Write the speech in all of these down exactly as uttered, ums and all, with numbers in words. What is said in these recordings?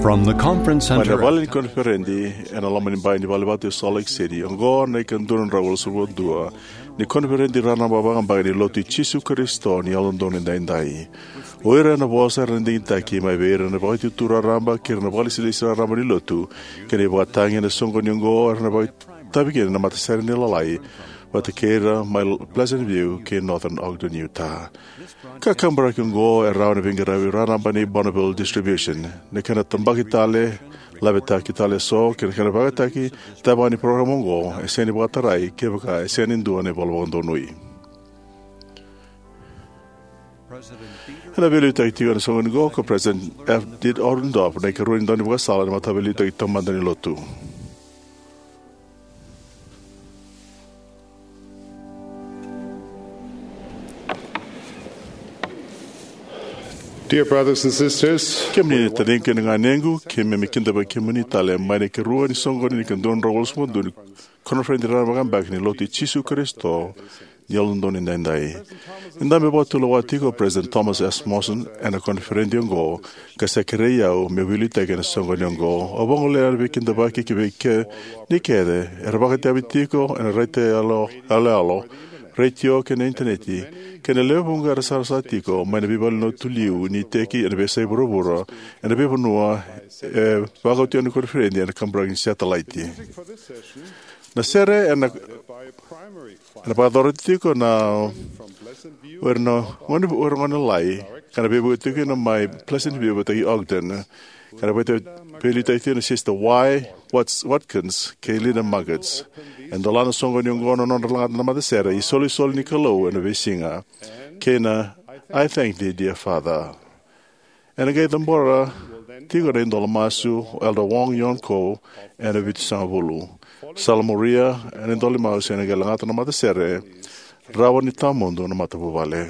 From the conference center, mai na vale ni koniferedi ena loma ni bai ni valevatu e Salt Lake City, oqo na ikadua na drau walusagavulu ka dua ni koniferedi raraba vakabaki ni Lotu i Jisu Karisito ni Yalododonu Edaidai. O ira ena vosa era na digitaki mai vei ira na vakaitutu raraba kei ira na vakalesilesi raraba ni Lotu kei na ivakatagi ena soqoni oqo era na vakaitavi kina na matasere ni Lalai vata kei ira mai Pleasant View kei Northern Ogden, Utah. Ka kaburaki oqo e rawa na veiqaravi raraba nei Bonneville Distribution. Na kena tabaki tale, lavetaki tale eso kei na kena vakayagataki tavaya ni parokaramu oqo e sega ni vakatarai kevaka e sega ni dua na ivola vakadonui. Ena veiliutaki tiko ena soqoni oqo ko President F. Dieter Uchtdorf, na ikarua ni daunivakasala ni Mataveiliutaki Taumada ni Lotu. Dear brothers and sisters, kemuni na taciqu kei na ganequ, keimami kidavaki kemuni tale mai na ikarua ni soqoni ni ikadua na drau walusagavulu ka dua ni koniferedi raraba vakabaki ni Lotu i Jisu Karisito ni Yalododonu Edaidai. Ni da mai vakatulewa tiko o President Thomas S. Monson ena koniferedi oqo, ka sa kerei au meu veiliutaki ena soqoni oqo. Au vagolea na veikidavaki ki vei kemuni kece era vakaitavi tiko ena raica yaloyalo, retio kei na initaneti, kei na lewe vuqa era sarasara tiko mai na veivalenilotu liu ni iteki ena veiyasai vuravura, ena veivanua e vakau tiko na koniferedi ena kaburaki ni setalaiti. Na sere ena, ena vakayacora tiko na o ira na gone, o ira gone lalai, ka na veivuke tiko kina mai Pleasant View vata kei Ogden, ka na vakaitavi, veiliutaki tiko na Sister Y. Watts-, Watkins kei Linda Muggets. E dola na soqoni oqo na nodra lagata na matasere iSolisoli ni Kalou ena veisiga kei na I Thank Thee, Dear Father. Ena qai cabora tiko na idola masu o Elder Wong Yeon Ko ena vitusagavulu. Salamuria ena idola masu ena qai lagata na matasere Rawa ni Tawamudu na Matavuvale.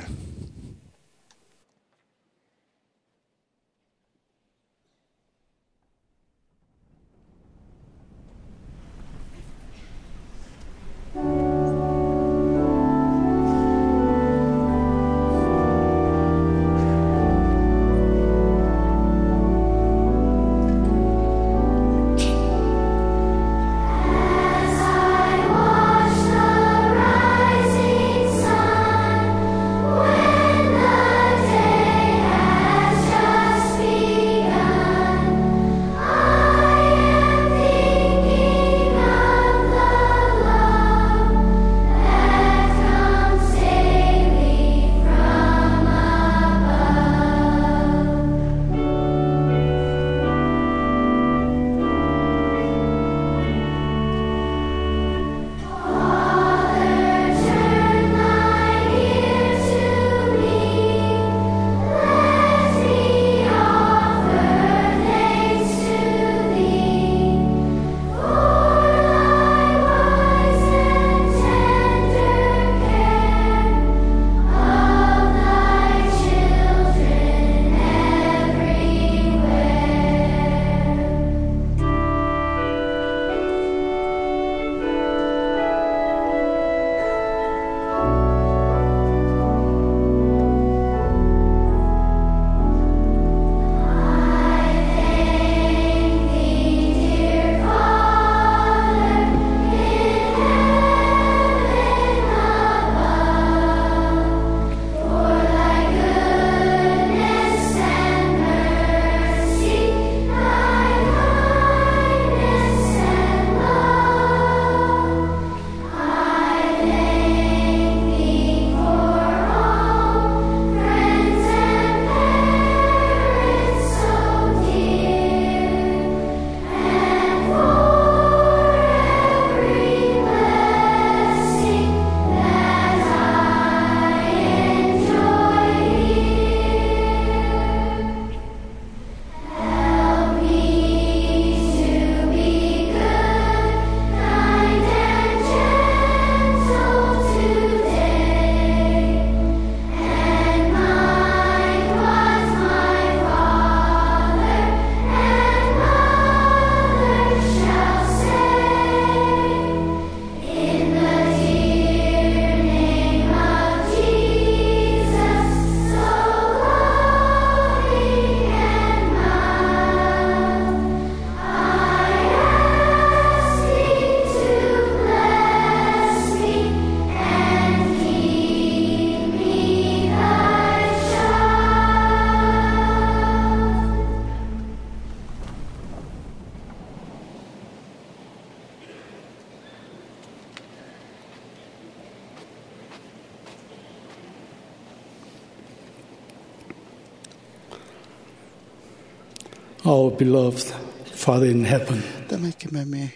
Our beloved Father in heaven, Tamai keimami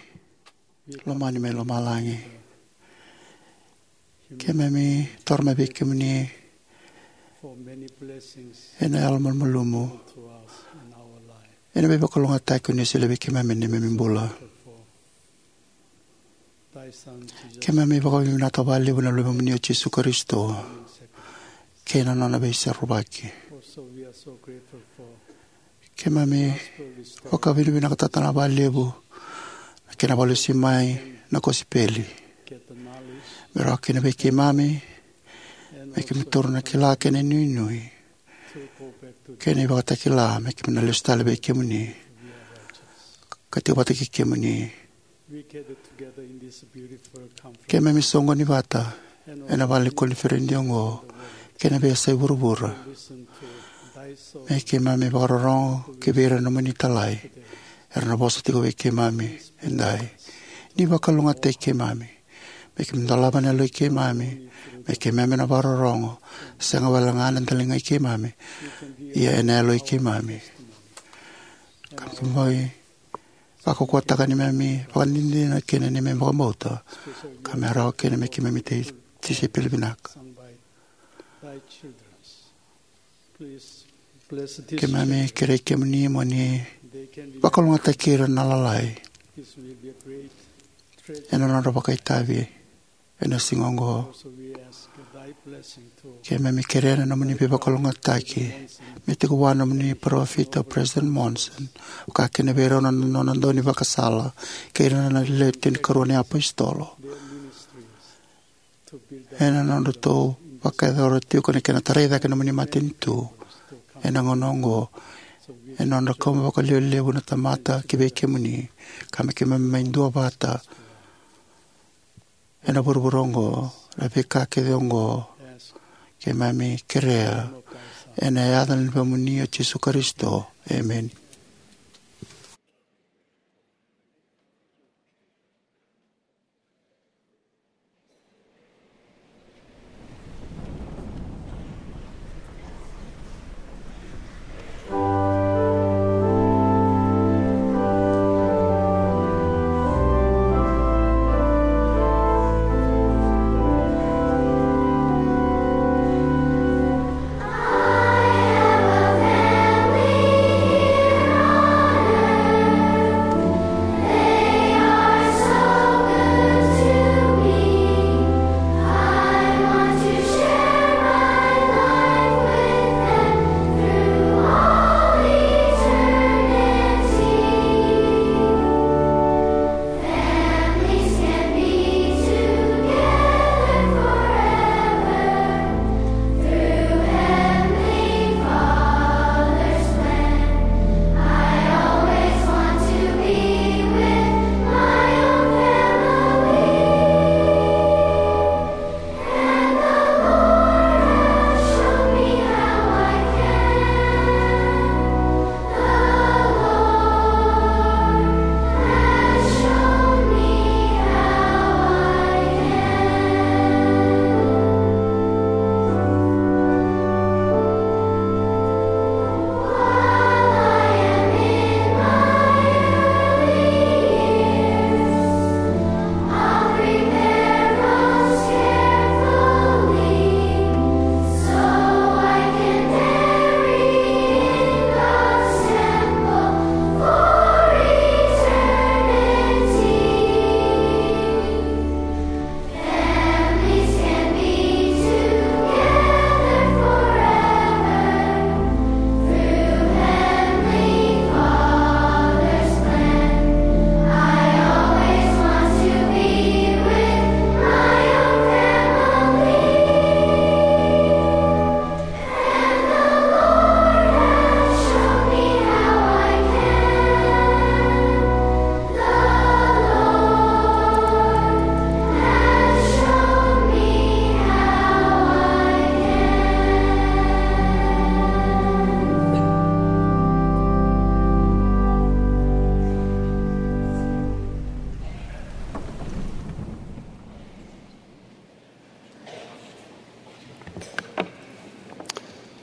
lomani mai lomalagi, keimami toro mai vei kemuni for many blessings ena yalo malumalumu, to us in our life. Ena veivakalougatataki o ni solia vei keimami ena neimami bula. Thy Son, Jesus. Keimami vakavinavinaka vakalevu na Luvemuni o Jisu Karisito kei na nona veisorovaki. Also, we are so grateful for Keimami vakavinavinakataka vakalevu na kena vakalesui mai na kosipeli, get the knowledge, me rawa kina vei keimami me keimami taura na kila kei na inuinui kei na ivakatakila me keimami na lesu tale vei kemuni ka tiko vata kei kemuni. We gather together in this beautiful conference. Keimami soqoni vata ena vale ni koniferedi oqo kei na veiyasai vuravura, listen to thy soul, me keimami vakarorogo ki vei ira na nomuni italai era na vosa tiko vei keimami edai. Ni vakalougatataki keimami, me keimami dolava na yaloi keimami, me keimami na vakarorogo sega walega ena daligai keimami, ia ena yaloi keimami. Ka me keimami vakaukauwataka neimami vakadinadina kei na neimami vakabauta, ka me rawa kina me keimami tei tisaipeli vinaka. Keimami kerei kemuni mo ni vakalougatataki ira na lalai ena nodra vakaitavi ena siga oqo. Keimami kerea na nomuni veivakalougatataki me tiko vua na nomuni parofita o President Monson, vaka kina vei rau na nona daunivakasala kei ira na lewe tinikarua na iapositolo ena nodratou vakayacora tiko na kena tarai cake na nomuni matanitu ena gauna oqo, ena nodra kauma vakalevulevu na tamata ki vei kemuni, ka me keimami mai duavata ena vuravura oqo, na veika kece oqo keimami kerea ena yaca ni Luvemuni o Jisu Karisito. Emeni.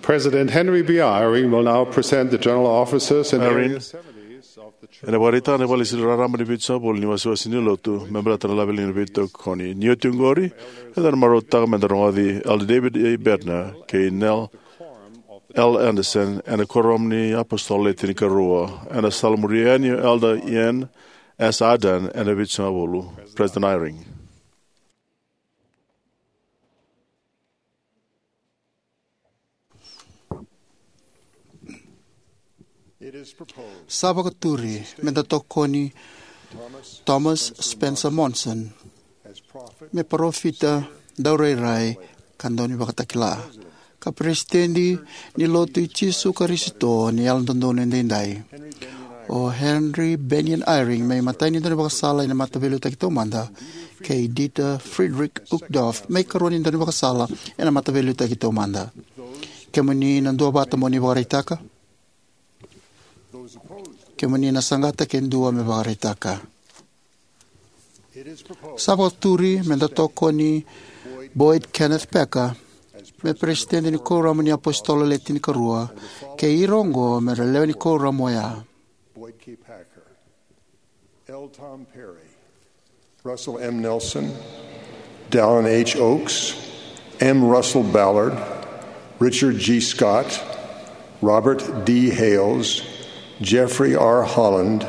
President Henry B. Eyring will now present the general officers and Eyring. Area seventies of the church. Ena vakaraitaka na vale ni rarama ni Vitusagavulu ni wasewase ni lotu me baleta na laveliga ni veitokoni. Ni oti oqori, eda na marautaka me da rogoci Elder David A. Bednar kei Neil L. Andersen ena Kuoramu ni iApositolo Le Tinikarua, ena sala muri yani o Elder Ian S. Ardern ena Vitusagavulu. President Eyring. Sa vakaturi me da tokoni Thomas Spencer Monson me parofita, daurairai, ka daunivakatakila, ka Peresitedi ni Lotu i Jisu Karisito ni Yalododonu Edaidai. O Henry Bennion Eyring me imatai ni daunivakasala ena Mataveiliutaki Taumada, kei Dieter Friedrich Uchtdorf me ikarua ni daunivakasala ena Mataveiliutaki Taumada. Kemuni na duavata mo ni vakaraitaka. Kemuni na saqata ke dua me vakaraitaka. Sa vakaturi me da tokoni Boyd Kenneth Packer me Peresitedi ni Kuoramu ni iApositolo Le Tinikarua, kei ira oqo me ra lewe ni kuoramu oya: Boyd K. Packer, L. Tom Perry, Russell M. Nelson, Dallin H. Oaks, M. Russell Ballard, Richard G. Scott, Robert D. Hales, Jeffrey R. Holland,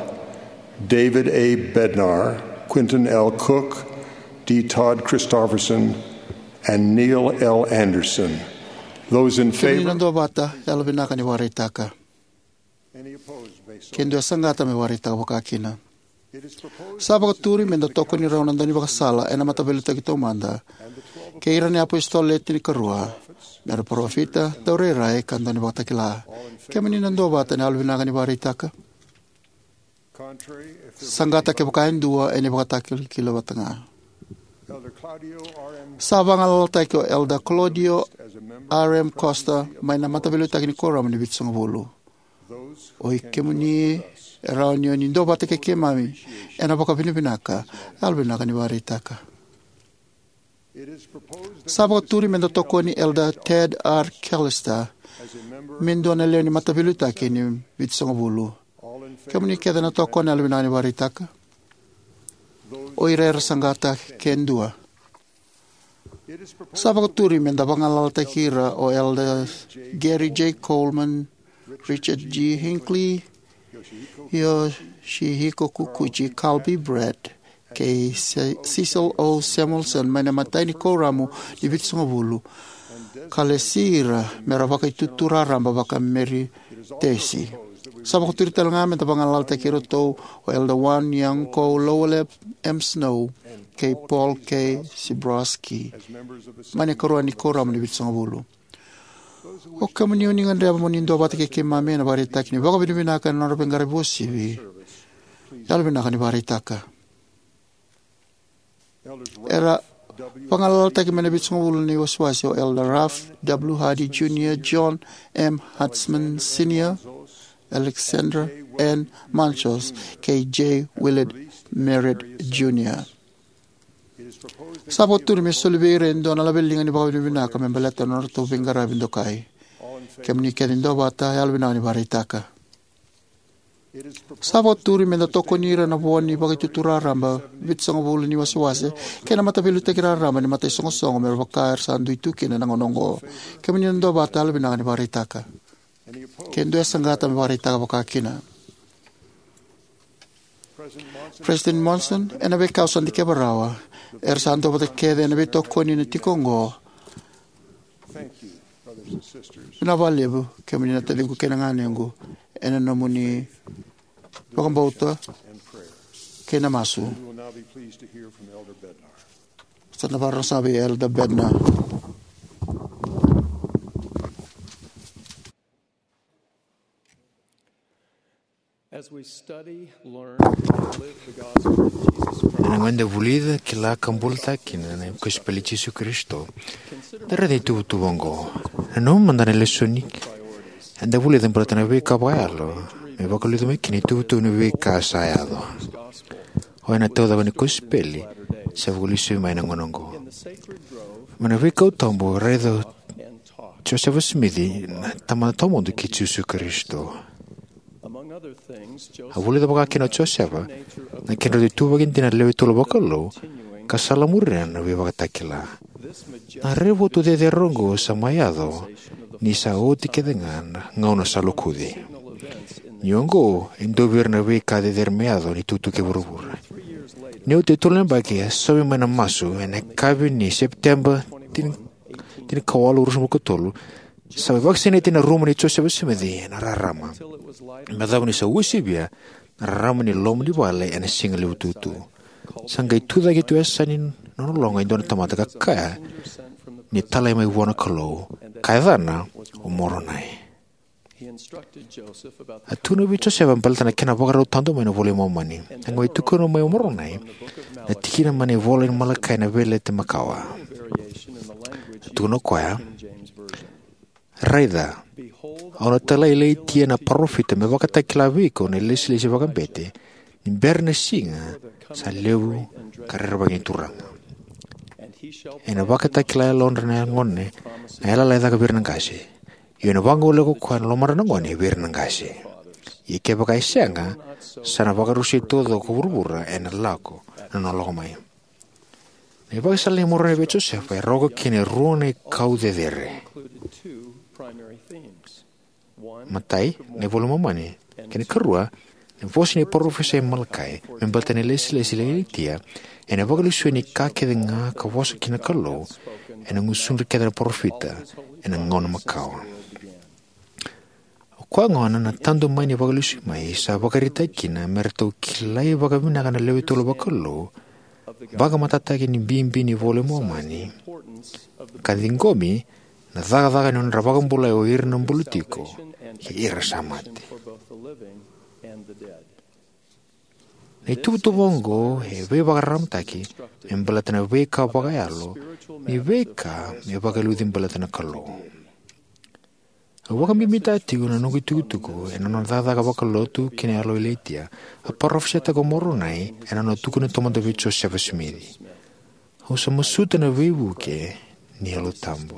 David A. Bednar, Quentin L. Cook, D. Todd Christofferson, and Neil L. Andersen. Those in favor? Kemuni na duavata, yalovinaka ni vakaraitaka. Ke dua e saqata me vakaraitaka vakakina. Sa vakaturi me da tokoni rau na daunivakasala ena Mataveiliutaki Taumada, kei ira na iApositolo Le Tinikarua, me ra parofita, daurairai, ka daunivakatakila. Kemuni na duavata, na yalovinaka ni vakaraitaka. Saqata kevaka e dua, ena ivakatakilakila vata ga. Sa vagalalataki o Elder Claudio R. M. Costa mai na Mataveiliutaki ni Kuoramu ni Vitusagavulu. Oi kemuni e rawa ni o ni duavata kei keimami ena vakavinavinaka, yalovinaka ni vakaraitaka. Sa vakaturi me da tokoni Elder Ted R. Callister me dua na lewe ni Mataveiliutaki ni Vitusagavulu. Kemuni kece na tokona, yalovinaka ni vakaraitaka. O ira era saqata ke dua. Sa vakaturi me da vagalalataki ira o Elder Gary J. Coleman, Richard G. Hinckley, Yoshihiko Kikuchi, Carl B. Brett, kei Ce-, Cecil O. Samuelson mai na imatai ni Kuoramu ni Vitusagavulu, ka lesi ira me ra Vakaitutu Raraba vakaemeritesi. Sa vakaturi tale ga me da vagalalataki iratou o Elder Won Young Ko, Lowell M. Snow, kei Paul K. Sybrowsky mai na ikarua ni Kuoramu ni Vitusagavulu. O kemuni o ni gadreva mo ni duavata kei keimami ena vakaraitaki ni vakavinavinaka ena nodra veiqaravi uasivi, yalovinaka ni vakaraitaka. Era vagalalataki mai na Vitusagavulu ni wasewase o Elder Ralph W. Hardy Junior, John M. Hartzman Senior, Alexander N. Munchos, kei J. Willard Merritt Junior. Sa vakaturi me soli vei ira e dua na laveliga ni vakavinavinaka me baleta na nodratou veiqaravi dokai. Kemuni kece ni duavata, yalovinaka ni vakaraitaka. Sa vakaturi me da tokoni ira na vo ni Vakaitutu Raraba Vitusagavulu ni wasewase kei na Mataveiliutaki Raraba ni Mataisoqosoqo, me vaka era sa dui tu kina ena gauna oqo. Kemuni na duavata, yalovinaka ni vakaraitaka. Ke dua e saqata me vakaraitaka vakakina. President Monson, ena veika au sa dikeva rawa, era sa duavata kece ena veitokoni ena tiko oqo. Vinaka vakalevu, kemuni na taciqu kei na ganequ, ena nomuni vakabauta kei na masu. Sa na vakarorogo sara vei Elder Bednar. As we study, learn, and live the gospel of Jesus Christ, ena gauna eda vulica, kila ka bulataka kina na kosipeli i Jisu Karisito, da raica na ituvatuva oqo. Nanuma mada na lesoni eda vulica baleta na veika vakayalo me vakaliuca mai kina na ituvatuva ni veika sa yaco. Oya na taucoko ni kosipeli sa vakalesuya mai na gauna oqo. Mai na veikau tabu, raica Josefa Simici na Tamada Tawamudu kei Jisu Karisito. A vulica vakakina o Josefa na kedrau ituvaki dina na lewe tolu vakalou ka salamuria na veivakatakila. Na raivotu cecere oqo sa mai yaco ni sa oti kece ga na gauna sa lokuci. Ni oqo e dua vei ira na veika cecere me yaco ni tukutuku e vuravura. Ni oti e tolu na yabaki, a saumi mai na masu ena yakavi ni Sepiteba tini, tinikawalu, ruasagavulukatolu, sa mai vakasinaiti ena rumu nei Josefa Simici ena rarama. Me yacova ni sa uasivia na rarama ni loma ni vale ena siga levu tutu. Sa qai tucake tu e yasana ni nona loga e dua na tamata ka kaya ni talai mai vua na Kalou, ka yacana o Moronai. A tukuna vei Josefa baleta na kena vakarau tadu mai na iVola i Momani. A qai mai tukuna mai o Moronai na tikina mai na ivola ni Malakai ena Veiyalayalati Makawa. A tukuna o koya, "Raica, au na talai Ilaitia na parofita me vakatakila vei iko na ilesilesi vakabete, ni bera na siga sa levu ka rerevaki na Turaga. Ena vakatakila e yalodra na gone na yalayala e caka vei ira na qase. Io, ena vagolea ko koya na lomadra na gone vei ira na qase. Ia kevaka e sega, sa na vakarusai taucoko ko vuravura ena lako na nona lako mai." Na ivakasala nei Moronai vei Josefa e rawa kina e rua na ikau cecere. Matai, na iVola i Momani, kei na karua, na vosa ni parofisai Malakai me baleta na ilesilesi i Ilaitia, ena vakalesui ni ka kece ga ka vosa kina na Kalou ena gusudra kece na parofita ena gauna makawa. O koya gona na tadu mai ni vakalesui mai sa vakaraitaki kina me ratou kilai vakavinaka na lewe tolu vakalou, vakamatatataki ni bibi ni iVola i Momani, ka ciqomi na cakacaka ni nodra vakabulai o ira na bula tiko kei ira sa mate. Na ituvatuva oqo e veivakararamataki me baleta na veika vakayalo ni veika me vakaliuci baleta na Kalou. Au vakabibitaka tiko na noqu itukutuku ena nona cakacaka vakalotu kei na yalo o Ilaitia, a parofisaitaka o Moronai ena nona tukuna taumada vei Josefa Simici. Au sa masuta na veivuke ni Yalo Tabu.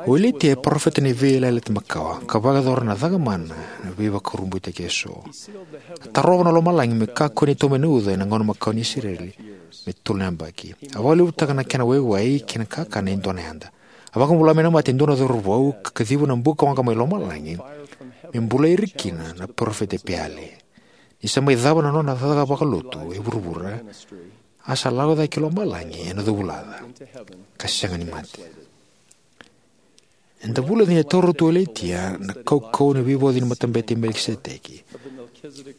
O Ilaitia e parofita ni Veiyalayalati Makawa ka vakayacora na cakamana na veivakurabuitaki eso. A tarova na lomalagi me kakua ni tomani na uca ena gauna makawa ni Isireli me tolu na yabaki. A vakalevutaka na kena waiwai kei na kakana e dua na yada. A vakabula mai na mate e dua na cauravou ka kaciva na bukawaqa mai lomalagi me bulai ira kina na parofita e Peali. Ni sa mai cava na nona cakacaka vakalotu e vuravura, a sa lako cake ki lomalagi ena covulaca ka sega ni mate. Eda vulica ni a taura tu o Ilaitia na kaukauwa ni veivauci ni matabete i Melikiseteki,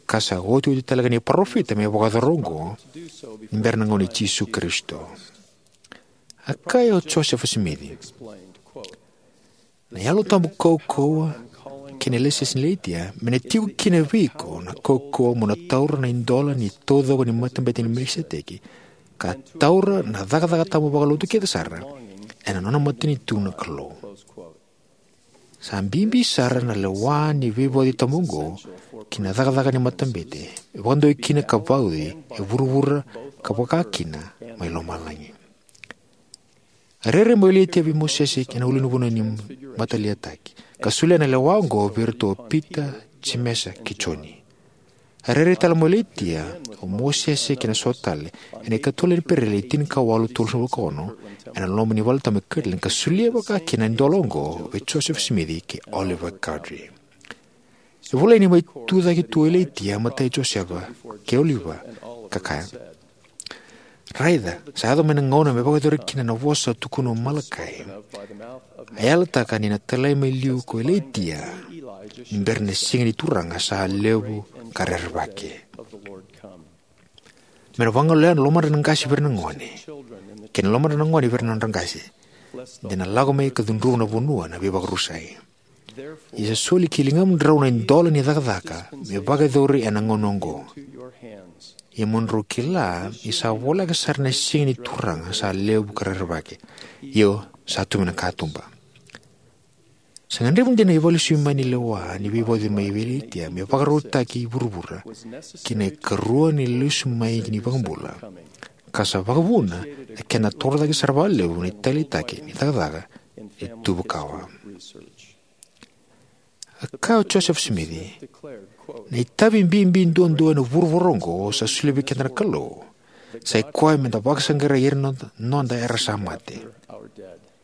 ka sa otioti tale ga ni parofita me vakayacora oqo ni bera na gauna i Jisu Karisito. A kaya o Josefa Simici, "Na Yalo Tabu kaukauwa kei na ilesilesi i Ilaitia me na tiko kina vei iko na kaukauwa mo na taura na idola ni taucoko ni matabete i Melikiseteki, ka taura na cakacaka tabu vakalotu kece sara ena nona matanitu na Kalou." Sa bibi sara na lewa ni veivauci tabu oqo ki na cakacaka ni matabete, e vakadua kina ka vauci e vuravura ka vaka kina mai lomalagi. A rairai mai o Ilaitia vei Mosese ena ulunivanua ni mataliataki, ka solia na lewa oqo vei iratou o Pita, Jemesa kei Joni. A rairai tale mai o Ilaitia, o Mosese kei na so tale ena ikatolu ni Iperieli tinikawalu tolusagavulu ka ono, ena loma ni valetabu e Kirtland, ka solia vaka kina na idola oqo vei Josefa Simici kei Oliver Cowdery. E volai ni mai tucake tu o Ilaitia, matai Josefa kei Oliver, ka kaya, "Raica, sa yaco mai na gauna me vakayacori kina na vosa a tukuna o Malakai. A yalataka ni na talai mai liu ko Ilaitia ni bera na siga ni Turaga sa levu ka rerevaki. Me na vagolea na lomadra na qase vei ira na gone, kei na lomadra na gone vei ira na nodra qase, de na lako mai ka cudruva na vanua na veivakarusai. Ia sa soli ki ligamudrau na idola ni cakacaka me vakayacori ena gauna oqo. Ia mo drau kila ni sa voleka sara na siga ni Turaga sa levu ka rerevaki, io sa tu mai na katuba." Sa gadrevi dina na ivakalesui mai ni lewa ni veivauci mai vei Ilaitia me vakarautaki e vuravura ki na ikarua ni lesu mai ni iVakabula, ka sa vakavuna na kena torocake sara vakalevu na italitaki ni cakacaka ni tubukawa. A kaya o Josefa Simici, na itavi bibi duadua ena vuravura oqo sa solia vei keda na Kalou, sa i koya meda vakasaqarai ira na noda, noda era sa mate.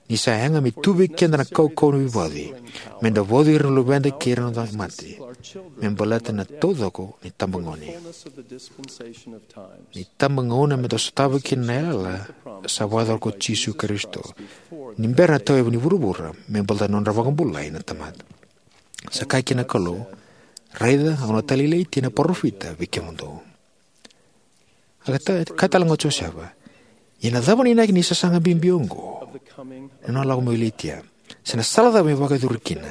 Ni sa yaga me tu vei keda na kaukauwa ni veivauci, meda vauci ira na luveda kei ira na noda mate, me baleta na taucoko ni tabagone. Ni tabagauna meda sotava kina na yalayala sa vakayacora ko Jisu Karisito, ni bera na tauyavu ni vuravura, me baleta na nodra vakabulai na tamata. Sa kaya kina na Kalou, raica, au na talailai Ilaitia na parofita vei kemudou. A kaya tale ga o Josefa, ia na cava na inaki ni sasaga bibi oqo, na nona lako mai o Ilaitia? Se na sala cava me vakayacori kina?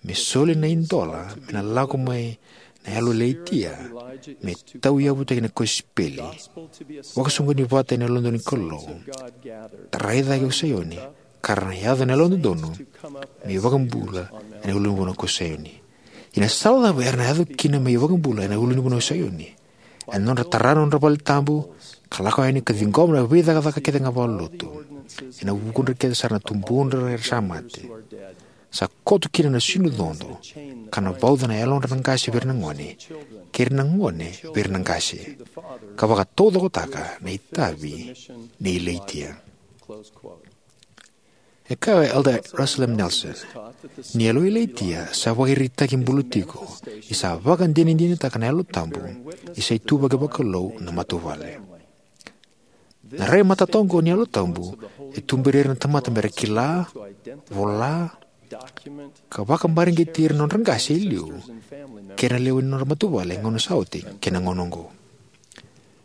Me soli na idola me na lako mai na yalo i Ilaitia, me tauyavutaki na kosipeli, vakasoqoni vata ena yalododonu ni Kalou, tarai cake o Saioni, ka ra na yaco na yalododonu me iVakabula ena ulunivanua ko Saioni. Ia na sala cava era na yaco kina me iVakabula ena ulunivanua o Saioni? Ena nodra tara na nodra vale tabu, ka lako yani ka ciqoma na veicakacaka kece ga vakalotu, ena vukudra kece sara na tubudra era sa mate. Sa koto kina na sinu codo, ka na vauca na yalodra na qase vei ira na gone, kei ira na gone vei ira na qase, ka vakataucokotaka na itavi nei Ilaitia. E kaya o Elder Russell M. Nelson, ni yalo i Ilaitia sa vakaraitaki bula tiko, ni sa vakadinadinataka na Yalo Tabu, ni sa ituvaki vakalou na matavuvale. Na rai matata oqo ni Yalo Tabu e tuberi ira na tamata mera kila, vola, ka vakamareqeti ira na nodra qase e liu kei na lewe ni nodra matavuvale ena gauna sa oti kei na gauna oqo.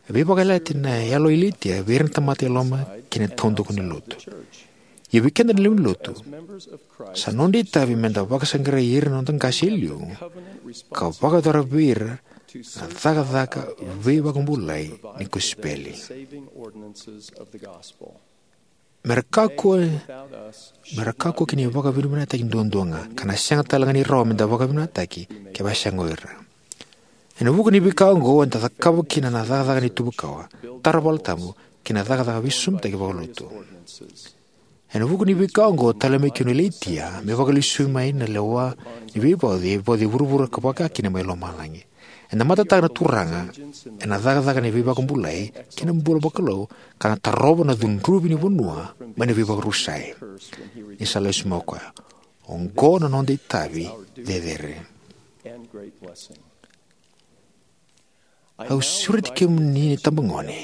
E veivakayalayalati na yalo i Ilaitia vei ira na tamata e loma kei na taudaku ni lotu. Ia vei keda na lewe ni lotu, sa noda itavi meda vakasaqarai ira na noda qase e liu, ka vakayacora vei ira na cakacaka veivakabulai ni kosipeli. Mera kakua, mera kakua kina ni vakavinavinakataki duadua ga, ka na sega tale ga ni rawa meda vakavinavinakataki kevaka e sega o ira. Ena vuku ni veika oqo eda cakava kina na cakacaka ni tubukawa, tara valetabu, kei na cakacaka veisosomitaki vakalotu. Ena vuku ni veika oqo tale mai kina o Ilaitia me vakalesui mai na lewa ni veivauci e vauci e vuravura ka vaka kina mai lomalagi. Ena matataka na Turaga ena cakacaka ni veivakabulai kei na bula vakalou, ka na tarova na cudruvi ni vanua mai na veivakarusai. Ni sa lesu mai o koya, oqo na noda itavi cecere. Au sureti kemuni na itabagone,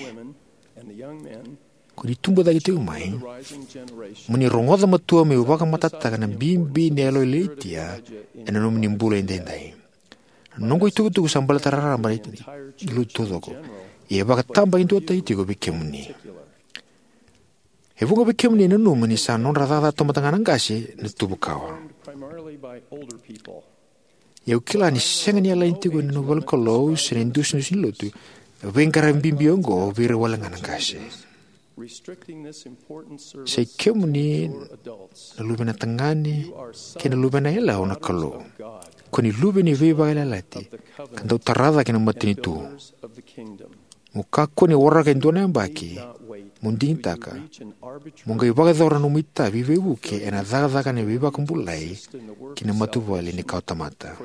ko ni tubu cake tiko mai, mo ni rogoca matua meu vakamatatataka na bibi ni yalo i Ilaitia ena nomuni bula edaidai. Na noqu itukutuku sa baleta raraba ni lotu taucoko, ia e vakatabakidua tiko vei kemuni. E vuqa vei kemuni e nanuma ni sa nodra cakacaka taumada ga na qase na tubukawa. Ia au kila ni sega ni yalani tiko ena nomu ivolanikalou se na idusidusi ni lotu na veiqaravi bibi oqo vei ira wale ga na qase. Sa i kemuni na luvena tagane kei na luvena yalewa na Kalou. Ko ni luve ni veivakayalayalati ka dau tara cake na matanitu. Mo kakua ni waraka e dua na yabaki mo digitaka mo qai vakayacora na nomu itavi veivuke ena cakacaka ni veivakabulai ki na matavuvale ni kawatamata.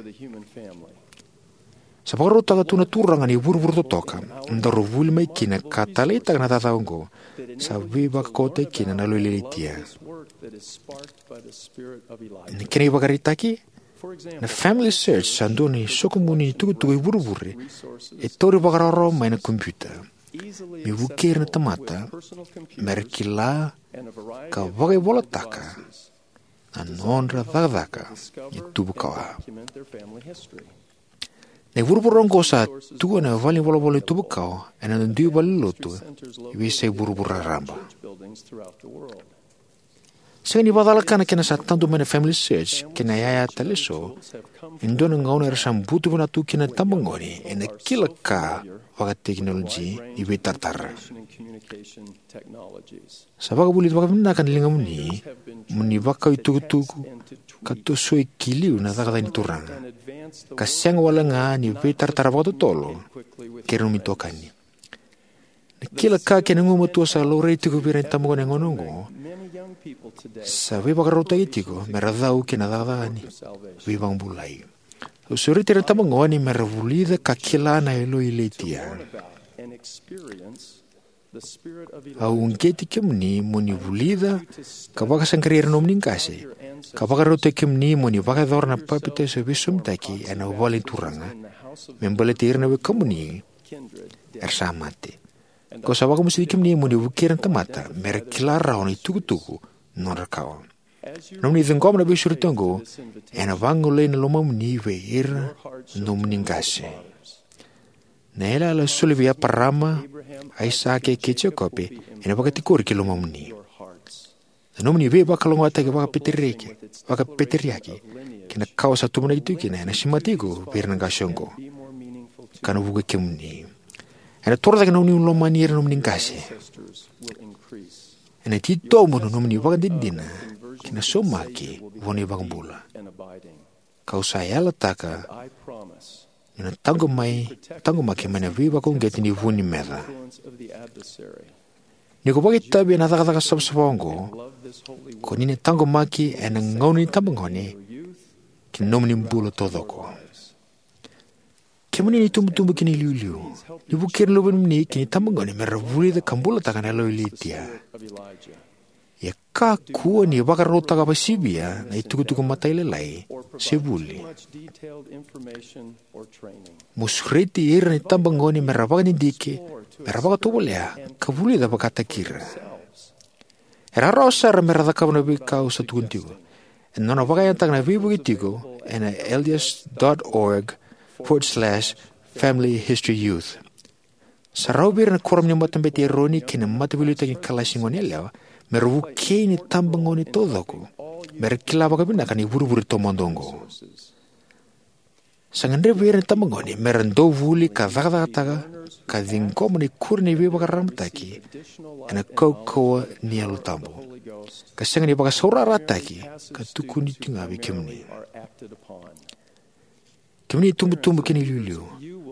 Sa vakarautaka tu na Turaga na ivurevure totoka, na daru vuli mai kina ka taleitaka na cakacaka oqo, sa veivakaukauwataki kina na yalo i Ilaitia. Na kena ivakaraitaki, na FamilySearch sa dua na isoqoni ni tukutuku e vurevure e tauri vakarawarawa mai na kompiuta me vukei ira na tamata mera kila ka vakaivolataka na nodra cakacaka ni tubukawa. Na ivurevure oqo sa tu ena valenivolavola ni tubukawa ena dui valenilotu e veiyasai vuravura raraba. Sega ni vakacalaka na kena sa tadu mai na FamilySearch kei na yaya tale eso, e dua na gauna era sa butu vinaka tu kina na itabagone ena kila ka vakatekinoloji ni veitaratara. Sa vakavulici vakavinaka na ligamuni mo ni vakau itukutuku ka tosoya ki liu na cakacaka ni Turaga, ka sega wale ga ni veitaratara vakatotolo kei ira na nomuni itokani. Na kila ka kei na gugumatua sa laurai tiko vei ira na itabagone ena gauna oqo sa veivakarautaki tiko me ra cau ki na cakacaka ni veivakabulai. Au sureti ira na itabagone me ra vulica ka kila na yaloi Laitia. Au uqeti kemuni mo ni vulica ka vakasaqarai ira na nomuni qase, ka vakarautaki kemuni mo ni vakayacora na papitaiso veisosomitaki ena vale ni Turaga me baleti ira na wekamuni era sa mate. Kau sa vakamasuti kemuni mo ni vukei ira na tamata me ra kila rawa na itukutuku ni nodra kawa. Na nomuni ciqoma na veisureti oqo ena vagolei na lomamuni vei ira na nomuni qase. Na yalayala a soli vei Eparama, Aisake, kei Jekope ena vakatikori ki lomamuni. Na nomuni veivakalougatataki vakapeteriaki, vakapeteriaki kei na kawa sa tuvanaki tiko kina ena semati iko vei ira na qase oqo, ka na vukei kemuni. Ena toro cake na nomuni lomani ira na nomuni qase. Ena titobu na nomuni ivakadinadina kei na saumaki vua na iVakabula. Kau sa yalataka niu na taqomaki mai na veivakauqeti ni vu ni meca. Ni ko vakaitavi ena cakacaka savasava oqo, ko ni na taqomaki ena gauna ni tabagone kei na nomuni bula taucoko. Kemuni na itubutubu kei na iliuliu, ni vukei ira na luvemuni kei na itabagone me ra vulica ka bulataka na yaloi Laitia. Ia kakua ni vakarautaka vakasivia na itukutuku matailalai se vuli. Mo sureti ira na itabagone me ra vakadidike, me ra vakatovolea ka vulica vakataki ira. E rawarawa sara me ra cakava na veika au sa tukuna tiko. Ena nona vakayagataka na veivuke tiko ena L D S dot org forward slash family history youth. Sa rawa vei ira na kuoramu ni Matabete i Eroni kei na Mataveiliutaki ni Kalasi ni Goneyalewa me ra vukei na itabagone taucoko me ra kila vakavinaka na ivurevure taumada oqo. Sa gadrevi ira na itabagone me ra dauvuli ka cakacakataka ka ciqoma na ikuri ni veivakararamataki ena kaukauwa ni Yalo Tabu, ka sega ni vakasaurarataki ka tukuni tiko ga vei kemuni. Kemuni na itubutubu kei na iliuliu,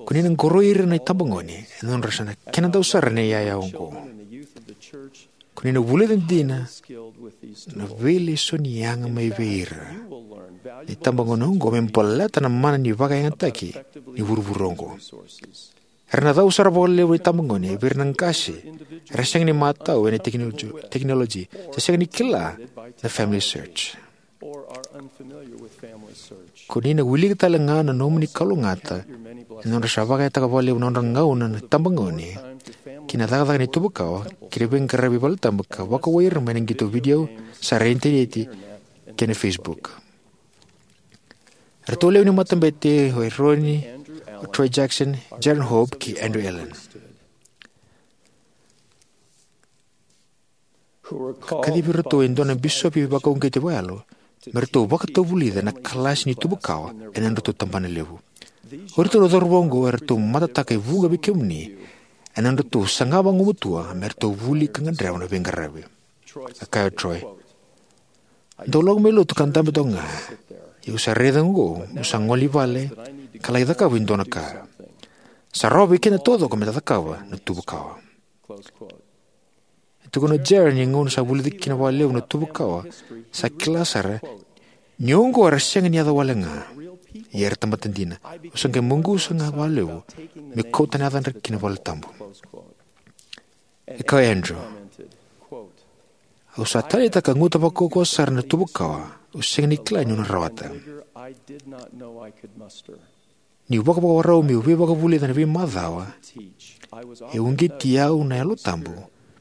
ko ni na qoroi ira na itabagone ena nodra sa na kena dau sara na iyaya oqo. Ko ni na vulica dina na veilesoni yaga mai vei ira na itabagone oqo me baleta na mana ni vakayagataki ni vurevure oqo. Era na cau sara vakalevu na itabagone vei ira na qase era sega ni matau ena tekinoloji, tekinoloji, se sega ni kila na Family Search. Ko ni na wilika tale ga na nomuni kalougata ena nodra sa vakayagataka vakalevu na nodra gauna na itabagone ki na cakacaka ni tuva kawa kei na veiqaravi valetabu ka vakauwai ira mai na qito vidio sara e initaneti kei na Facebook. Eratou lewe ni Matabete o Eroni, o Troy Jackson, Jaren Hope kei Andrew Allan. Ka kacivi iratou e dua na bisopi vakauqeti vakayalo me ratou vakatavulica na kalasi ni tuva kawa ena nodratou tabanalevu. O iratou na cauravou oqo eratou matataka e vuqa vei kemuni ena nodratou saga vagumatua me ratou vuli ka gadreva na veiqaravi. A kaya o Troy, "Dau lako mai lotu ka dabe toka ga. Ia au sa raica oqo meu sa gole i vale ka laki cakava e dua na ka. Sa rawa vei keda taucoko me da cakava na tuva kawa." E tukuna o Jaren ni gauna sa vulica kina vakalevu na tuva kawa, sa kila sara ni oqo era sega ni yaca wale ga, ia era tamata dina. Au sa qai maqusa ga vakalevu meu kauta na yacadra ki na valetabu. E kaya o Andrew, "Au sa taleitaka ka guta vakaukauwa sara na tuva kawa au sega ni kila niu na rawata. Niu vakavakarau meu veivakavulica ena veimacawa, e uqeti au na Yalo Tabu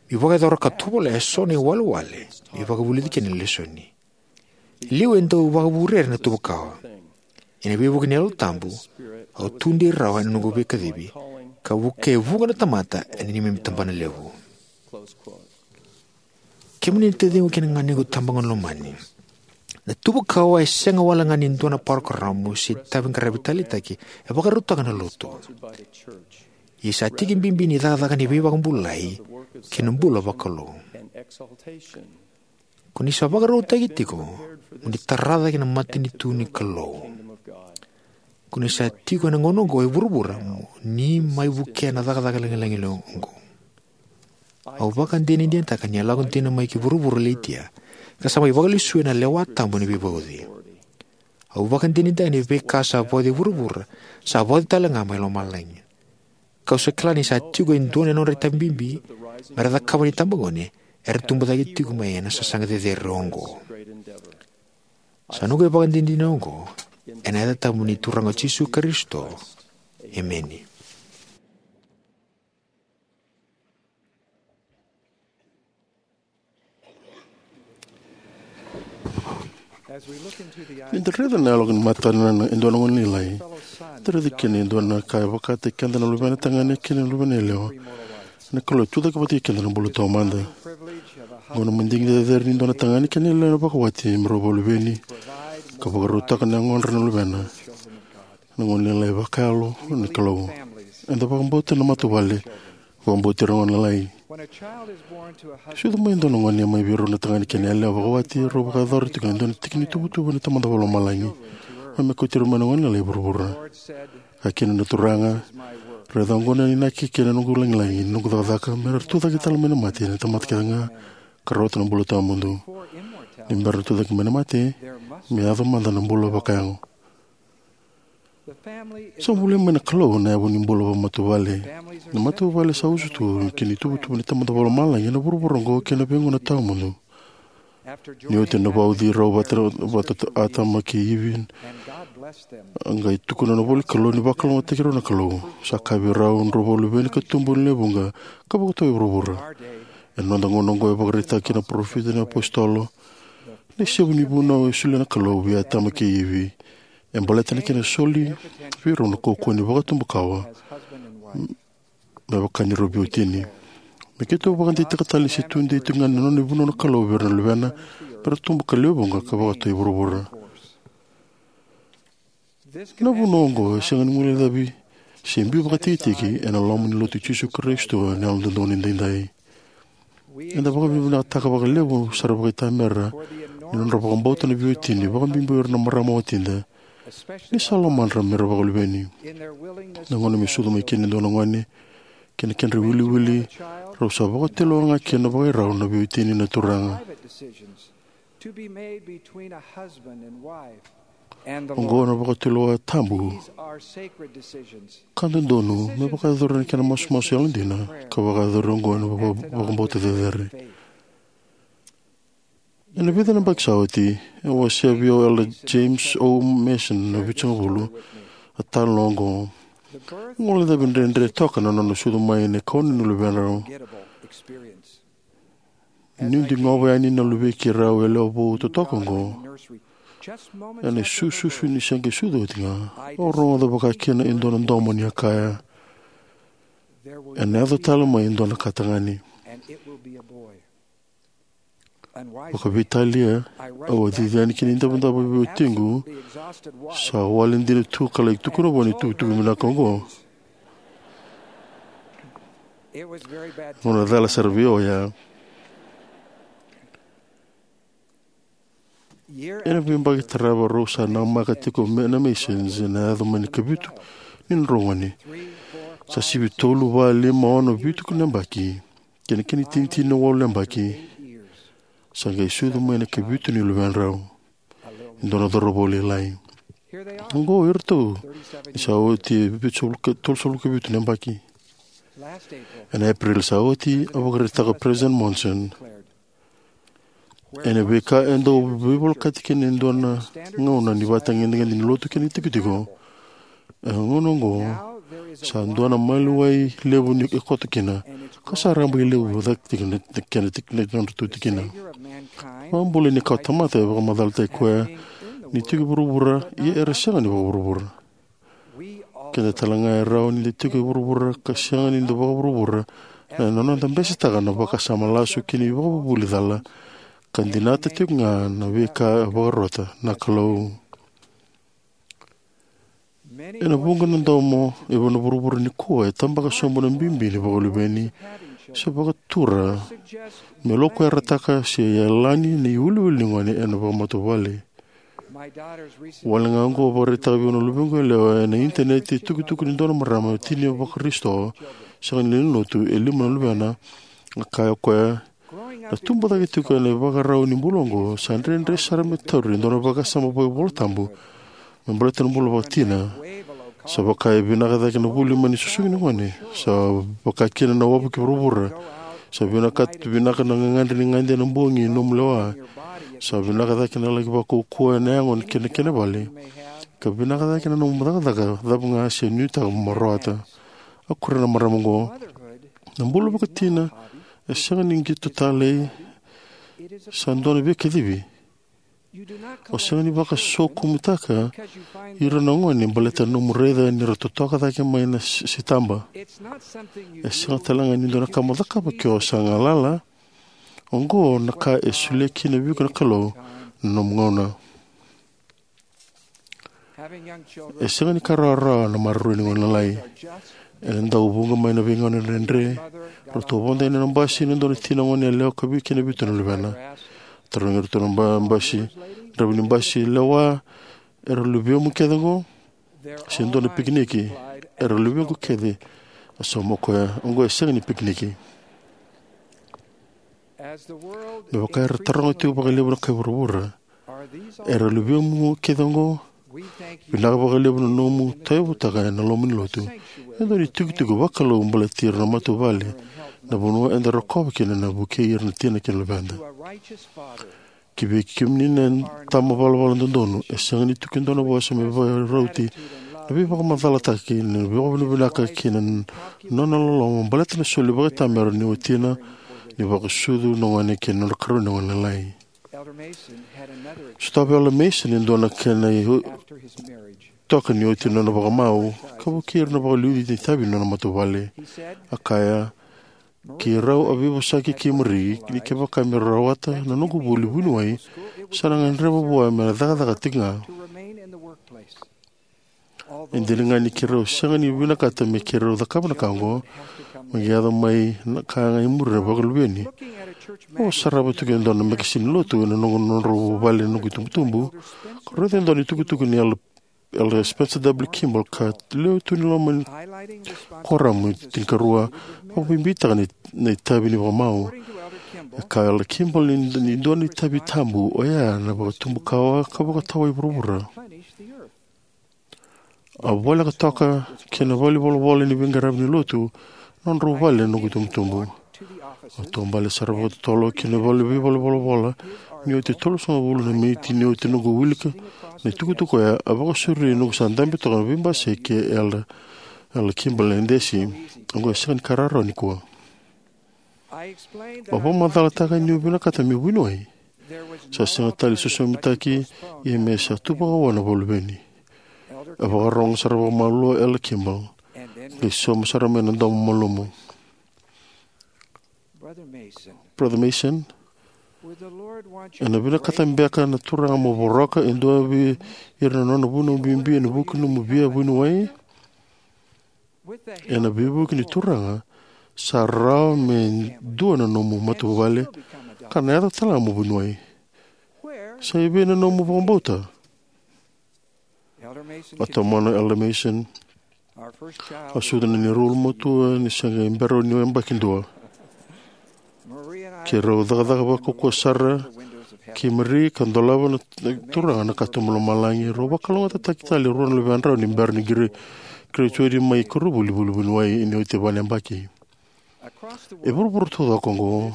meu vakayacora ka tovolea eso na iwalewale meu vakavulica kina na lesoni. E liu e dau vakavurere na tuva kawa. Ena veivuke ni Yalo Tabu, au tudei rawa ena noqu veikacivi ka vukea e vuqa na tamata ena neimami tabanalevu." Kemuni na taciqu kei na ganequ tabagone lomani, na tuva kawa e sega wale ga ni dua na parokaramu se itaviqaravi taleitaki e vakarautaka na lotu. Ia sa tiki bibi ni cakacaka ni veivakabulai kei na bula vakalou. Ko ni sa vakarautaki tiko mo ni tara cake na matanitu ni Kalou. Ko ni sa tiko ena gauna oqo e vuravura mo ni mai vukea na cakacaka lagilagi oqo. Au vakadinadinataka ni a lako dina mai ki vuravura o Laitia, ka sa mai vakalesui ena lewa tabu ni veivauci. Au vakadinadinataka ni veika sa vauci e vuravura sa vauci tale ga mai lomalagi. Kau sa kila ni sa tiko e dua na nodra itavi bibi me ra cakava na itabagone era tubu cake tiko mai ena sasaga cecere oqo. Sa noqu ivakadinadina oqo ena yaca tabu ni Turaga o Jisu Karisito. Emeni. Ni da raica na yaloka ni matana na e dua na gone lailai, da raica kina e dua na ka e vakataki keda na luvena tagane kei na luvena yalewa. Na Kalou e tucake vata kei keda na bula taumada. Oqo na madigi cecere ni dua na tagane kei na yalewa na vakawati me rau vakaluveni ka vakarautaka na yagodra na luvena. Na gone lailai vakayalo ni Kalou. Eda vakabauta na matavuvale, vakabauti ira gone lailai. Sucu mai e dua na gone mai vei rau na tagane kei na yalewa vakawati, rau vakayacora tiko e dua na tiki ni tuvatuva ni Tamada Vakalomalagi. Mai me kauti ira mai na gone lailai e vuravura. Kaya kina na Turaga, raica oqo na inaki kei na noqu lagilagi, na noqu cakacaka, me ra tucake tale mai na mate na tamata kece ga ka rawata na bula tawamudu. Ni bera na tucake mai na mate, me yaco mada na bula vakayago. Sa bulia mai na Kalou na yavu ni bula vakamatavuvale. Na matavuvale sa usutu ki na ituvatuva ni Tamada Vakalomalagi ena vuravura oqo kei na veigauna tawamudu. Ni oti na vauci rau vata, vata Atama kei Ivi, a qai tukuna na ivola ni Kalou ni vakalougatataki rau na Kalou. Sa kaya vei rau, drau vakaluveni ka tubu ena lewe vuqa ka vakatau e vuravura. Ena noda gauna oqo e vakaraitaka kina na parofita, na iapositolo, na isevu ni vunau e solia na Kalou vei Atama kei Ivi. E baleta na kena soli vei rau na kaukauwa ni vakatubu kawa me vaka ni rau veiwatini. Me keitou vakadeitaka tale ni se tudei tiko ga na nona ivunau na Kalou vei ira na luvena me ra tubu ka lewe vuqa ka vakatau e vuravura. Na vunau oqo e sega ni guilecavi se biu vakatikitiki ena loma ni Lotu i Jisu Karisito ena Yalododonu Edaidai. Eda vakavinavinakataka vakalevu sara vakaitamera ni nodra vakabauta na veiwatini, vakabibi o ira na marama watida, ni sa lomadra me ra vakaluveni. Na gauna me sucu mai kina e dua na gone, kei na kedra iwiliwili, rau sa vakatulewa ga kina vakai rau na veiwatini na Turaga. Oqo na vakatulewa tabu ka dodonu me vakayacori ena kena masumasu yalodina ka vakayacori oqo ena vaka-, vakabauta cecere. Ena vica na yabaki sa oti, e wasea vei au o Elder James O. Mason na vitusagavulu, a talanoa oqo. Guilecavi dredre toka na nona sucu mai na kaono ni luvedrau. Niu digova yani na luvei keirau yalewa vou totoka oqo ena isususu ni se qai sucu oti ga, au rogoca vakakina e dua na domo ni a kaya, "Ena yaco tale mai e dua na ka tagane." Vakaveitalia, au a cici yani ki na idavodavo vei watiqu, sa wale dina tu, ka lai tukuna vua na itukutuku vinaka oqo. Gauna cala sara vei au oya. Ena veiyabaki tarava rau sa namaka tiko me na Masons ena yaco mai na ikavitu ni nodrau gone. Sa sivi tolu, va, lima, ono, vitu na yabaki kei na kena itinitini na walu na yabaki, sa qai sucu mai na ikavitu ni luvedrau, e dua na cauravou lailai. Oqo o iratou ni sa oti e vitusagavulu ka, tolusagavulu ka vitu na yabaki. Ena Epereli sa oti, a vakaraitaka o President Monson, ena veika e dau veivolekati kina e dua na gauna ni ivakatagedegede ni lotu kei na itikotiko, e gauna oqo sa dua na maliwai levu ni e koto kina, ka sa rabailevu cake tiko na kena tik-, na nodratou tikina. Vakabula ni kawatamata e vakamacalataki koya ni tiko e vuravura, ia era sega ni vakavuravura. Keda tale ga e rawa ni da tiko e vuravura ka sega ni da vakavuravura ena noda besetaka na vakasama lasu kei na ivakavuvuli cala, ka dinata tiko ga na veika e vakarota na Kalou. Ena vuqa na domo e vuqa na vuravura nikua e tabaka sobu na bibi ni vakaluveni se vakatura me lokuyarataka se yalani na iwiliwili ni gone ena vakamatavuvale. Wale ga oqo, vakaraitaka vei au na luvequ yalewa ena initaneti e tukutuku ni dua na marama tini vakarisito, sega ni lewe ni lotu, e lima na luvena, A kaya o koya, na tubu cake tiko ena ivakarau ni bula oqo, sa dredre sara me tauri e dua na vakasama vakaivolatabu me baleta na bula vakatina. Sa vaka e vinaka cake na vuli mai na susugi ni gone. Sa vaka kina na wavu ki vuravura. Sa vinaka, vinaka na gagadre ni gade ena bogi ni nomu lewa. Sa vinaka cake na laki vakaukauwa ena yago kei na kena vale. Ka vinaka cake na nomu cakacaka cava ga se nuitaka mo rawata. A kuria na marama oqo, na bula vakatina e sega ni qito talei, sa dua na veikacivi. O sega ni vakasokumutaka ira na gone baleta na nomu raica ni ra totoka cake mai na s-, sitaba. E sega tale ga ni dua na ka mo cakava ke o sa galala. Oqo na ka e solia kina vei iko na Kalou na nomu gauna. E sega ni ka rawarawa na maroroi ni gone lalai. Ena dau vuqa mai na veigauna dredre. Ratou vodo yani ena basi na dua na tina gone yalewa ka vei kina vitu na luvena. Tarogi iratou na ba-, basi, draiva ni basi, "Lewa, era luvemu kece oqo? Se dua na pikiniki?" "Era luvequ kece," a sauma o koya. Oqo e sega ni pikiniki. Me vaka era taroga tiko vakalevu na kai vuravura, "Era luvemu kece oqo?" Vinaka vakalevu na nomu tauyavutaka ena loma ni lotu e dua na itikotiko vakalou baleti ira na matavuvale na vanua eda rokova kina na vukei ira na tina kei na luveda. Ki vei kemuni na tama valavala dodonu, e sega ni tu ke dua na vosa me vakarauti na veivakamacalataki, na veivakavinavinaka kei na nona loloma baleta na soli vakaitamera ni watina ni vakasucu na gone kei na nodra karua ni gone lalai. Sotava o Elder Mason e dua na kena i-, toka ni oti na nona vakamau ka vukei ira na vakaliuci ni itavi ni nona matavuvale. A kaya, "Keirau a veivosaki kei Marie ni kevaka me rawata na noqu vuli vuniwai, sa na gadreva vua me na cakacaka tiko ga. E dina ga ni keirau sega ni vinakata me keirau cakava na ka oqo, me qai yaco mai na ka ga e muri na vakaluveni." Au sarava tiko e dua na mekasini lotu ena noqu, nodrau vale na noqu itubutubu, ka raica e dua na itukutuku ni Elder, Elder Spencer W. Kimball ka lewe tu ni loma ni koramu e tinikarua, vakabibitaka na, na itavi ni vakamau. E kaya o Elder Kimball ni, ni dua na itavi tabu oya na vakatubu kawa ka vakatawai vuravura. A voleka toka ki na valenivolavola ni veiqaravi ni lotu na nodrau vale na noqu itubutubu. Au taubale sara vakatotolo ki na vale ni valenivolavola ni oti e tolusagavulu na miniti ni oti noqu wilika na itukutuku oya. A vakasauri noqu sa dabe toka na veibasai kei Elder, Elder Kimball e Desi. Oqo e sega ni ka rawarawa nikua. Au vakamacalataka niu vinakata meu vuniwai. Sa sega tale ni sosomitaki, ia me sa tu vakaoqo na vakaluveni. A vakarogo sara vakamalua o Elder Kimball, qai sauma sara mai na domo malumu. "Brother Mason, ena vinakata beka na Turaga mo voroka e dua vei ira na nona vunau bibi ena vuku ni nomu via vuniwai?" Ena veivuke ni Turaga, sa rawa me dua na nomu matavuvale ka na yaco tale ga mo vuniwai. Sa i vei na nomu vakabauta? A tomana o Elder Mason. A sucu na neirau ulumatua ni se qai bera ni yabaki dua. Keirau cakacaka vakaukauwa sara kei Marie ka dolava na Turaga na katuba lomalagi. Rau vakalougatataki tale e rua na luvedrau ni bera ni gra-, graduate mai koronivuli vuniwai ni oti e va na yabaki. E vuravura taucoko oqo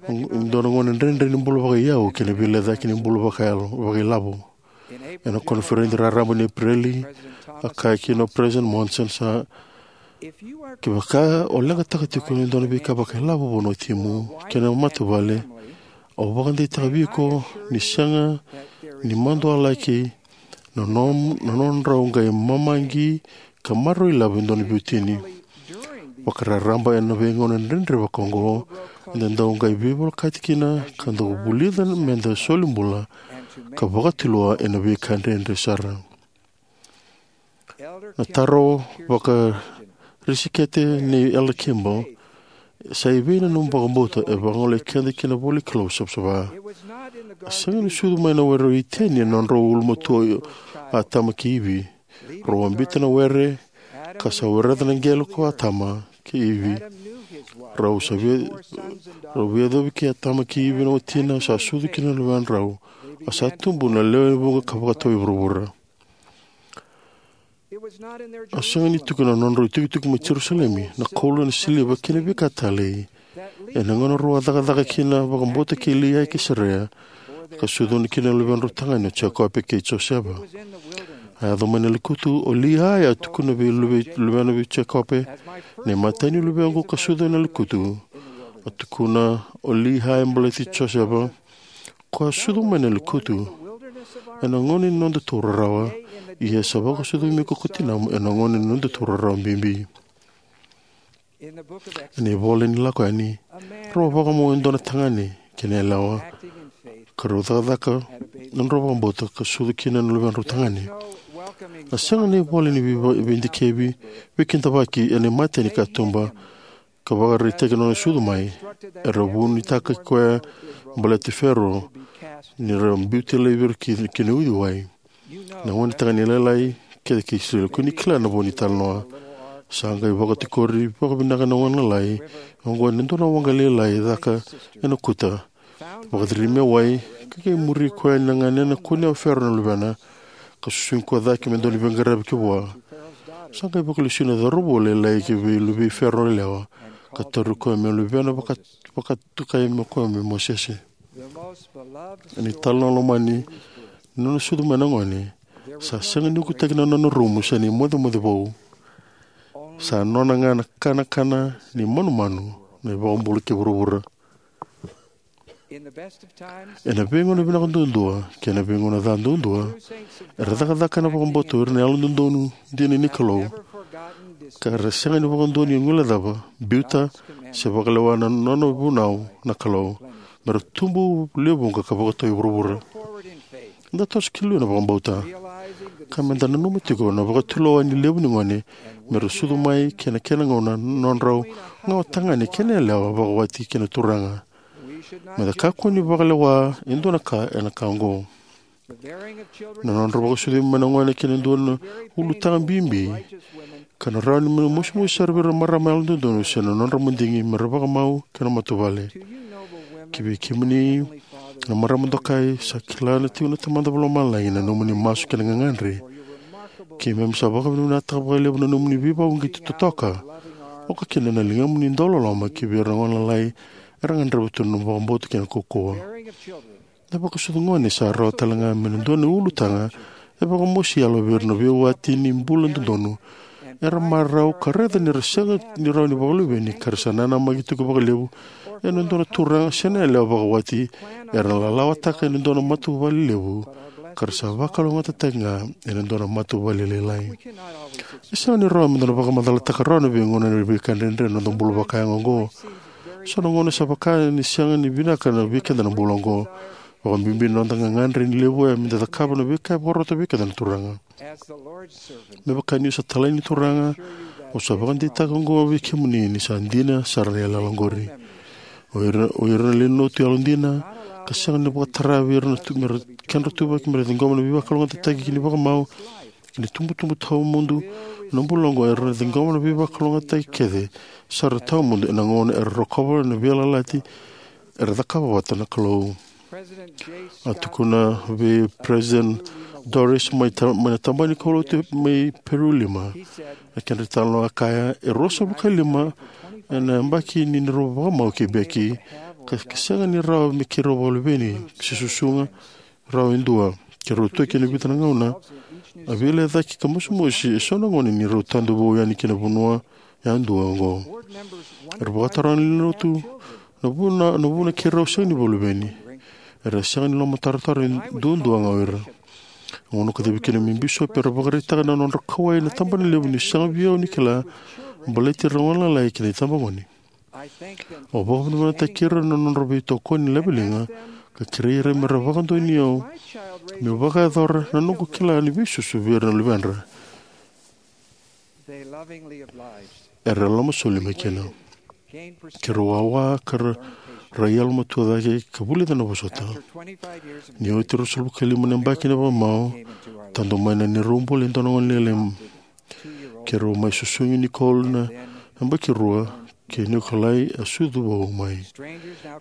e dua na gauna dredre ni bula vakaiyau kei na veilecayaki ni bula vakayalo, vakailavo. Ena koniferedi raraba ni Epereli, a kaya kina o President Monson, sa, "Kevaka o leqataka tiko e dua na veika vakailavo vua na watimu kei na matavuvale, au vakadeitaka vei iko ni sega ni madualaki na nom-, na nodrau qai mamaqi ka maroroi ilavo e dua na veiwatini." Vakararaba ena veigauna dredre vakaoqo, eda dau qai veivolekati kina ka dau vulica meda soli bula ka vakatulewa ena veika dredre sara. Na taro vakarisikete nei Elder Kimball, "Sa i vei na nomu vakabauta?" e vagolei keda ki na ivola ni Kalou savasava. A sega ni sucu mai na were o Iteni ena nodrau ulumatua o Atama kei Ivi. Rau a biuta na were, ka sa wereca na qele ko Atama kei Ivi. Rau sa via, rau via yacovi kei Atama kei Ivi na watina, sa sucu kina na luvedrau. A sa tubu na lewe ni vuqa ka vakatau i vuravura. A sega ni tukuna na nodrau itukituki mai Jerusalemi, na koula, na siliva kei na veika talei. Ena gauna rau a cakacaka kina vakabauta kei Liai kei Sarea, ka sucuna kina na luvedrau tagane o Jekope kei Josefa. A yaco mai na lekutu, o Liai a tukuna vei luve, luvena vei Jekope, na imatai ni luvequ ka sucu ena lekutu. A tukuna o Liai baleti Josefa, ko a sucu mai na lekutu. Ena gauna ni noda tou rarawa, ia sa vakasucumi ko ko tinamu ena gauna ni noda tou rarawa bibi. Ena ivola ni Lako Yani, rau a vakamau e dua na tagane kei na yalewa, ka rau cakacaka na nodrau vakabauta ka sucu kina na luvedrau tagane. A sega na ivola ni vei, veidikevi, veikidavaki ena imatai ni katuba, ka vakaraitaki na nona sucu mai. Era vunitaka koya baleti Fero, ni ra biuta laivi ira ki, ki na uciwai. Na gone tagane lailai kece kei Isireli, ko ni kila na vo ni talanoa. Sa qai vakatikori vakavinaka na gone lalai oqo ena dua na waqa lailai e caka ena kuta. Vakaciri me wai, ka qai muri koya na ganena, kunea o Fero na luvena, ka susugi koya cake me dua na veiqaravi ki vua. Sa qai vakalesui na cauravou lailai ki vei luvei Fero yalewa, ka tauri koya me luvena, vaka, vakatokai me koya me Mosese. Ena italanoa lomani ni nona sucu mai na gone, sa sega ni ukutaki na nona rumu se na imocemoce vou. Sa nona ga na kanakana ni manumanu na iVakabula kei vuravura. Ena veigauna vinaka duadua kei na veigauna ca duadua, era cakacaka ena vakabauta o ira na yalododonu dina ni Kalou, ka ra sega ni vakadua ni guilecava, biuta, se vakalewa na nona vunau na Kalou, me ra tubu lewe vuqa ka vakatau e vuravura. Da toso ki liu ena vakabauta, ka me da nanuma tiko na vakatulewa ni levu ni gone me ra sucu mai kei na kena gauna na nodrau gauna tagane kei na yalewa vakawati kei na Turaga. Me da kakua ni vakalewa e dua na ka ena ka oqo. Na nodra vakasucumi mai na gone kei na dua na ulutaga bibi, ka na rawa ni me mosimosi sara vei ira na marama yalododonu se na nodra madigi me ra vakamau kei na matavuvale. Ki vei kemuni na marama dokai, sa kila na tiko na Tamada Vakalomalagi na nomuni masu kei na gagadre. Keimami sa vakavinavinakataka vakalevu na nomuni veivakauqeti totoka, oka kina na ligamuni dauloloma ki vei ira na gone lalai era gadreva tu na nomu vakabauta kei na kaukauwa. Na vakasucu gone sa rawa tale ga me na dua na ulutaga e vakamosi yalo vei ira na veiwati ni bula dodonu era marau ka raica ni ra sega ni rawa ni vakaluveni, ka ra sa nanamaki tiko vakalevu ena dua na turaga se na yalewa vakawati era na lalawataka ena dua na matavuvale levu, ka ra sa vakalougatataki ga ena dua na matavuvale lailai. E sega ni rawa me da na vakamacalataka rawa na veigauna ni veika dredre na noda bula vakayago oqo. So na gauna sa vaka ni sega ni vinaka na veika eda na bula oqo, vakabibi na noda gagadre ni levu oya me da cakava na veika e vakarota vei keda na Turaga. Me vaka niu sa talai ni Turaga, au sa vakadeitaka oqo vei kemuni ni sa dina sara na yalayala oqori. O ira, o ira na lewe ni lotu yalodina, ka sega ni vakatara vei ira na tu, me ra, kedra tuvaki me ra ciqoma na veivakalougatataki kei na vakamau, kei na itubutubu tawamudu ena bula oqo, era na ciqoma na veivakalougatataki kece sara tawamudu ena gauna era rokova na veiyalayalati era cakava vata na Kalou. A tukuna vei President Doris mai ta, mai na tabana ni kaulotu mai Peru lima, na kedra italanoa, a kaya, e ruasagavulu ka lima ena yabaki ni neirau vakamau kei Becky, ka, ka sega ni rawa me keirau vakaluveni se susuga rawa e dua. Keirau toki ena vica na gauna, a veilecayaki ka mosimosi eso na gone ni rau tadu vou yani ki na vanua yadua oqo. Era vakataroga na lewe ni lotu na vuna, na vuna keirau sega ni vakaluveni. Era sega ni lomatarotaro duadua ga o ira. Gauna kacivi kina me bisopi, era vakaraitaka na nodra kauwai na tabana levu ni sega vei au ni kila baleti ira na gone lalai kei na itabagone. Au vakavinavinakataki ira na nodra veitokoni laveliga, ka kerei ira me ra vakadonui au meu vakayacora na noqu kila ni veisusu vei ira na luvedra. Era lomasoli mai kina. Keirau wawa ka ra, ra yalomatua cake ka vulica na vosota. Ni oti ruasagavulu ka lima na yabaki ni vakamau, tadu mai na neirau bula e dua na gone lailai. Keirau mai susugi Nicole na yabaki rua, kei Nikolai a sucu vou mai.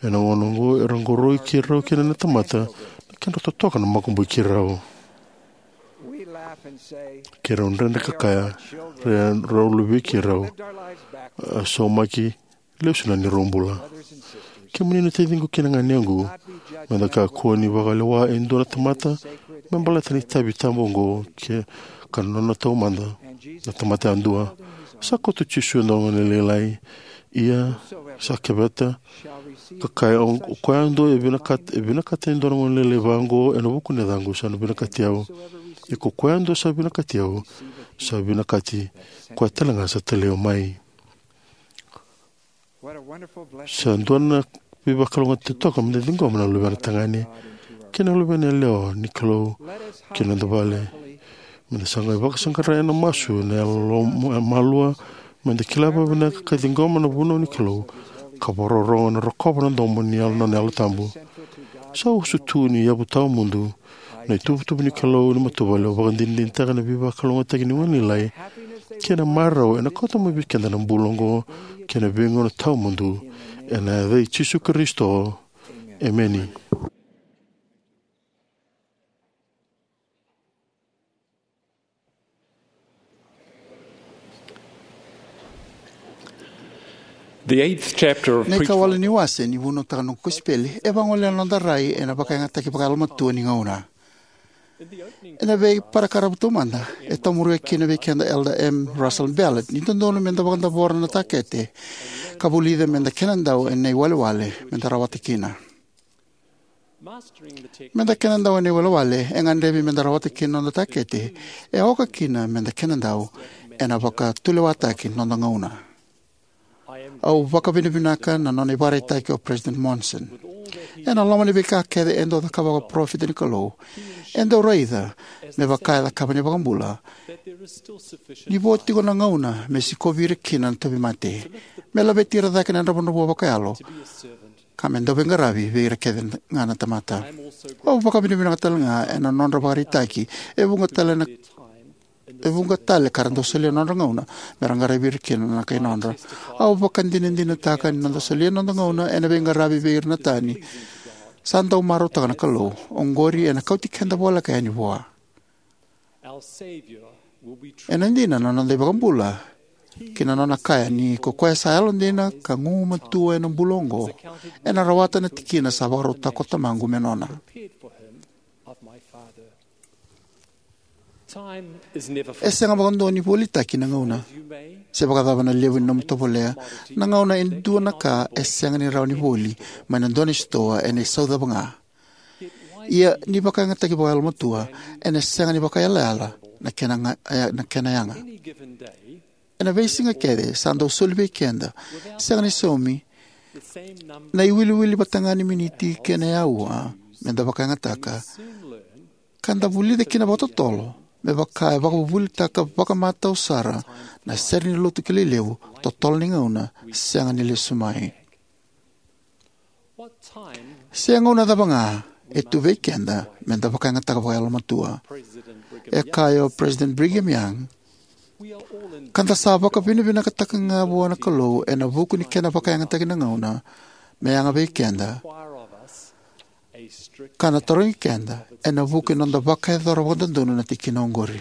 Ena gauna oqo era qoroi keirau kina na tamata na kedra totoka na makubui keirau. Keirau dredre ka kaya, rau luvei keirau, a saumaki, lesu na neirau bula. Kemuni na taciqu kei na ganequ, meda kakua ni vakalewa e dua na tamata me baleta na itavi tabu oqo, ke ka nona taumada na tamata yadua. Sa kauta o Jisu e dua na gone lailai, ia sa keveta ka kaya, o koya yadua e vinakata, e vinakata e dua na gone lailai vaqo ena vuku ni yacaqu, sa na vinakati au. Ia ko koya yadua sa vinakati au, sa vinakati koya talega sa talai au mai. Sa dua na veivakalougatataki totoka meda ciqoma na luvena tagane kei na luvena yalewa ni Kalou ki na noda vale. Meda sa qai vakasaqara ena masu na yalomalua, meda kila vakavinaka ka ciqoma na vunau ni Kalou, ka vakarorogo ena rokova na domo ni Yalo, nona Yalo Tabu. Sa usutu ni yavu tawamudu na ituvatuva ni Kalou ni matavuvale. Au vakadinadinataka na veivakalougatataki ni gone lailai kei na marau ena kauta mai vei keda na bula oqo kei na veigauna tawamudu. Ena yaca i Jisu Karisito, emeni. The eighth chapter of Na Preach ikawale ni wase ni Vunautaka na Noqu Kosipeli e vagolea na noda rai ena vakayagataki vakayalomatua ni gauna. Ena veiparakaravu taumada, e taumuria kina vei keda Elder M. Russell Ballard ni dodonu meda vakadavora na takete ka vulica meda kenadau ena iwalewale meda rawata kina. Meda kenadau ena iwalewale e gadrevi meda rawata kina na noda takete, e oka kina meda kenadau ena vakatulewataki ni noda gauna. Au vakavinavinaka na nona ivakaraitaki o President Monson. Ena loma ni veika kece e dau cakava vakaparofita ni Kalou, e dau raica me vaka e cakava na iVakabula ni vo tiko na gauna me sikovi ira kina na tauvimate, me laveti ira cake na dravudravua vakayalo, ka me dau veiqaravi vei ira kece ga na tamata. Au vakavinavinaka talega ena nodra vakaraitaki e vuqa tale na, e vuqa tale ka ra dau solia na nodra gauna me ra qaravi ira kina na kai nodra. Au vakadinadinataka ni noda solia na noda gauna ena veiqaravi vei ira na tani sa dau marautaka na Kalou, oqori ena kauti keda voleka yani vua. Ena dina na noda iVakabula ki na nona kaya ni ko koya sa yalodina ka gugumatua ena bula oqo ena rawata na tikina sa vakarautaka ko Tamaqu me nona. E sega vakadua ni volitaki na gauna. Se vakacava na levu ni nomu tovolea, na gauna e dua na ka e sega ni rawa ni voli mai na dua na sitoa ena isau cava ga. Ia ni vakayagataki vakayalomatua, ena sega ni vakaiyalayala na kena ga-, e, na kena yaga. Ena veisiga kece sa dau soli vei keda, sega ni saumi, na iwiliwili vata ga ni miniti kei na aua meda vakayagataka, ka da vulica kina vakatotolo me vaka e vakavuvulitaka vakamatau sara na sere ni lotu kilai levu, totolo ni gauna sega ni lesu mai. Se gauna cava ga e tu vei keda meda vakayagataka vakayalomatua. E kaya o President Brigham Young, ka da sa vakavinavinakataka ga vua na Kalou ena vuku ni kena vakayagataki na gauna me yaga vei keda, ka na tarogi keda ena vuku ni noda vakayacora vakadodonu na tikina oqori.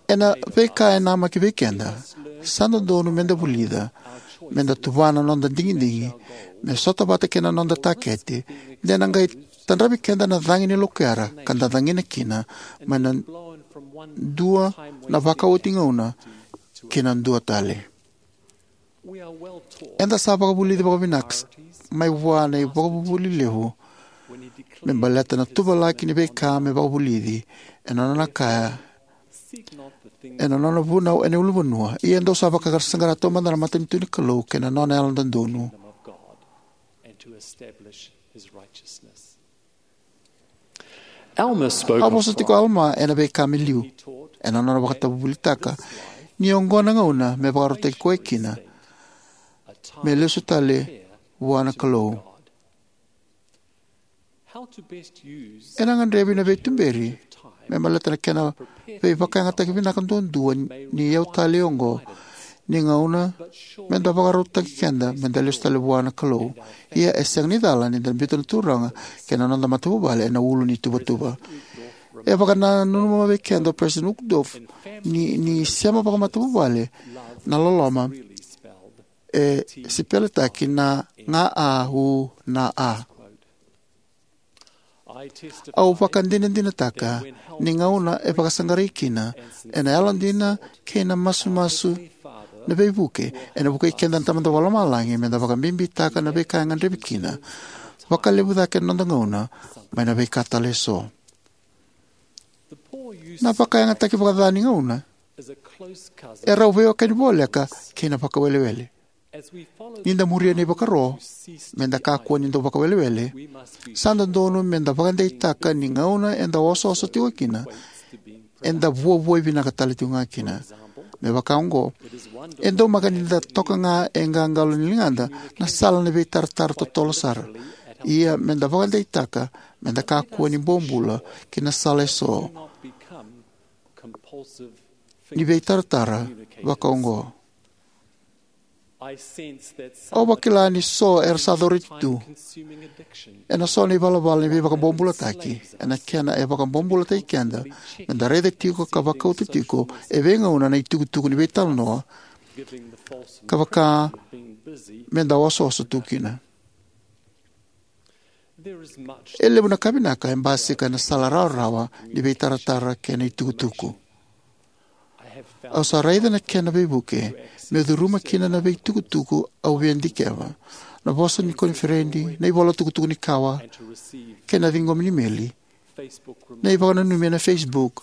Ena veika e namaki vei keda, sa dodonu meda vulica, meda tuvana na noda digidigi me sota vata kei na noda takete, de na qai tadravi keda na cagi ni lokuyara ka da cagina kina mai na dua na vakaoti gauna ki na dua tale. Eda sa vakavulici vakavinaka mai vua na ivakavuvuli levu me baleta na tuvalaki ni veika me vakavulici ena nona kaya ena nona vunau ena ulunivanua. Ia dou sa vakasaqara taumada na matanitu ni Kalou kei na nona yalododonu. Alma spoke A of vosa tiko o Alama ena veika me liu, ena nona vakatavuvulitaka ni oqo na gauna me vakarautaki koya kina me lesu tale vua na Kalou. Ena gadrevi na veituberi me baleta na kena veivakayagataki vinaka duadua ni iyau talei oqo ni gauna me da vakarautaki keda me da lesu tale vua na Kalou. Ia e sega ni cala ni da biuta na Turaga kei na noda matavuvale ena ulu ni tuvatuva. E vakananuma vei keda o President Uchtdorf ni, ni sema vakamatavuvale na loloma e sipeletaki na ga a u na a. Au vakadinadinataka ni gauna e vakasaqarai kina ena yalodina kei na masumasu na veivuke, ena vukei keda na Tamada Vakalomalagi me da vakabibitaka na veika e gadrevi kina vakalevu cake na noda gauna mai na veika tale eso. Na vakayagataki vakaca ni gauna e rau veiwekani voleka kei na vakawelewele. Ni da muria na ivakaro me da kakua ni dau vakawelewele, sa dodonu me da vakadeitaka ni gauna eda osooso tiko kina, eda vuavuai vinaka tale tiko ga kina. Me vaka oqo, e daumaka ni da toka ga e qaqalo ni ligada na sala ni veitaratara totolo sara. Ia me da vakadeitaka me da kakua ni bobula ki na sala eso ni veitaratara vaka oqo. Au vakila ni so era sa coriti tu ena so na ivalavala ni veivakabobulataki, ena kena e vakabobulataki keda me da raica tiko ka vakauta tiko e veigauna na itukutuku ni veitalanoa ka vaka me da osooso tu kina. E levu na ka vinaka e basika ena sala rawarawa ni veitaratara kei na itukutuku. Au sa raica na kena veivuke meu curuma kina na veitukutuku au via dikeva, na vosa ni koniferedi, na ivola tukutuku ni kawa, kei na ciqomi ni imeli, na ivakananumi ena Facebook,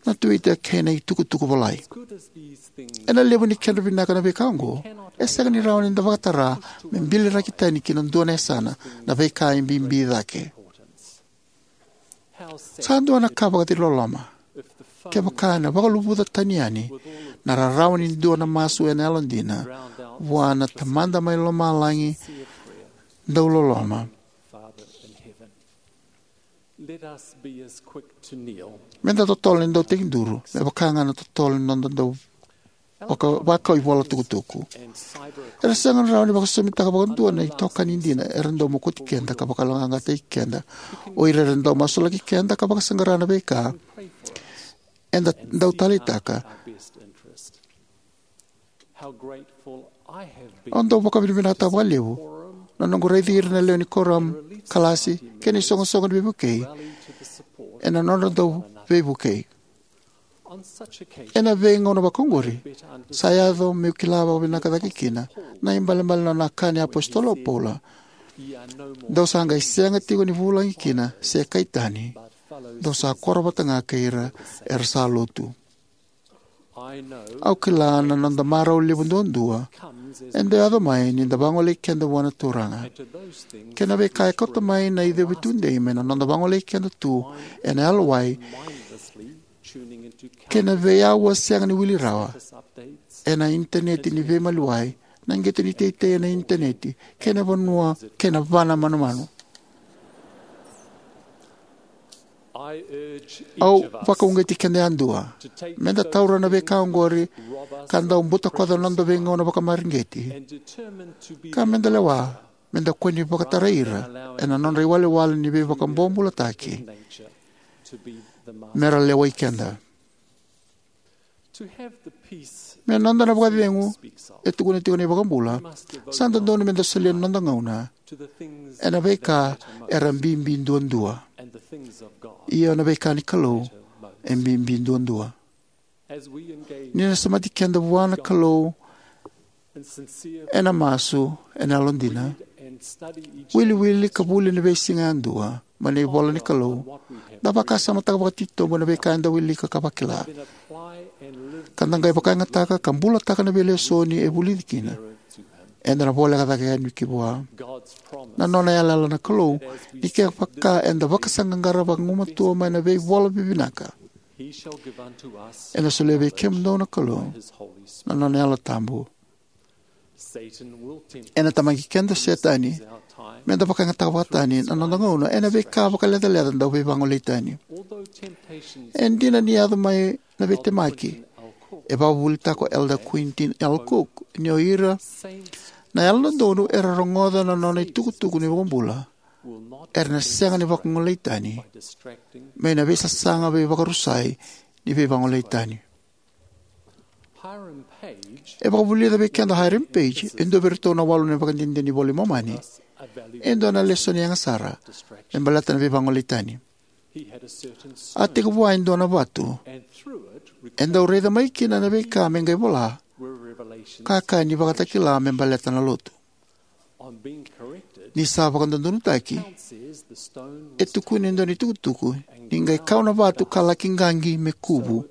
na Twitter, kei na itukutuku volai. Ena levu ni kedra vinaka na veika oqo, e sega ni rawa ni da vakatara me biliraki tani ki na dua na yasana na veika e bibi cake. Sa dua na ka vakaciloloma kevaka ena vakaluvuca tani yani na rarawa ni dua na masu ena yalodina vua na Tamada mai Lomalagi dauloloma. Me da totolo ni dau tekiduru me vaka ga na totolo ni noda dau vaka, vakau ivola tukutuku. Era sega ni rawa ni vakasosomitaka vakadua na itokani dina era dau mokoti keda ka vakayaloqaqataki keda, o ira era dau masulaki keda ka vakasaqara na veika eda dau taleitaka. Au dau vakavinavinakataka vakalevu na noqu raici ira na lewe ni kuoramu, kalasi, kei na isoqosoqo ni veivukei ena nodra dau veivukei. Ena veigauna vakaoqori, sa yaco meu kila vakavinaka cake kina na ibalebale na nona kaya na iApositolo o Paula: Dou sa qai sega tiko ni vulagi kina se kai tani, dou sa koro vata ga kei ira era sa lotu. Au kila na noda marau levu duadua e dau yaco mai ni da vagolei keda vua na Turaga. Kei na veika e kauta mai na icovi tudei mai na noda vagolei keda tu ena yalowai kei na veiauwa sega ni wili rawa ena initaneti ni veimaliwai, na qito ni teitei ena initaneti, kei na vanua kei na vana manumanu. Au vakauqeti keda yadua me da taura na veika oqori ka dau butakoca na noda veigauna vakamareqeti, ka me da lewa me da kua ni vakatarai ira ena nodra iwalewale ni veivakabobulataki me ra lewai keda. Me noda na vakacegu e tukuna tiko na iVakabula, sa dodonu me da solia na noda gauna ena veika era bibi duadua, io, na veika ni Kalou e bibi duadua. Ni da semati keda vua na Kalou ena masu, ena yalodina, wiliwili ka vuli ena veisiga yadua mai na ivola ni Kalou, da vakasamataka vakatitobu na veika eda wilika ka vakila, ka da qai vakayagataka ka bulataka na veilesoni e vulici kina, eda na voleka cake yani ki vua. Na nona yalayala na Kalou ni kevaka eda vakasaqaqara vagumatua mai na veivola vivinaka, ena solia vei kemudou na Kalou na nona Yalo Tabu. Ena tamaqi keda o Setani me da vakayagataka vakatani na noda gauna ena veika vakalecaleca dau veivagolei tani. E dina ni yaco mai na veitemaki, E vakavuvulitaka o Elder Quentin L. Cook ni o ira na yalododonu era rogoca na nona itukutuku ni iVakabula era na sega ni vakagolei tani mai na veisasaga veivakarusai ni veivagolei tani. E vakavulica vei keda o Hiram Page, e dua vei iratou na walu na ivakadinadina ni iVola i Momani, e dua na lesoni yaga sara me baleta na veivagolei tani. A tekivu e dua na vatu e dau raica mai kina na veika me qai vola, ka kaya ni vakatakila me baleta na lotu. Ni sa vakadodonutaki, e tukuna e dua na itukutuku ni qai kau na vatu ka laki qaqi me kuvu,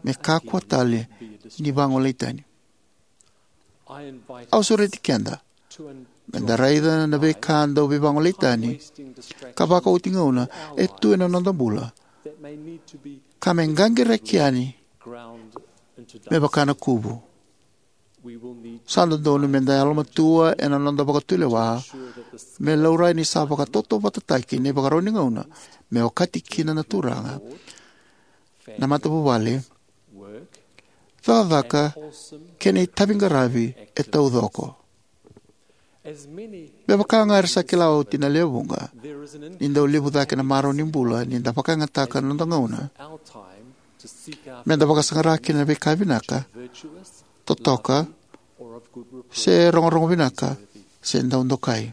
me kakua tale ni vagolei tani. Au sureti keda me da raica na veika dau veivagolei tani ka vakaoti gauna e tu ena noda bula, ka me qaqiraki yani me vaka na kuvu. Sa dodonu me da yalomatua ena noda vakatulewa me laurai ni sa vakatautauvatataki na ivakarau ni gauna me okati kina na Turaga, na matavuvale, cakacaka, kei na itaviqaravi e taucoko. Me vaka ga era sa kila oti na lewe vuqa, ni dau levu cake na marau ni bula ni da vakayagataka na noda gauna me da vakasaqara kina na veika vinaka, totoka, se rogorogo vinaka, se dau dokai.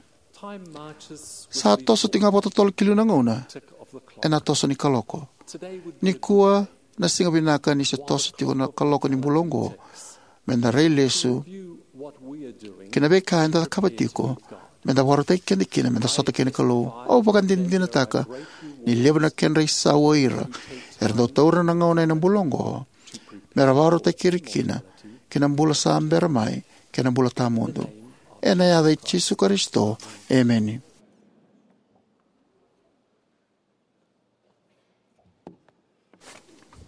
Sa toso tiko ga vakatotolo ki liu na gauna ena toso ni kaloko. Nikua na siga vinaka ni se toso tiko na kaloko ni bula oqo me da rai lesu ki na veika eda cakava tiko me da vakarautaki keda kina me da sota kei na Kalou. Au vakadinadinataka ni levu na kedra isau o ira era dau taura na gauna ena bula oqo me ra vakarautaki ira kina ki na bula sa bera mai kei na bula tawamudu. Ena yaca i Jisu Karisito, emeni.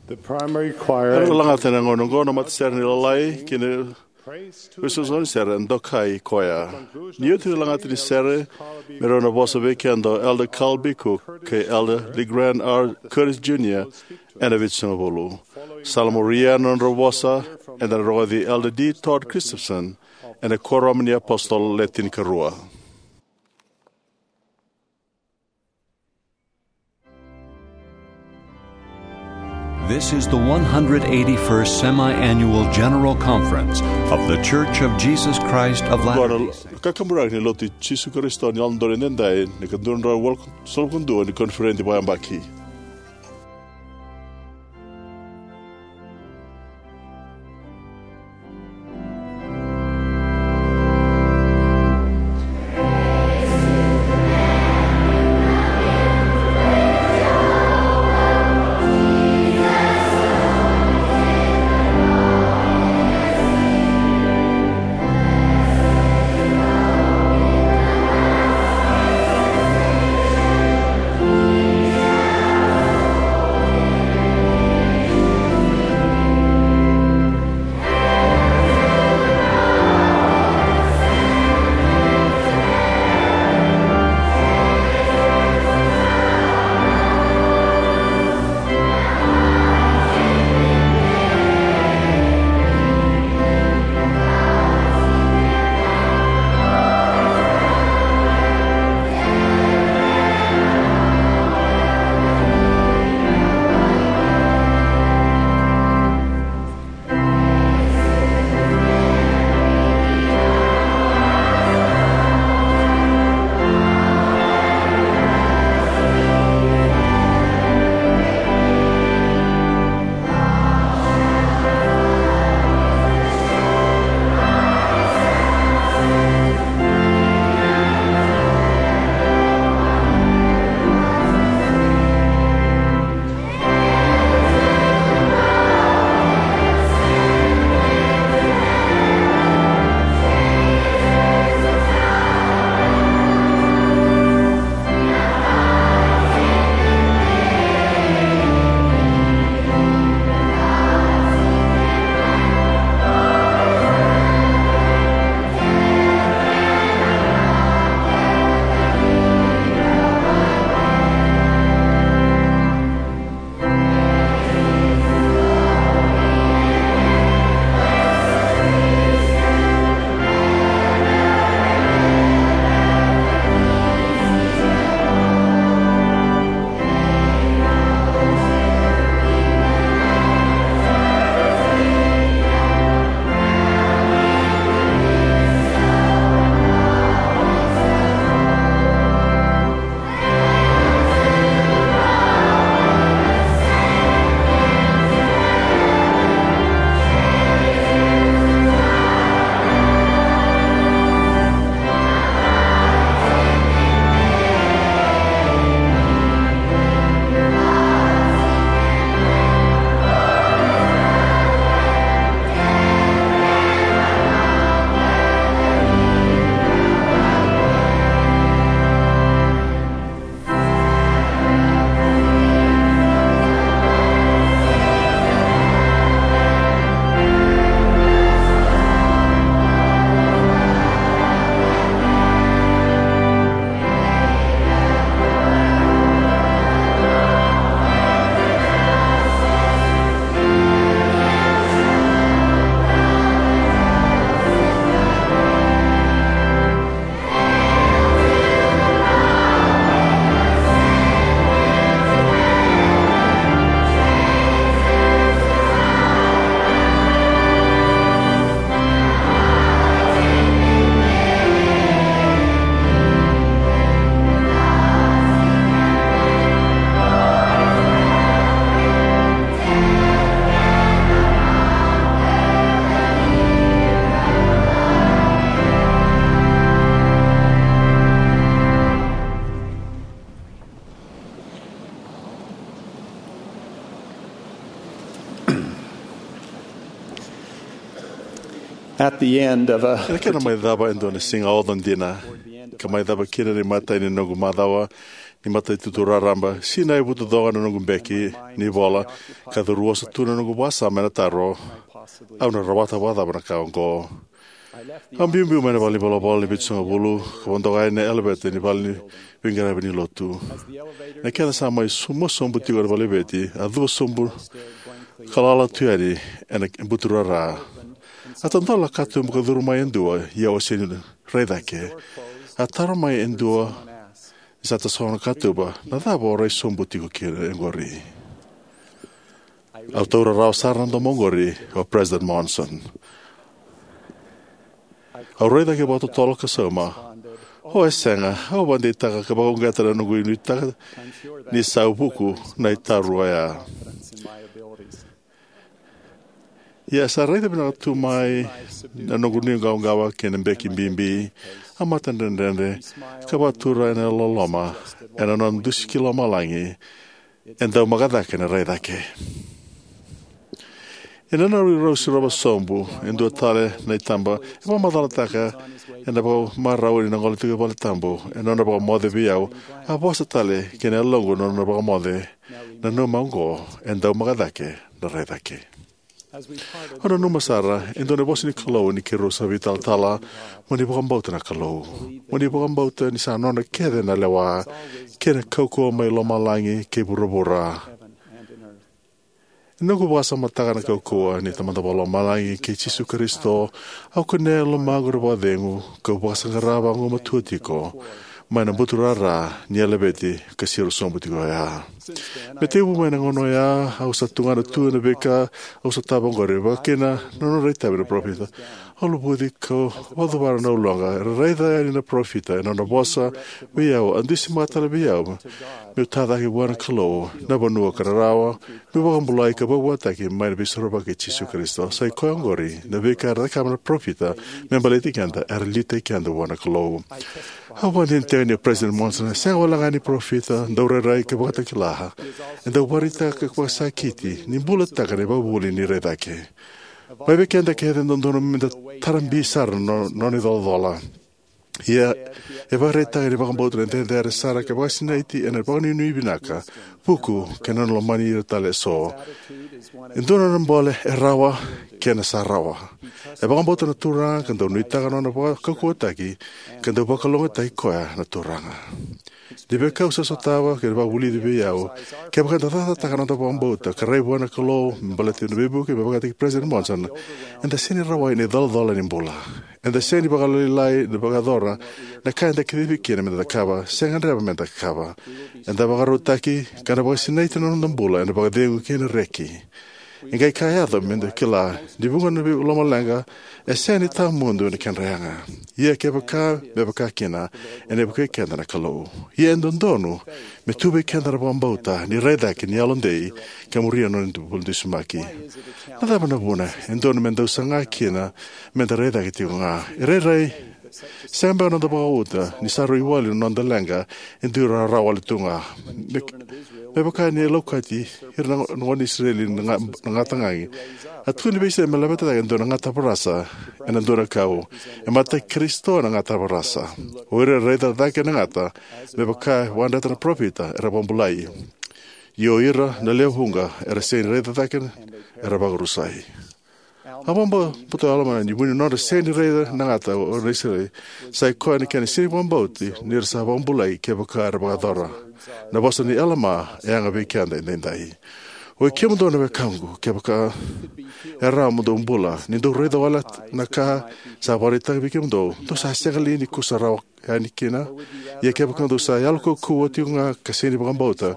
The primary choir. Era lagata ena gauna oqo na matasere ni Lalai kei na veisoqosoqo ni sere, Dokai Koya. Ni oti na lagata ni sere, me rau na vosa vei keda o Elder Carl B. Cook kei Elder LeGrand R. Curtis Junior ena Vitusagavulu. Sa la muria na nodra vosa, eda na rogoci Elder D. Todd Christofferson ena Kuoramu ni iApositolo Le Tinikarua. This is the one hundred eighty-first Semi-Annual General Conference of The Church of Jesus Christ of Latter-day Saints. Oqo na kakaburaki ni Lotu i Jisu Karisito ni Yalododonu Edaidai, na ika dua na drau walusagavulu ka dua ni koniferedi vakayabaki. At the end of a Ena kena mai cava e dua na siga oca dina, ka mai cava kina na imatai ni noqu macawa ni matanitu raraba, sinai vutucoqa na noqu beki ni vola, ka curuoso tu na noqu vakasama ena taro: Au na rawata vakacava na ka oqo? Au biubiu mai na vale ni volavola ni Vitusagavulu ka vodoka yani na eleveta ni vale ni veiqaravi ni lotu. Na kena sa mai su- mua sobu tiko na vale ni eleveta, a cuva sobu ka lala tu yani ena buturara. A tadola na katuba ka curu mai e dua, ia au a sega ni rai cake. A taro mai e dua ni sa tasogo na katuba, "Na cava o rai sobu tiko kina oqori?" Au taura rawa sara na domo oqori o President Monson. Au rai cake vakatotolo ka sauma, "O, e sega, au vakadeitaka ka vakauqeta na noqu nuitaka ni sa vuku na itaru oya." Ia sa raica vinaka tu mai na noqu nuiqawaqawa kei na beki bibi, a matadredredre, ka vakatura ena loloma ena nona dusi ki lomalagi, e dau maka cake na rai cake. Ena nona rau sirova sobu e dua tale na itaba, e vakamacalataka ena vakamarau ni na gole tiko e vale tabu, ena nona vakamoce vei au, a vosa tale ki na yaloqu na nona vakamoce: "Nanuma oqo, e dau maka cake na rai cake." Au nanuma sara e dua na vosa ni Kalou ni keirau sa veitalatala: "Mo ni vakabauta na Kalou. Mo ni vakabauta ni sa nona kece na lewa kei na kaukauwa mai lomalagi kei vuravura." Ena noqu vakasamataka na kaukauwa ni Tamada Vakalomalagi kei Jisu Karisito, au kunea e lomaqu na vakacegu kau vakasaqara vagumatua tiko mai na buturara ni eleveta ka siro sobu tiko oya. Me tekivu mai na gauna oya, au sa tugana tu ena veika au sotava oqori, vaka kina na nodra itavi na parofita. Au luvuci kau vakacuvara na uloqa. Era raica yani na parofita ena nona vosa vei au, a dusimaka tale vei au meu ta cake vua na Kalou na vanua ka rarawa, meu vakabulai ka vakavuataki mai na Veisorovaki i Jisu Karisito. Sa i koya oqori na veika era cakava na parofita me baleti keda, era liutaki keda vua na Kalou. Au vakadinadinataka ni o President Monson e sega walega ni parofita, daurairai ka vakatakila. E dau vakaraitaka ka vakasakiti ni bulataka na ivakavuvuli ni rai cake. Mai vei keda kece e dodonu meda tara bi sara na no- nona icolacola. Ia, e vakaraitaka ni vakabauta na cecere sara ka vakasinaiti ena vakanuinui vinaka, vuku, kei na nona lomani ira tale eso. E dua na nona bole e rawa kei na sa rawa. E vakabauta na Turaga ka dau nuitaka na nona vakaukauwataki ka dau vakalougatataki koya na Turaga. Ni veika au sa sotava ka vakavulici vei au, kevaka eda cakacakataka na noda vakabauta ka rai vua na Kalou me baleta na veivuke me vakataki President Monson, eda sega ni rawai na icolacola ni bula. Eda sega ni vakalailai ni vakayacora na ka eda kacivi kina meda cakava se gadreva meda cakava. Eda vakarautaki ka na vakasinaiti na noda bula ena vakacegu kei na reki. E qai ka yaco meda kila ni vuqa na vei- lomaleqa e sega ni tawamudu na kedra yaga. Ia kevaka me vaka kina, ena vukei keda na Kalou. Ia e dodonu me tu vei keda na vakabauta ni rai cake ni yalodei ka muria na nona bula dusimaki. Na cava na vuna e dodonu me dau saga kina meda rai cake tiko ga? E rairai, sega beka na noda vakabauta ni sa rui wali na noda leqa e dui rawarawa wale tu ga. Me, me vaka ni laukati ira na, na gone Isireli na ga- na gataqagi. A tukuni vei Isireli me laveta cake e dua na gata varasa ena dua na kau. E mataki Karisito na gata varasa. O ira era raica cake na gata, me vaka e vakadreta na parofita, era vakabulai. Ia o ira na lewe vuqa era sega ni raica cake, era vakarusai. A vakabauta o Alama ni vu ni nodra sega ni raica na gata o Isireli, sa i koya na kena sega ni vakabauti ni ra sa vakabulai kevaka era vakayacora. Na vosa ni Alama e yaga vei keda edaidai. Oi kemudou na wekaqu, kevaka e rawa mo dou bula, ni dou raica wale na ka sa vakaraitaki vei kemudou, dou sa sega li ni kusa rawa yani kina? Ia kevaka dou sa yalo kaukauwa tiko ga ka sega ni vakabauta,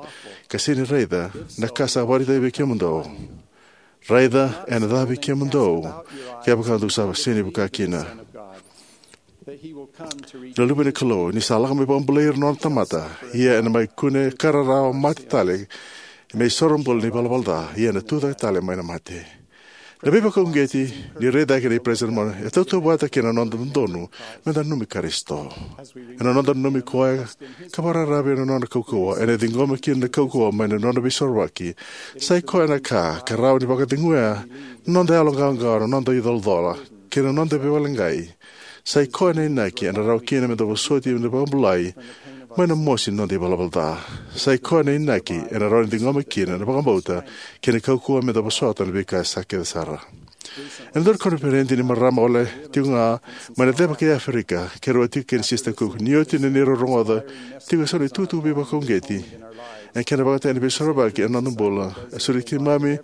ka sega ni raica na ka sa vakaraitaki vei kemudou, raica ena cava vei kemudou kevaka dou sa sega ni vukea kina na Luve ni Kalou, ni sa lako me vakabulai ira na nona tamata, ia ena mai kune ka rarawa, mate tale, me isoro bula ni valavala ca, ia ena tucake tale mai na mate. Na veivakauqeti ni rai cake nei President Monson e tautauvata kei na noda dodonu meda nanumi Karisito. Ena noda nanumi koya ka vakararavi ena nona kaukauwa, ena ciqoma kina na kaukauwa mai na nona veisorovaki. Sa i koya na ka ka rawa ni vakaceguya na noda yaloqawaqawa, na noda icolacola, kei na noda veivakaleqai. Sa i koya na inaki ena rawa kina meda vosoti meda vakabulai mai na mosi ni noda ivalavala ca. Sa i koya na inaki ena rawa ni ciqoma kina na vakabauta kei na kaukauwa meda vosota na veika sa kece sara. Ena dua na koniferedi ni marama wale tiko ga mai na ceva kei Aferika, keirau a tiko kei na Sisita Cook. Ni oti na neirau rogoca tiko eso na itukutuku veivakauqeti ena kena vakayagataki na Veisorovaki ena noda bula, a soli keimami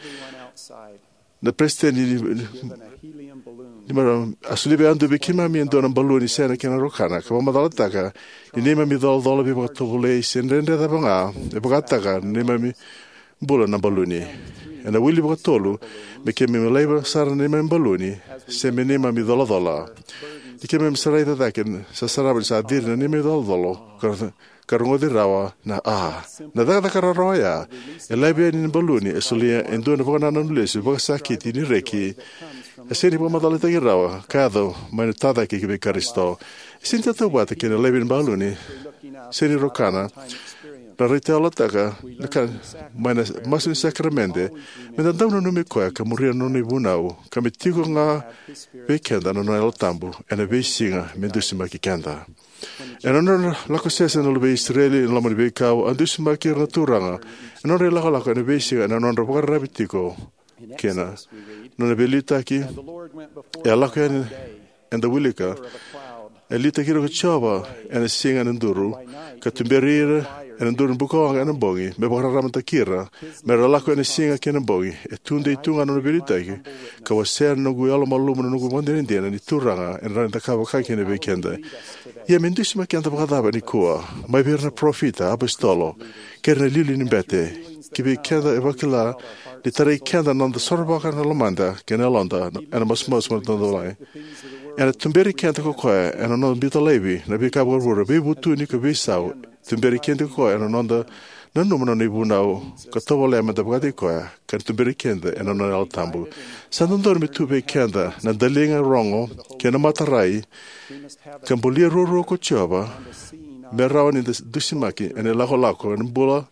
na peresitedi ni, ni, ni marama, a solia yadua vei keimami e dua na baluni sena kena rokana, ka vakamacalataka ni neimami icolacola, veivakatovolei se dredre cava ga e vakataka na neimami bula na baluni. Ena wili vakatolu, me keimami laiva sara na neimami baluni se me neimami icolacola. Ni keimami sa raica cake, sa sarava ni sa ciri na neimami icolacola, ka, ka rogoci rawa na a. Na cakacaka rawarawa oya e laivi yani na baluni e solia e dua na vakanananu lesu, vakasakiti, ni reki e sega ni vakamacalataki rawa, ka yaco mai na tacake vei Karisito. E sega ni tautauvata kei na laivi ni baluni, sega ni rokana, na raitayalotaka na ka mai na masu ni sakaramede, meda dau nanumi koya ka muria na nona ivunau, ka me tiko ga vei keda na nona Yalo Tabu ena veisiga me dusimaki keda. Ena nona lako sese na luvei Isireli ena loma ni veikau, a dusimaki ira na Turaga ena nodra ilakolako ena veisiga ena nodra vakararavi tiko kina. Nona veiliutaki, e a lako yani, eda wilika, e liutaki ira ko Jiova ena siga ena duru, ka tuberi ira ena duru ni bukawaqa ena bogi, me vakararamataki ira, me ra lako ena siga kei na bogi. E tudei tu ga na nona veiliutaki, ka wasea na noqu yalomalumalumu na noqu vakadinadina ni Turaga ena rawa ni cakava vaka kina vei keda. Ia me dusimaki keda vakacava nikua? Mai vei ira na parofita, apositolo, kei ira na iliuliu ni bete. Ki vei keda e vakila ni tarai keda na noda sorovaka na lomada kei na yaloda ena masumasu mai na noda lagi. Ena tuberi keda ko koya ena noda biuta laivi na veika vuravura, veivutuni ka veisau. Tuberi keda ko koya ena noda nanuma na nona ivunau ka tovolea meda vakataki koya, ka tuberi keda ena nona Yalo Tabu. Sa dodonu me tu vei keda na daliga rogo kei na matarai, ka bulia ruarua ko Jiova, me rawa ni da dusimaki ena ilakolako ena bula,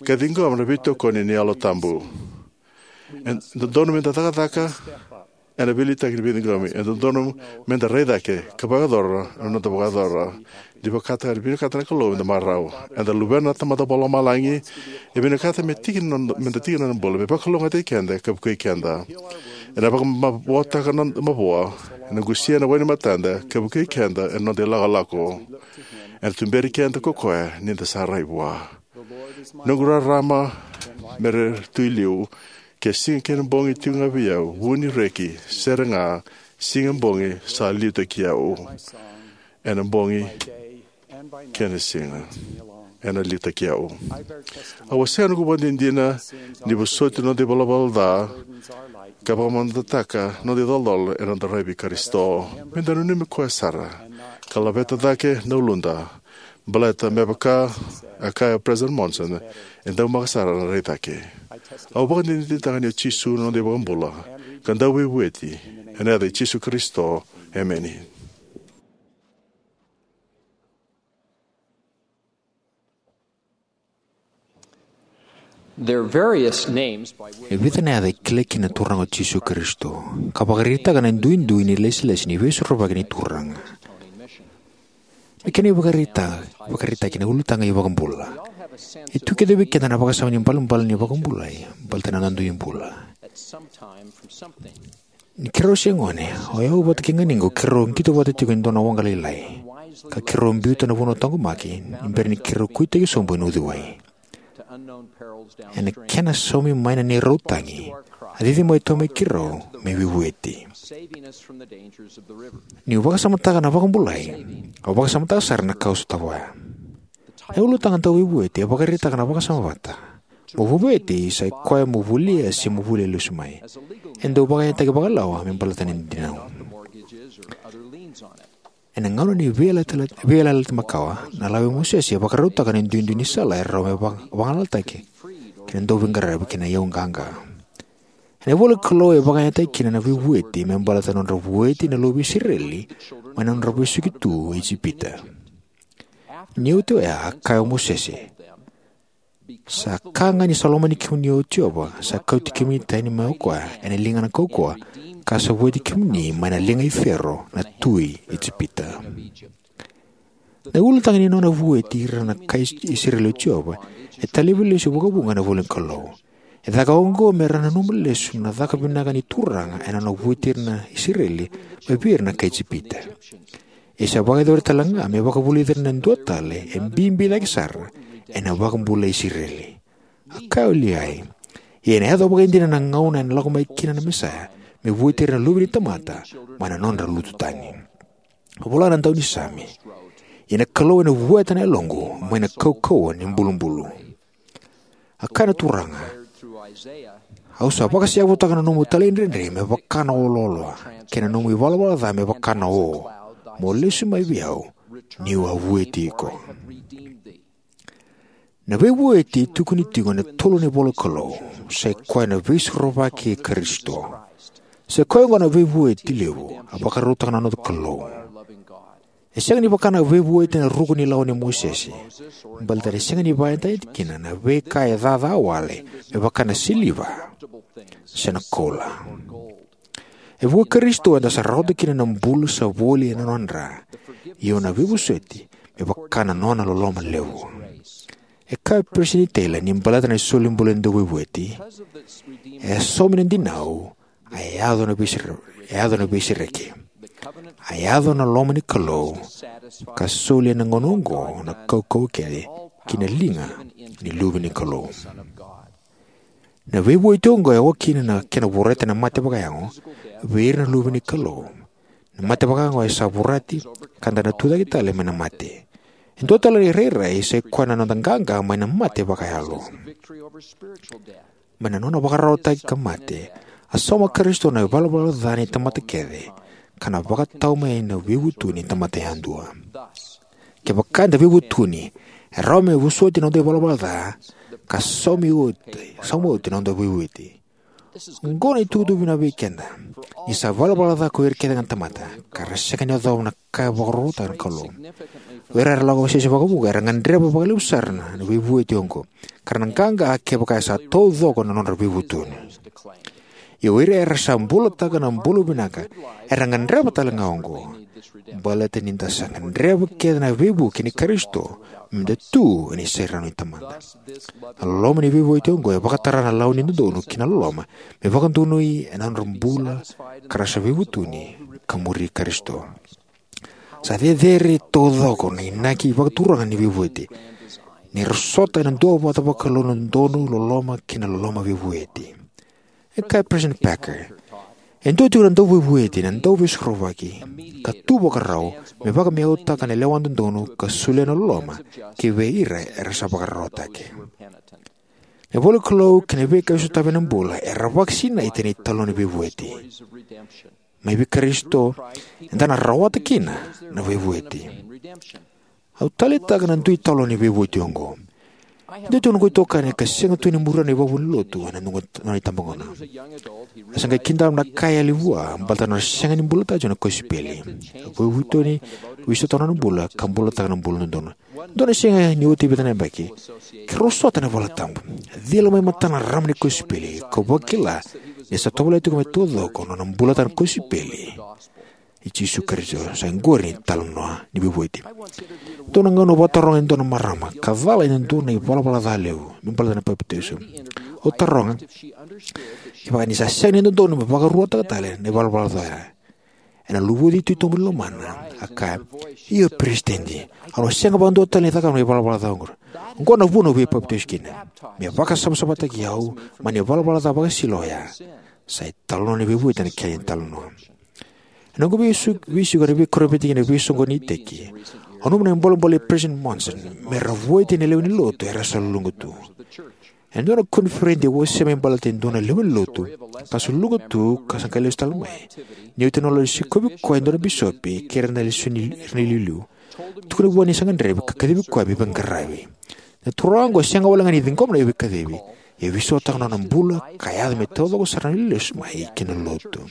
ka ciqoma na veitokoni ni Yalo Tabu. E dodonu meda cakacaka ena veiliutaki ni veiciqomi. E dodonu meda rai cake ka vakayacora na noda vakayacora. Ni vakataka, ni vinakata na Kalou meda marau. Eda luvena na Tamada Vakalomalagi, e vinakata me tiki na noda, meda tiki na nona bula, me vakalougatataki keda ka vukei keda. Ena vakamavoataka na mavoa, ena qusia na wai ni matada ka vukei keda ena noda ilakolako. Ena tuberi keda ko koya ni da sa rai vua. Noqu rarama me ra tu i liu, ke siga kei na bogi tiko ga vei au, vu ni reki, sere ga, siga bogi sa liutaki au. Ena bogi kei na siga ena liutaki au. Au wasea noqu vakadinadina ni vosoti noda ivalavala ca ka vakamamadataka noda icolacola ena noda rai vei Karisito. Meda nanumi koya sara ka laveta cake na uluda. Baleta me vaka a kaya o President Monson, e daumaka sara na rai cake. Au vakadinadinataka ni o Jisu na noda iVakabula ka Dauveivueti, ena yaca i Jisu Karisito, emeni. There are various names by which E vica na yaca e kilai kina na Turaga o Jisu Karisito, ka vakaraitaka na duidui ni lesilesi ni Veisorovaki ni Turaga. Na kena ivakaraitaki, vakaraitaki na ulutaga iVakabula. E tu kece vei keda na vakasama ni balebale ni vakabulai, baleta na noda dui bula. Ni keirau se gone, o yau vata kei ganiqu keirau qito vata tiko e dua na waqa lailai, ka keirau biuta na vanua taqomaki ni bera ni keirau kuitaki sobu ena uciwai. Ena kena saumi mai na neirau tagi, a cici mai tu mai keirau me veivueti. Niu vakasamataka na vakabulai, au vakasamataka sara na ka au sotava oya. E ulutaga Dauveivueti e vakaraitaka na vakasama vata. Mo veivueti sa i koya mo volia se mo volia lesu mai. E dau vakayagataki vakalawa me baleta na dinau. Ena gauna ni veiyalayalati makawa, na lawa i Mosese e vakarautaka na duidui ni sala e rawa me vagalalataki kei na dauveiqaravi kei na iyau qaqa. Ena ivola ni Kalou e vakayagataki kina na veivueti me baleta na nodra vueti na luve i Isireli mai na nodra vesuki tu e Ijipita. Ni oti oya a kaya o Mosese, sa ka ga ni sa lomani kemuni o Jiova, sa kauti kemuni tani mai o koya ena ligana kaukauwa, ka sa vueti kemuni mai na liga i Fero na tui Ijipita. Na ulutaga ni nona vueti ira na kai Isireli o Jiova e talevi lesu vakavuqa ena ivola ni Kalou. E caka oqo me ra nanuma lesu na caka vinaka ni Turaga ena nona vueti ira na Isireli mai vei ira na kai Ijipita. E sa vakayacori tale ga me vakavulici ira na dua tale e bibi cake sara ena vakabula i Isireli. A kaya o Liai, ia ena yaco vakaidina na gauna ena lako mai kina na Mesaia me vueti ira na luve ni tamata mai na nodra lutu tani. A vola na daunisame, ia na Kalou ena vueta na yaloqu mai na kaukauwa ni bulubulu. A kaya na Turaga, au sa vakaseavutaka na nomu talaidredre me vaka na oloolo, kei na nomu ivalavala ca me vaka na o. Mo lesu mai vei au, niu a vueti iko. Na veivueti e tukuni tiko ena tolu na ivola Kalou, sai koya na veisorovaki i Karisito. Sai koya oqo na veivueti levu a vakarautaka na noda Kalou. E sega ni vaka na veivueti ena ruku ni lawa nei Mosese, baleta ni sega ni vakayagataki kina na veika e caca wale me vaka na siliva se na koula. E vuku i Karisito eda sa rawata kina na bula sa voli ena nona dra, io na veivosoti me vaka na nona loloma levu. E kaya o Peresitedi Taylor ni baleta na solibula ni dauveivueti, e saumi na dinau, a yaco na veisere-, a yaco na veisereki. A yaco na loma ni Kalou, ka soli ena gauna oqo na kaukauwa kece ki na liga ni Luve ni Kalou. Na veivueti oqo e oka kina na kena vorati na mate vakayago vei ira na luve ni Kalou. Na mate vakayago e sa vorati ka da na tucake tale mai na mate. E dua tale na irairai sai koya na noda qaqa mai na mate vakayalo. Mai na nona vakararawataki ka mate, a sauma Karisito na ivalavala ca ni tamata kece, ka na vakatau mai na veivutuni ni tamata yadua. Kevaka eda veivutuni, e rawa me vosoti na noda ivalavala ca, ka saumi oti, sauma oti na noda veivueti. Oqo na itukutuku vinaka vei keda. Ni sa valavala ca ko ira kece ga na tamata, ka ra sega ni yacova na ka e vakarorotaka na Kalou. O ira era lako sese vakavuqa era gadreva vakalevu sara na, na veivueti oqo, ka ra na qaqa kevaka e sa taucoko na nodra veivutuni. Ia o ira era sa bulataka na bula vinaka era gadreva tale ga oqo. Baleta ni da sa gadreva kece na veivuke ni Karisito me da tu ena isere ni Tamada. Na loloma ni veivueti oqo e vakatara na lawa ni dodonu ki na loloma me vakadonui ena nodra bula ka ra sa veivutuni ka muri Karisito. Sa cecere taucoko na inaki vakaturaga ni veivueti ni ra sota ena duavata vakalou na dodonu, loloma kei na loloma veivueti. E kaya o Peresitedi Packer, e dua tiko na dauveivueti, na dauveisorovaki ka tu vakarau me vakamiautaka na lewa dodonu ka solia na loloma ki vei ira era sa vakararawataki. Na ivola ni Kalou kei na veika e sotavi ena bula era vakasinaita ena italanoa ni veivueti. Mai vei Karisito eda na rawata kina na veivueti. Au taleitaka na dui italanoa ni veivueti oqo. Dua tiko na noqu itokani ka sega tu ni muria na ivakavuvuli ni lotu ena noqu, nona itabagone. A sa qai kidava na ka e yali vua baleta na sega ni bulataka tiko na kosipeli. A veivueti, veisautaka na nona bula ka bulataka na bula dodonu. Dua na siga ni oti e vica na yabaki, keirau sota ena valetabu. A cila mai matana na rarama ni kosipeli, kau vakila ni sa tovolea tiko me taucoko na nona bulataka na kosipeli i Jisu Karisito. Sa iqori na italanoa ni veivueti. Dua na gauna au vakataroga e dua na marama ka cala ena dua na ivalavala ca levu me baleta na papitaiso. Au taroga kevaka ni sa sega ni dodonu me vakaruataka tale na ivalavala ca oya. Ena luvuci titobu ni lomana, a kaya, "Io, Peresitedi, au na sega vakadua tale ni cakava na ivalavala ca oqo. Oqo na vuna au veipapitaiso kina. Me vakasavasavataki au mai na ivalavala ca vakasisila oya." Sa italanoa ni veivueti na kena italanoa. Ena noqu veisu-, veisiko ena veikoro vata kei na veisoqoni ni iteki, au nanuma na bolebole i Peresitedi Monson me ra vueti na lewe ni lotu era sa luluqa tu. Ena dua na koniferedi e wasea me baleta e dua na lewe ni lotu ka sa luluqa tu ka sa qai lesu tale mai. Ni oti na nona lai sikovi koya e dua na bisopi kei ira na lesu ni, ira na iliuliu, tukuna vua ni sa gadrevi ka kacivi koya me veiqaravi. Na turaga oqo e sega wale ga ni ciqoma na veikacivi, ia e veisautaka na nona bula ka yaco me taucoko sara na lesu mai ki na lotu.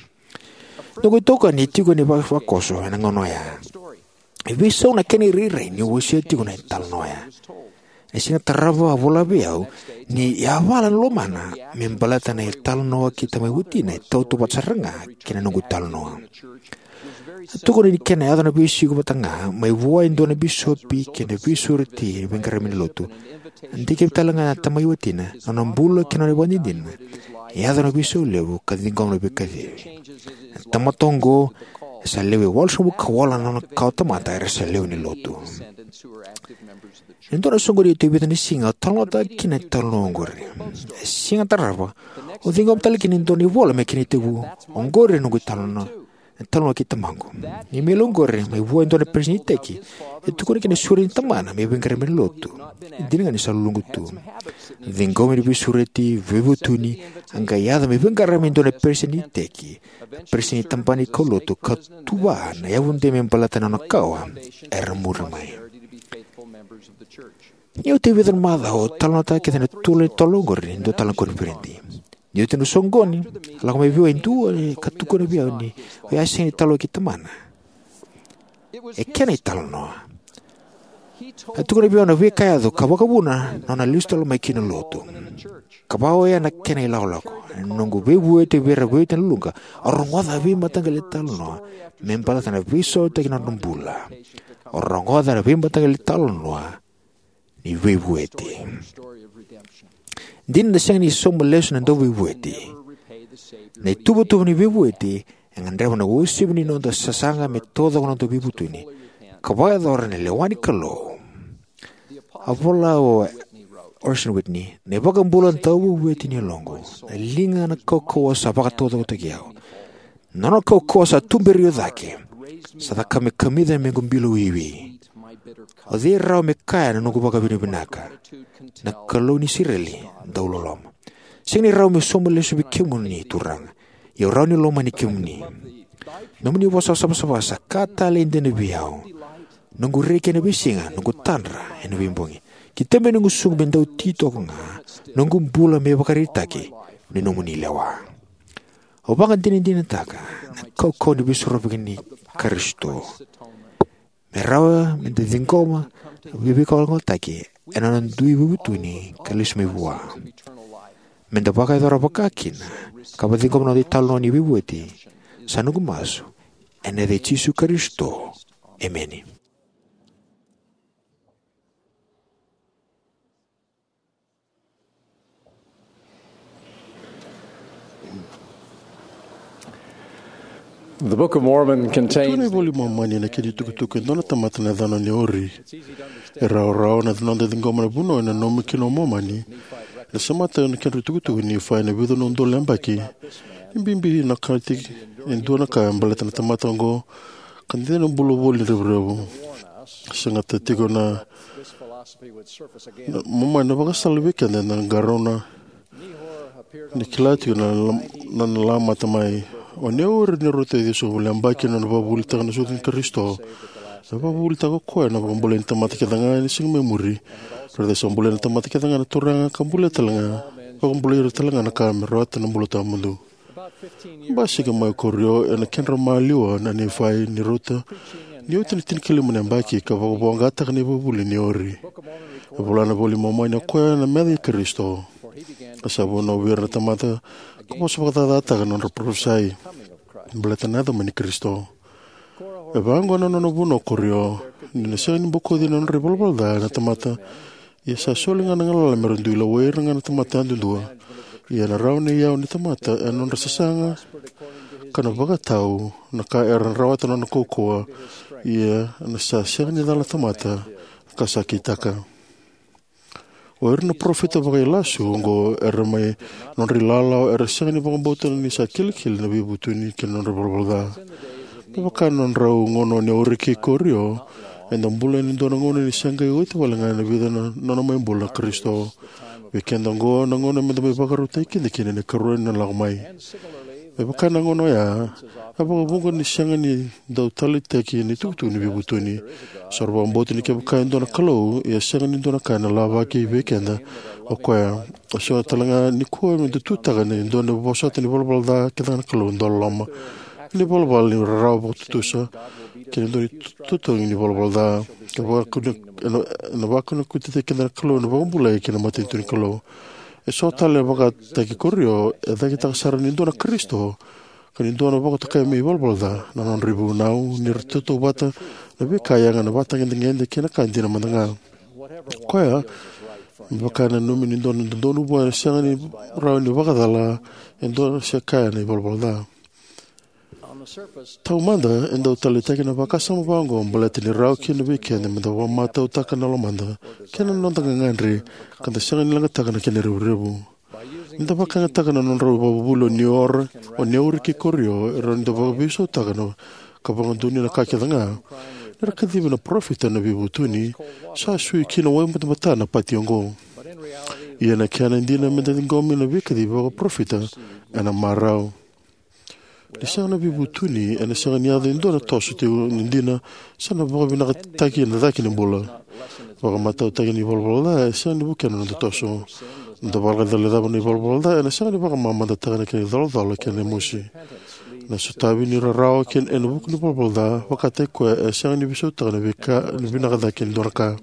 Noqu itokani e tiko ena va-, vakoso ena gauna oya. E veisau na kena irairai niu wasea tiko na italanoa oya. Ena siga tarava a vola vei au Ni yavala na lomana me baleta na italanoa kei tamai watina e tautauvata sara ga kei na noqu italanoa. A tukuna ni kena yaco na veisiko vata ga mai vua e dua na bisopi kei na veisureti ni veiqaravi ni lotu. A dikevi tale ga na tamai watina na nona bula kei na nona ivakadinadina e yaco na veisau levu ka ciqoma na veikacivi. Na tamata oqo e sa lewe walusagavulu ka walu na nona kawa tamata era sa lewe ni lotu. E dua na soqoni e tauvi na siga o talanoataka kina na italanoa oqori. E siga tarava o ciqoma tale kina e dua na ivola me kena itevu. Oqori e noqu italanoa, e talanoa kei tamaqu. Ni imeli oqori mai vua e dua na peresitedi ni iteki. E tukuna kina na sureti ni tamana me veiqaravi ni lotu. E dina ga ni sa luluqa tu. Ciqomi ni veisureti, veivutuni, a qai yaco me veiqaravi e dua na peresitedi ni iteki, peresitedi ni tabana ni kaulotu, ka tuva na yavudei me baleta na nona kawa era muri mai. Ni oti e vica na macawa o talanoataka kece na tolo ni tolo oqori ni dua tale na koniferedi. Ni oti na soqoni, a lako mai vei au e dua ka tukuna vei au ni o ya sega ni talanoa kei tamana. E kena italanoa. A tukuna vei au na veika e yaco ka vakavuna na nona lesu tale mai kina lotu. Ka vaka oya na kena ilakolako. Na noqu veivueti vei ira veivueti na luqa, au rogoca na veimataqali talanoa me baleta na veisautaki na nodra bula. Au rogoca na veimataqali talanoa ni veivueti. Dina na sega ni sauma lesu na dauveivueti. Na ituvatuva ni veivueti e gadreva na uasivi ni noda sasaga me taucoko na noda veivutuni ka vakayacora na lewa ni Kalou. A vola o Orson Whitney, na iVakabula dauveivueti ni yaloqu, na liga na kaukauwa sa vakataucokotaki au. Na nona kaukauwa sa tuberi au cake, sa caka me kamica na mequ bilo wiwi. O cei rawa me kaya na noqu vakavinavinaka? Na Kalou ni Isireli dauloloma. Sega ni rawa me sauma lesu vei kemuni Turaga, ia au rawa ni lomani kemuni. Nomuni vosa savasava sa ka talei dina vei au. Noqu reki ena veisiga, noqu tadra ena veibogi. Ki tebe noqu suqu me dau titoka ga, noqu bula me vakaraitaki ni nomuni lewa. Au vakadinadinataka na kaukauwa ni veisorovaki ni Karisito. Me rawa me da ciqoma na veivakalougatataki ena nona dui veivutuni ka lesu mai vua. Me da vakayacora vaka kina ka vakaciqoma na noda italanoa ni veivueti. Sa noqu masu ena yaca i Jisu Karisito. Emeni. The Book of Mormon contains. Tukuna na iVola i Momani na kena itukutuku e dua na tamata na yacana o Neori. E rawarawa na noda ciqoma na vunau e nanumi kina o Momani. E semata na kedra itukutuku ni Nifai na vica na udolu na yabaki. E bibi na ka tiko e dua na ka e baleta na tamata oqo ka dede na bula voli ni revurevu. Segata tiko na, na Momani na vakasala vei keda na qarauna ni kila tiko na, na, na lamata mai. O Neori ni rauta e ciwasagavulu na yabaki na nona vakavuvulitaka na sucu ni Karisito. E vakavuvulitaka o koya na vakabulai ni tamata kece ga ena siga mai muri. Raica sa bulia na tamata kece ga na Turaga ka bulia tale ga, vakabulai ira tale ga na ka me rawata na bula tawamudu. Basika mai o Korio ena kedra maliwa na Nifai ni rauta ni oti na tinikalima na yabaki ka vakavoqataka na ivakavuvuli nei Neori. E vola na iVola i Momani o koya na meca i Karisito. A sa vunau vei ira na tamata ka vosa vakacacataka na nodra parofisai baleta na yaco mai ni Karisito. E vaqo na nona vunau o Korio ni na sega ni bokoci na nodra ivalavala ca na tamata. Ia sa soli ga na galala me ra dui lewai ira ga na tamata yadudua. Ia na rawa ni iyau ni tamata ena nodra sasaga ka na vakatau na ka era na rawata na nona kaukauwa. Ia na sa sega ni cala na tamata ka sa kitaka. O ira na parofita vakailasu oqo era mai nodra ilawalawa era sega ni vakabauta ni sa kilikili na veivutuni kei na nodra ivalavala ca. Me vaka na nodrau gauna o Neori kei Korio, eda bula ena dua na gauna ni se qai oti wale ga ena vica na nona mai bula na Karisito. Vei keda oqo na gauna meda mai vakarautaki keda kina ena ikarua ni nona lako mai. Me vaka na gauna oya, e vakavuqa ni sega ni dau taleitaki na itukutuku ni veivutuni. Sa rau vakabauta ni kevaka e dua na Kalou, ia sega ni dua na ka ena lavaki vei keda o koya. E so tale ga nikua meda tutaka ni dua na vosota ni valavala ca kece ga na Kalou dauloloma. Ni valavala ni rarawa vakatutusa kei na dua ni totogi ni valavala ca. Ka vakakuna, ena, ena vakakuna kutitaki keda na Kalou ena vakabulai kei na matanitu ni Kalou. E so tale na vakataki korio e cakitaka sara ni dua na Karisito ka ni dua na vakatokai me ivalavala ca. Na nodra ivunau ni ra tautauvata na veika yaga, na vatagedegede kei na ka dina mada ga. Koya me vaka e nanumi ni dua na dodonu vua e sega ni rawa ni vakacala e dua se kaya na ivalavala ca. Taumada e dau taleitaki na vakasama vaqo baleta ni rawa kina vei keda me da vakamatautaka na lomada kei na noda gagadre ka da sega ni leqataka na kena revurevu. Ni da vakayagataka na nodrau ivakavuvuli o Niora, o Neori kei Korio, e rawa ni da vakaveisautaka na ka vakadonuya na ka kece ga. Ni ra kacivi na parofita na veivutuni, sa sui ki na wai batabata na pati oqo. Ia na kena dina me da ciqomi na veikacivi vakaparofita ena marau. Ni sega na veivutuni ena sega ni yaco e dua na toso tiko ni dina se na vakavinakataki ena cake ni bula. Vakamatautaki ni valavala ca e sega ni vukea na noda toso. Na noda vakacalai cava na ivalavala ca ena sega ni vakamamadataka na kena icolacola kei na mosi. Na sotavi ni rarawa kei ena vuku ni valavala ca vakataki koya e sega ni veisautaka na veika ni vinaka cake ni dua na ka.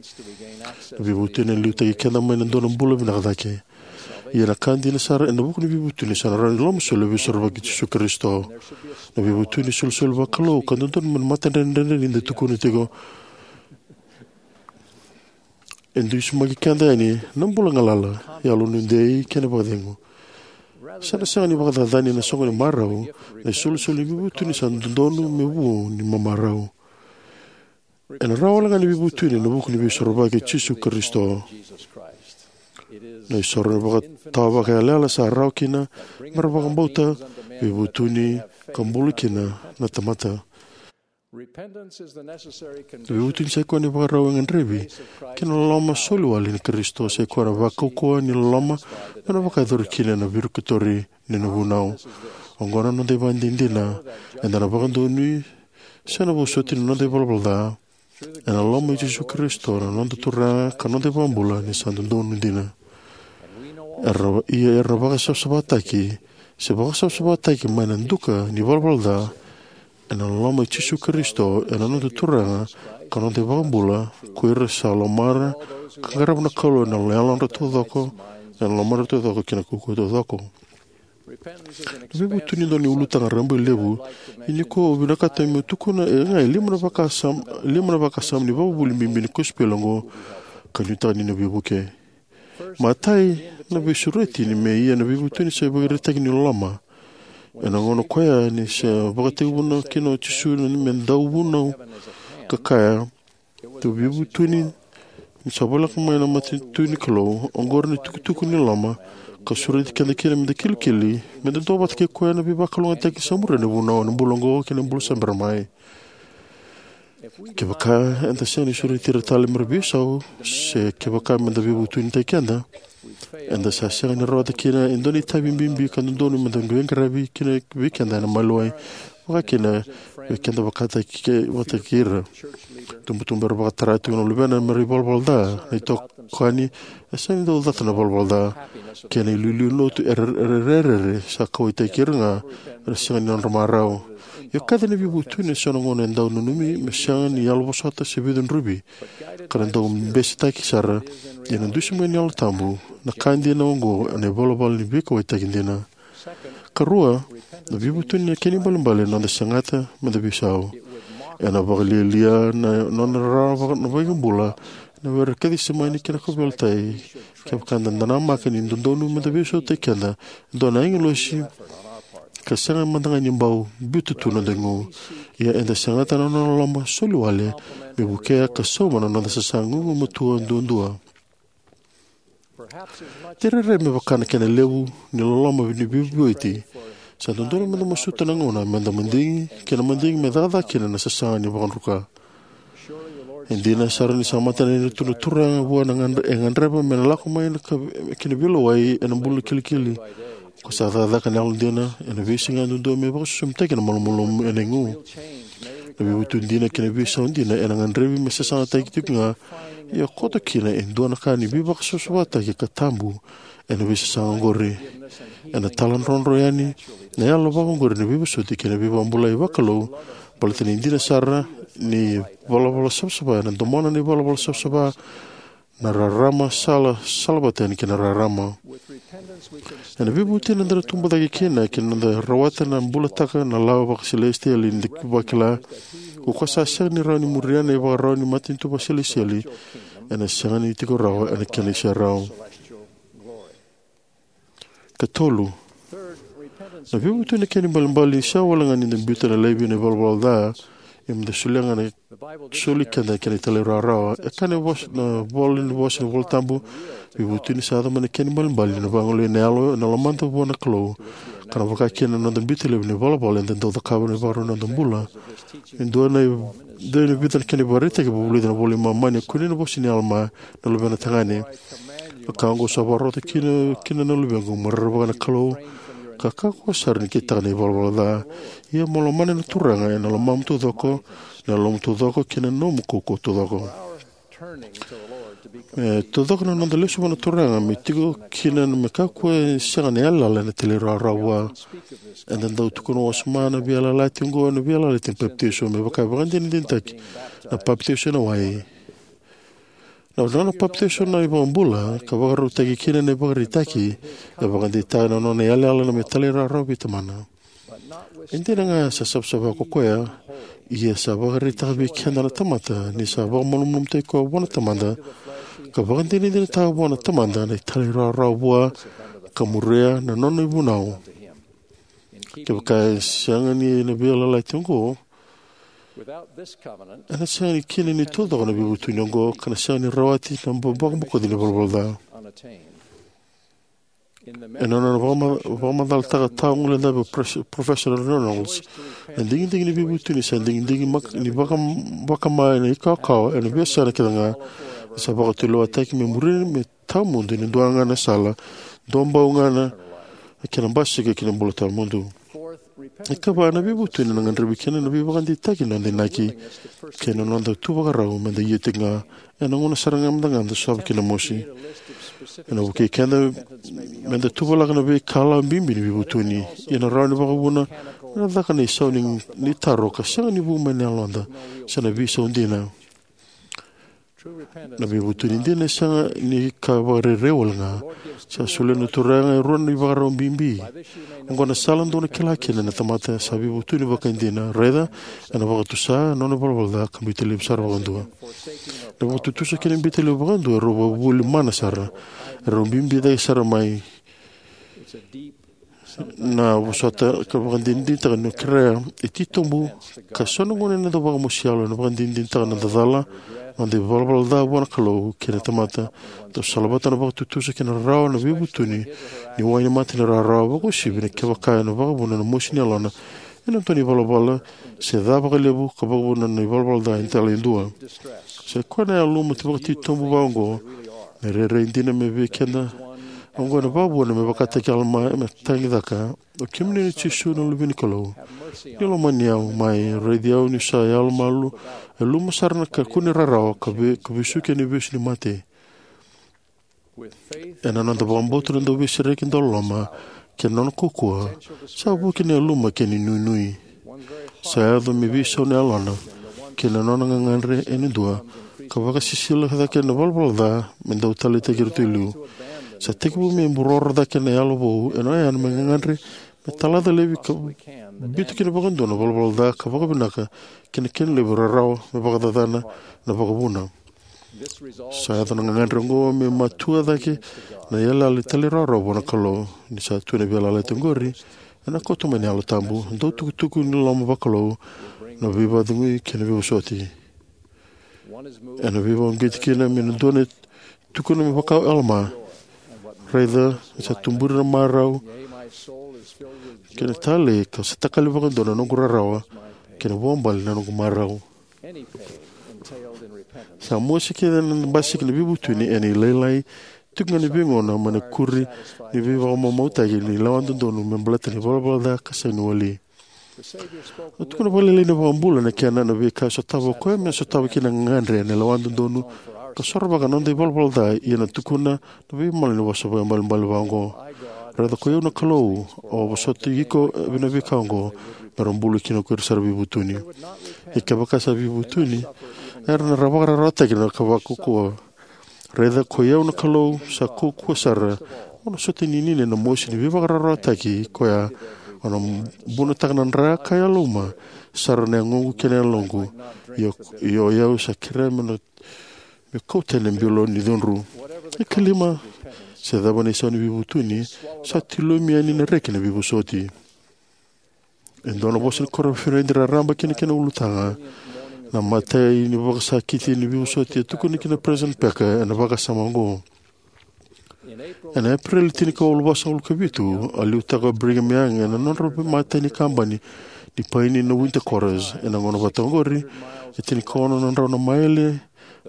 Na veivutuni ena liutaki keda mai na dua na bula vinaka cake. Ia na ka dina sara ena vuku ni veivutuni sa na rawa ni loloma soli na Veisorovaki i Jisu Karisito. Na veivutuni e solisoli vakalou ka dodonu me na matadredredre ni da tukuna tiko. E dusimaki keda yani na bula galala, yalodei kei na vakacegu. Sa na sega ni vakacacani na soqo ni marau, na isolisoli ni veivutuni sa dodonu me vu ni mamarau. Ena rawa wale ga ni veivutuni ena vuku ni Veisorovaki i Jisu Karisito. Na isoro ni vakatawa vakaiyalayala sa rawa kina me ra vakabauta, veivutuni, ka bula kina na tamata. Na veivutuni sai koya na ivakarau e gadrevi kei na loloma soli wale ni Karisito, sai koya na vakaukauwa ni loloma me na vakayacori kina na virikotori ni na vunau. Oqo na noda ivakadinadina, eda na vakadonui se na vosoti na noda ivalavala ca ena loloma i Jisu Karisito na noda Turaga ka noda iVakabula ni sa dodonu dina. Era, ia era na vakasavasavataki se vakasavasavataki mai na duka ni valavala ca ena loloma i Jisu Karisito ena noda Turaga ka noda iVakabula, ko ira sa lomara ka qarava na Kalou ena yalodra taucoko, ena lomadra taucoko kei na kaukauwa taucoko. Na veivutuni e dua na ulutaga rabailevu, ia nikua au vinakata meu tukuna e ga e lima na vakasama, lima na vakasama ni vakavuvuli bibi ni kosipeli oqo ka nuitaka ni na veivuke. Matai, na veisureti ni me ia na veivutuni sa ivakaraitaki ni loloma. Ena gauna koya ni sa vakatekivuna kina o Jisu me dau vunau ka kaya, tou veivutuni ni sa voleka mai na matanitu ni Kalou, oqori na itukutuku ni loloma, ka sureti keda kina me da kilikili, me da duavata kei koya ena veivakalougatataki sa muria na vunau ena bula oqo kei na bula sa bera mai. Kevaka eda sega ni sureti ira tale me ra veisau, se kevaka me da veivutunitaki keda, eda sa sega ni rawata kina e dua na itavi bibi ka dodonu me da veiqaravi kina vei keda ena maliwai, vaka kina vei keda vakataki, vakataki ira. Tubutubu era vakatara tiko na luvena me ra ivalavala ca, na itokani e sega ni dau cata na valavala ca, kei na iliuliu lotu era, era rerere sa kauwaitaki ira ga era sega ni nodra marau. Io, kaci na veivutuni ena so na gauna e dau nanumi me sega ni yalovosota se veicudruvi, ka na dau besetaki sara, ia na dusimaki ni Yalo Tabu, na ka dina oqo ena ivalavala ni veikauwaitaki dina. Karua, na veivutuni na kena ibalebale na noda segata me da veisau. Ena vakalialia na nona rarawa na iVakabula ena were Kecisemani kei na kauveilatai, kevaka eda namaka ni dodonu me da veisautaki keda e dua na agilosi ka sega mada ga ni bau biuta tu na noda igu. Ia eda segata na nona loloma soli wale me vukea ka sauma na noda sasaga gugumatua duadua. De rairai me vaka na kena levu ni loloma ni veivueti, sa dodonu me da masuta na gauna me da madigi kei na madigi me cakacaka kina na sasaga ni vakadruka. E dina sara ni sa mata ni tu na Turaga vua na gadre-, e gadreva me na lako mai na ka-, ki na veilewai ena bula kilikili. Ko sa cakacaka na yalodina ena veisiga duadua me vakasusumitaki na malumalumu ena igu. Na veivutuni dina kei na veisau dina ena gadrevi me sasagataki tiko ga, ia koto kina e dua na ka ni veivakasavasavataki ka tabu ena veisasaga oqori. Ena taladrodro yani na yalo vakaoqori na veivosoti kei na veivakabulai vakalou, baleta ni dina sara ni valavala savasava ena domona na ivalavala savasava Na rarama sala, sala vata yani kei na rarama. Ena veivutuni eda na tubu cake kina, kei na noda rawata na bulataka na lawa vakaselesitieli ni vakila, ko koya sa sega ni rawa ni muria na ivakarau ni matanitu vakaselesitieli, ena sega ni tiko rawa ena kena iserau. Ka tolu, na veivutuni kena ibalebale ni sega wale ga ni da biuta na laivi na ivalavala ca, ia meda solia ga na soli keda kei na talairawarawa. E kaya na vosa, na vola ni vosa ni Vola Tabu, veivutuni sa yaco mai na kena ibalebale ni vagolei na yalo ena lomada vua na Kalou, ka na vaka kina na noda biuta laivi na ivalavala eda dau cakava na ivakarau ni noda bula. E dua na i-, dua na vica na kena ivakaraitaki e vakavulica ena iVola i Momani, e kunei ena vosa nei Alama na luvena tagane. Na ka oqo sa vakarota kina, kina na luvequ, mo rerevaka na Kalou, ka kakua sara ni kitaka na ivalavala ca. Ia mo lomana na Turaga ena lomamu taucoko, na yalomu taucoko, kei na nomu kaukauwa taucoko. E taucoko na noda lesu vua na Turaga, me tiko kina me kakua ni sega na yalayala ena talairawarawa vua. Eda dau tukuna wasoma na veiyalayalati oqo ena veiyalayalati ni papitaiso, me vaka e vakadinadinataki na papitaiso ena wai. Na nona papitaiso na iVakabula, ka vakarautaki kina na ivakaraitaki, e vakadeitaka na nona yalayala na me talairawarawa vei Tamana. E dina ga sa savasava ko koya, ia sa vakaraitaka vei keda na tamata ni sa vakamalumalumutaki koya vua na Tamada, ka vakadinadinataka vua na Tamada na italairawarawa vua, ka muria na nona ivunau. Kevaka e sega ni na veiyalayalati oqo, ena sega ni kina ni taucoko na veivutuni oqo, ka na sega ni rawati na vakabokoci ni ivalavala ca. Ena nona vakama-, vakamacalataka tawaguilecavi o Pres-, Professor Reynolds, na digidigi ni veivutuni sa digidigi mak-, ni vaka-, vakama ena ikawakawa ena veiyasana kece ga, sa vakatulewataki me muri me tawamudu ena dua ga na sala, dua bau ga na kena basika ki na bula tawamudu. Ikava, na veivutuni ena gadrevi kina na veivakadeitaki ni noda inaki kei na noda tu vakarau meda ia tiko ga ena gauna sara ga meda gadreva sova kina na mosi. Ena vukei keda meda tuvalaka na veikalawa bibi ni veivutuni, ia na rawa ni vakavuna ena caka na isau ni, ni taro ka sega ni vu mai na yaloda se na veisau dina. Na veivutuni dina e sega ni ka vakarairai wale ga. Sa solia na Turaga e rua na ivakarau bibi. Oqo na sala dou na kila kina na tamata sa veivutuni vakaidina. Raica, ena vakatusa na nona ivalavala ca ka biuta laivi sara vakadua. Na vakatutusa kei na biuta laivi vakadua e rau vakavuvuli mana sara. E rau bibi cake sara mai. Na vosota ka vakadinadinataka ni kerea e titobu, ka so na gauna ena dau vakamosi yalo, ena vakadinadinataka na noda cala, noda ivalavala ca vua na Kalou kei na tamata. Dau salavata na vakatutusa kei na rarawa na veivutuni ni wainimata ni rarawa, vakauasivi na kevaka ena vakavuna na mosi ni yalona ena dua na ivalavala se ca vakalevu ka vakavuna na ivalavala ca e dela e dua. Sa i koya na yaluma tu vakatitobu vaka oqo, me rairai dina me vei keda oqo ena vakavuna me vakataki Alama me tagicaka: O kemuni na Jisu na Luve ni Kalou, ni lomani au mai, raici au niu sa yalomalu, e luma sara na kakua ni rarawa, ka ve-, ka vesuki ena ivesu ni mate. Ena noda vakabauta na Dauveisereki dauloloma kei na nona kaukauwa, sa vuki na yaluma kei na inuinui. Sa yaco me veisau na yalona kei na nona gagadre ena dua, ka vakasisila cake na ivalavala ca me dau taleitaki iratou e liu. Sa tekivu me buroro cake na yalo vou ena oya me gagadre me talaca laivi ka biuta kina vakadua na ivalavala ca ka vakavinaka kei na kena levu rarawa me vakacacana na vakavuna. Sa yaco na gagadre oqo me matua cake na yalayala ni talairawarawa vua na Kalou. Ni sa tu na veiyalayalati oqori, ena kauta mai na Yalo Tabu, dau tukutuku ni loloma vakalou, na veivakacegui kei na veivosoti. Ena veivakauqeti kina me na dua na tukuna me vaka o Alama: Raica, sa tuburi na marau kei na talei, ka sa takali vakadua na noqu rarawa kei na vuabale na noqu marau. Sa mosi kece na basika ni veivutuni ena ilailai, tiko ga ni veigauna mai na ikuri ni veivakamamautaki ni lewa dodonu me baleta na ivalavala ca ka sega ni wali. A tukuna vakalailai na iVakabula na kena na veika e sotava o koya me sotava kina na gagadre ena lewa dodonu ka sorovaka na noda ivalavala ca, ia na tukuna na veimala ni vosa vakaibalebale vaka oqo: Raica, ko i au na Kalou, au a vosoti iko ena veika oqo, me ra bula kina ko ira sara veivutuni. Ia kevaka sa veivutuni, era na ra vakararawataki na ka vakaukauwa. Raica ko i au na Kalou sa kaukauwa sara, au na sota ninini ena mosi ni veivakararawataki koya. Au na bunataka na dra ka yaluma sara na yagoqu kei na yaloqu. Io, io, au sa kerea me na me kauta ena bilo ni cudru. E kalima, se cava na isau ni veivutuni, sa tilomi yani na reki na veivosoti. E dua na vosa ni koro Fernand raraba kina kena ulutaga. Na matai ni vakasakiti ni veivosoti e tukuni kina President Packer ena vakasama oqo. Ena Epereli tinikawalu vasagavulu ka vitu, a liutaka o Brigham Young ena nodra matai ni kabani ni paini na Winter Quarters. Ena gauna vata oqori, e tinikaono na drau na maile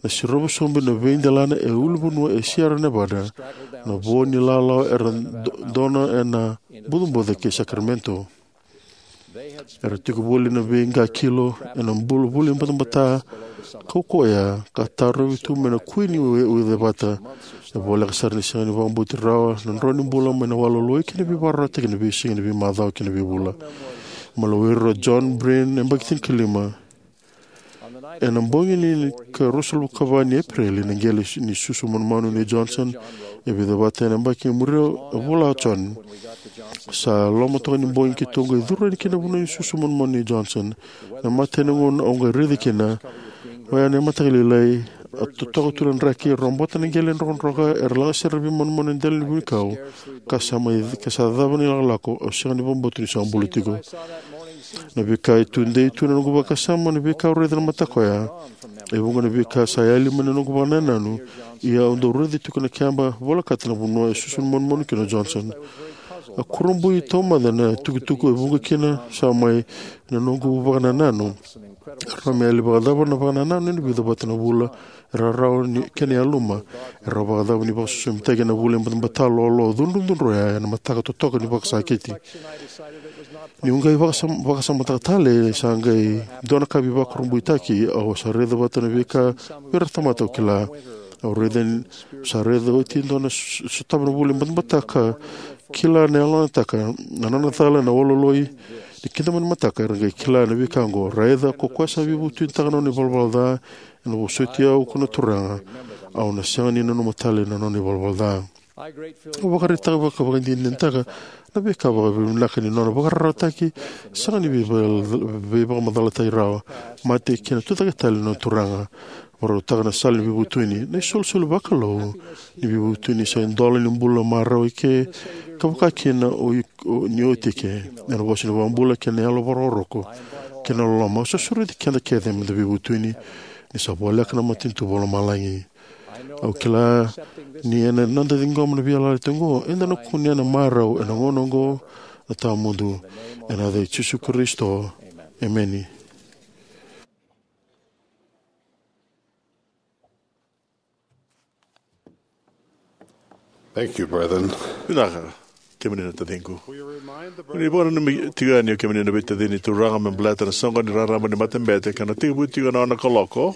na sirova sobu na veidelana e ulunivanua e Sierra Nevada, na vo ni lalawa era do-, dona ena bucabuca kei Sacramento. Era tiko voli na veiqa kilo ena bula vuli batabata kaukauwa ya, ka tarovi tu mai na kui ni ue-, ucevata. E voleka sara ni sega ni vakabauti rawa na drau ni bula mai na waloloi kei na veivakararawataki ena veisiga, na veimacawa kei na veivula. Mai na were o John Breen, yabaki tinikalima. Ena bogi ni ka ruasagavulu ka va ni Epereli, na qele ni susu manumanu nei Johnson, e vica vata ena yabaki e muria, e vola o John. Sa loma toka ni bogi keitou qai curu yani ki na vanua ni susu manumanu nei Johnson. Na matai ni gauna au qai raica kina, oya na mataka lailai, a totoka tu na draki, e robota na qele drokadroka, era lagasere na veimanumanu e dela ni vunikau, ka sa mai, ka sa cava na ilakolako, au sega ni vakabauta ni sa bula tiko. Na veika e tudei tu na noqu vakasama, na veika au raica na mataka oya. E vuqa na veika sa yali mai na noqu vakanananu, ia au dau raica tiko na keba volekata na vanua e susu manumanu kina o Johnson. A kurabui taumada na itukutuku e vuqa kina sa mai na noqu vakanananu. Rawa me yali vakacava na vakanananu ena vica vata na vula, e rarawa ni kena yaluma, e rawa vakacava ni vakasusumitaki ena vula e batabata, lolo, cudrucudru oya ena mataka totoka ni vakasakiti. Niu qai vakasam-, vakasamataka tale, sa qai dua na ka veivakurabuitaki, au sa raica vata na veika vei ira na tamata au kila. Au raica ni sa raica oti e dua na s-, sotava na vula e batabata ka kila na yalonataka, na nona cala, na waloloi, ni kida mai na mataka era qai kila na veika oqo. Raica ko koya sa veivutunitaka na nona ivalavala ca, ena vosoti au ko na Turaga, au na sega ni nanuma tale na nona ivalavala ca. Au vakaraitaka vakavakadinadinataka na veika vakavinavinaka ni nona vakararawataki, sega ni veiva-, veivakamacalataki rawa. Mate kei na tucake tale na Turaga. Vakarautaka na sala ni veivutuni, na isolisoli vakalou ni veivutuni sa idola ni bula marau eke, ka vaka kina o i-, o ni oti eke. Ena vosa ni vakabula kei na yalo vakarokoroko kei na loloma, au sa sureti keda kece meda veivutuni, ni sa voleka na matanitu vakalomalagi. Au kila ni ena noda ciqoma na veiyalayalati oqo, eda na kunea na marau ena gauna oqo, na tawamudu. Ena yaca i Jisu Karisito. Emeni. Thank you, brethren. Vinaka, kemuni na taciqu. Ni vakananumi tiko yani o kemuni na veitacini ni Turaga me baleta na soqo ni rarama ni matabete ka na tekivu tiko ena ono na kaloko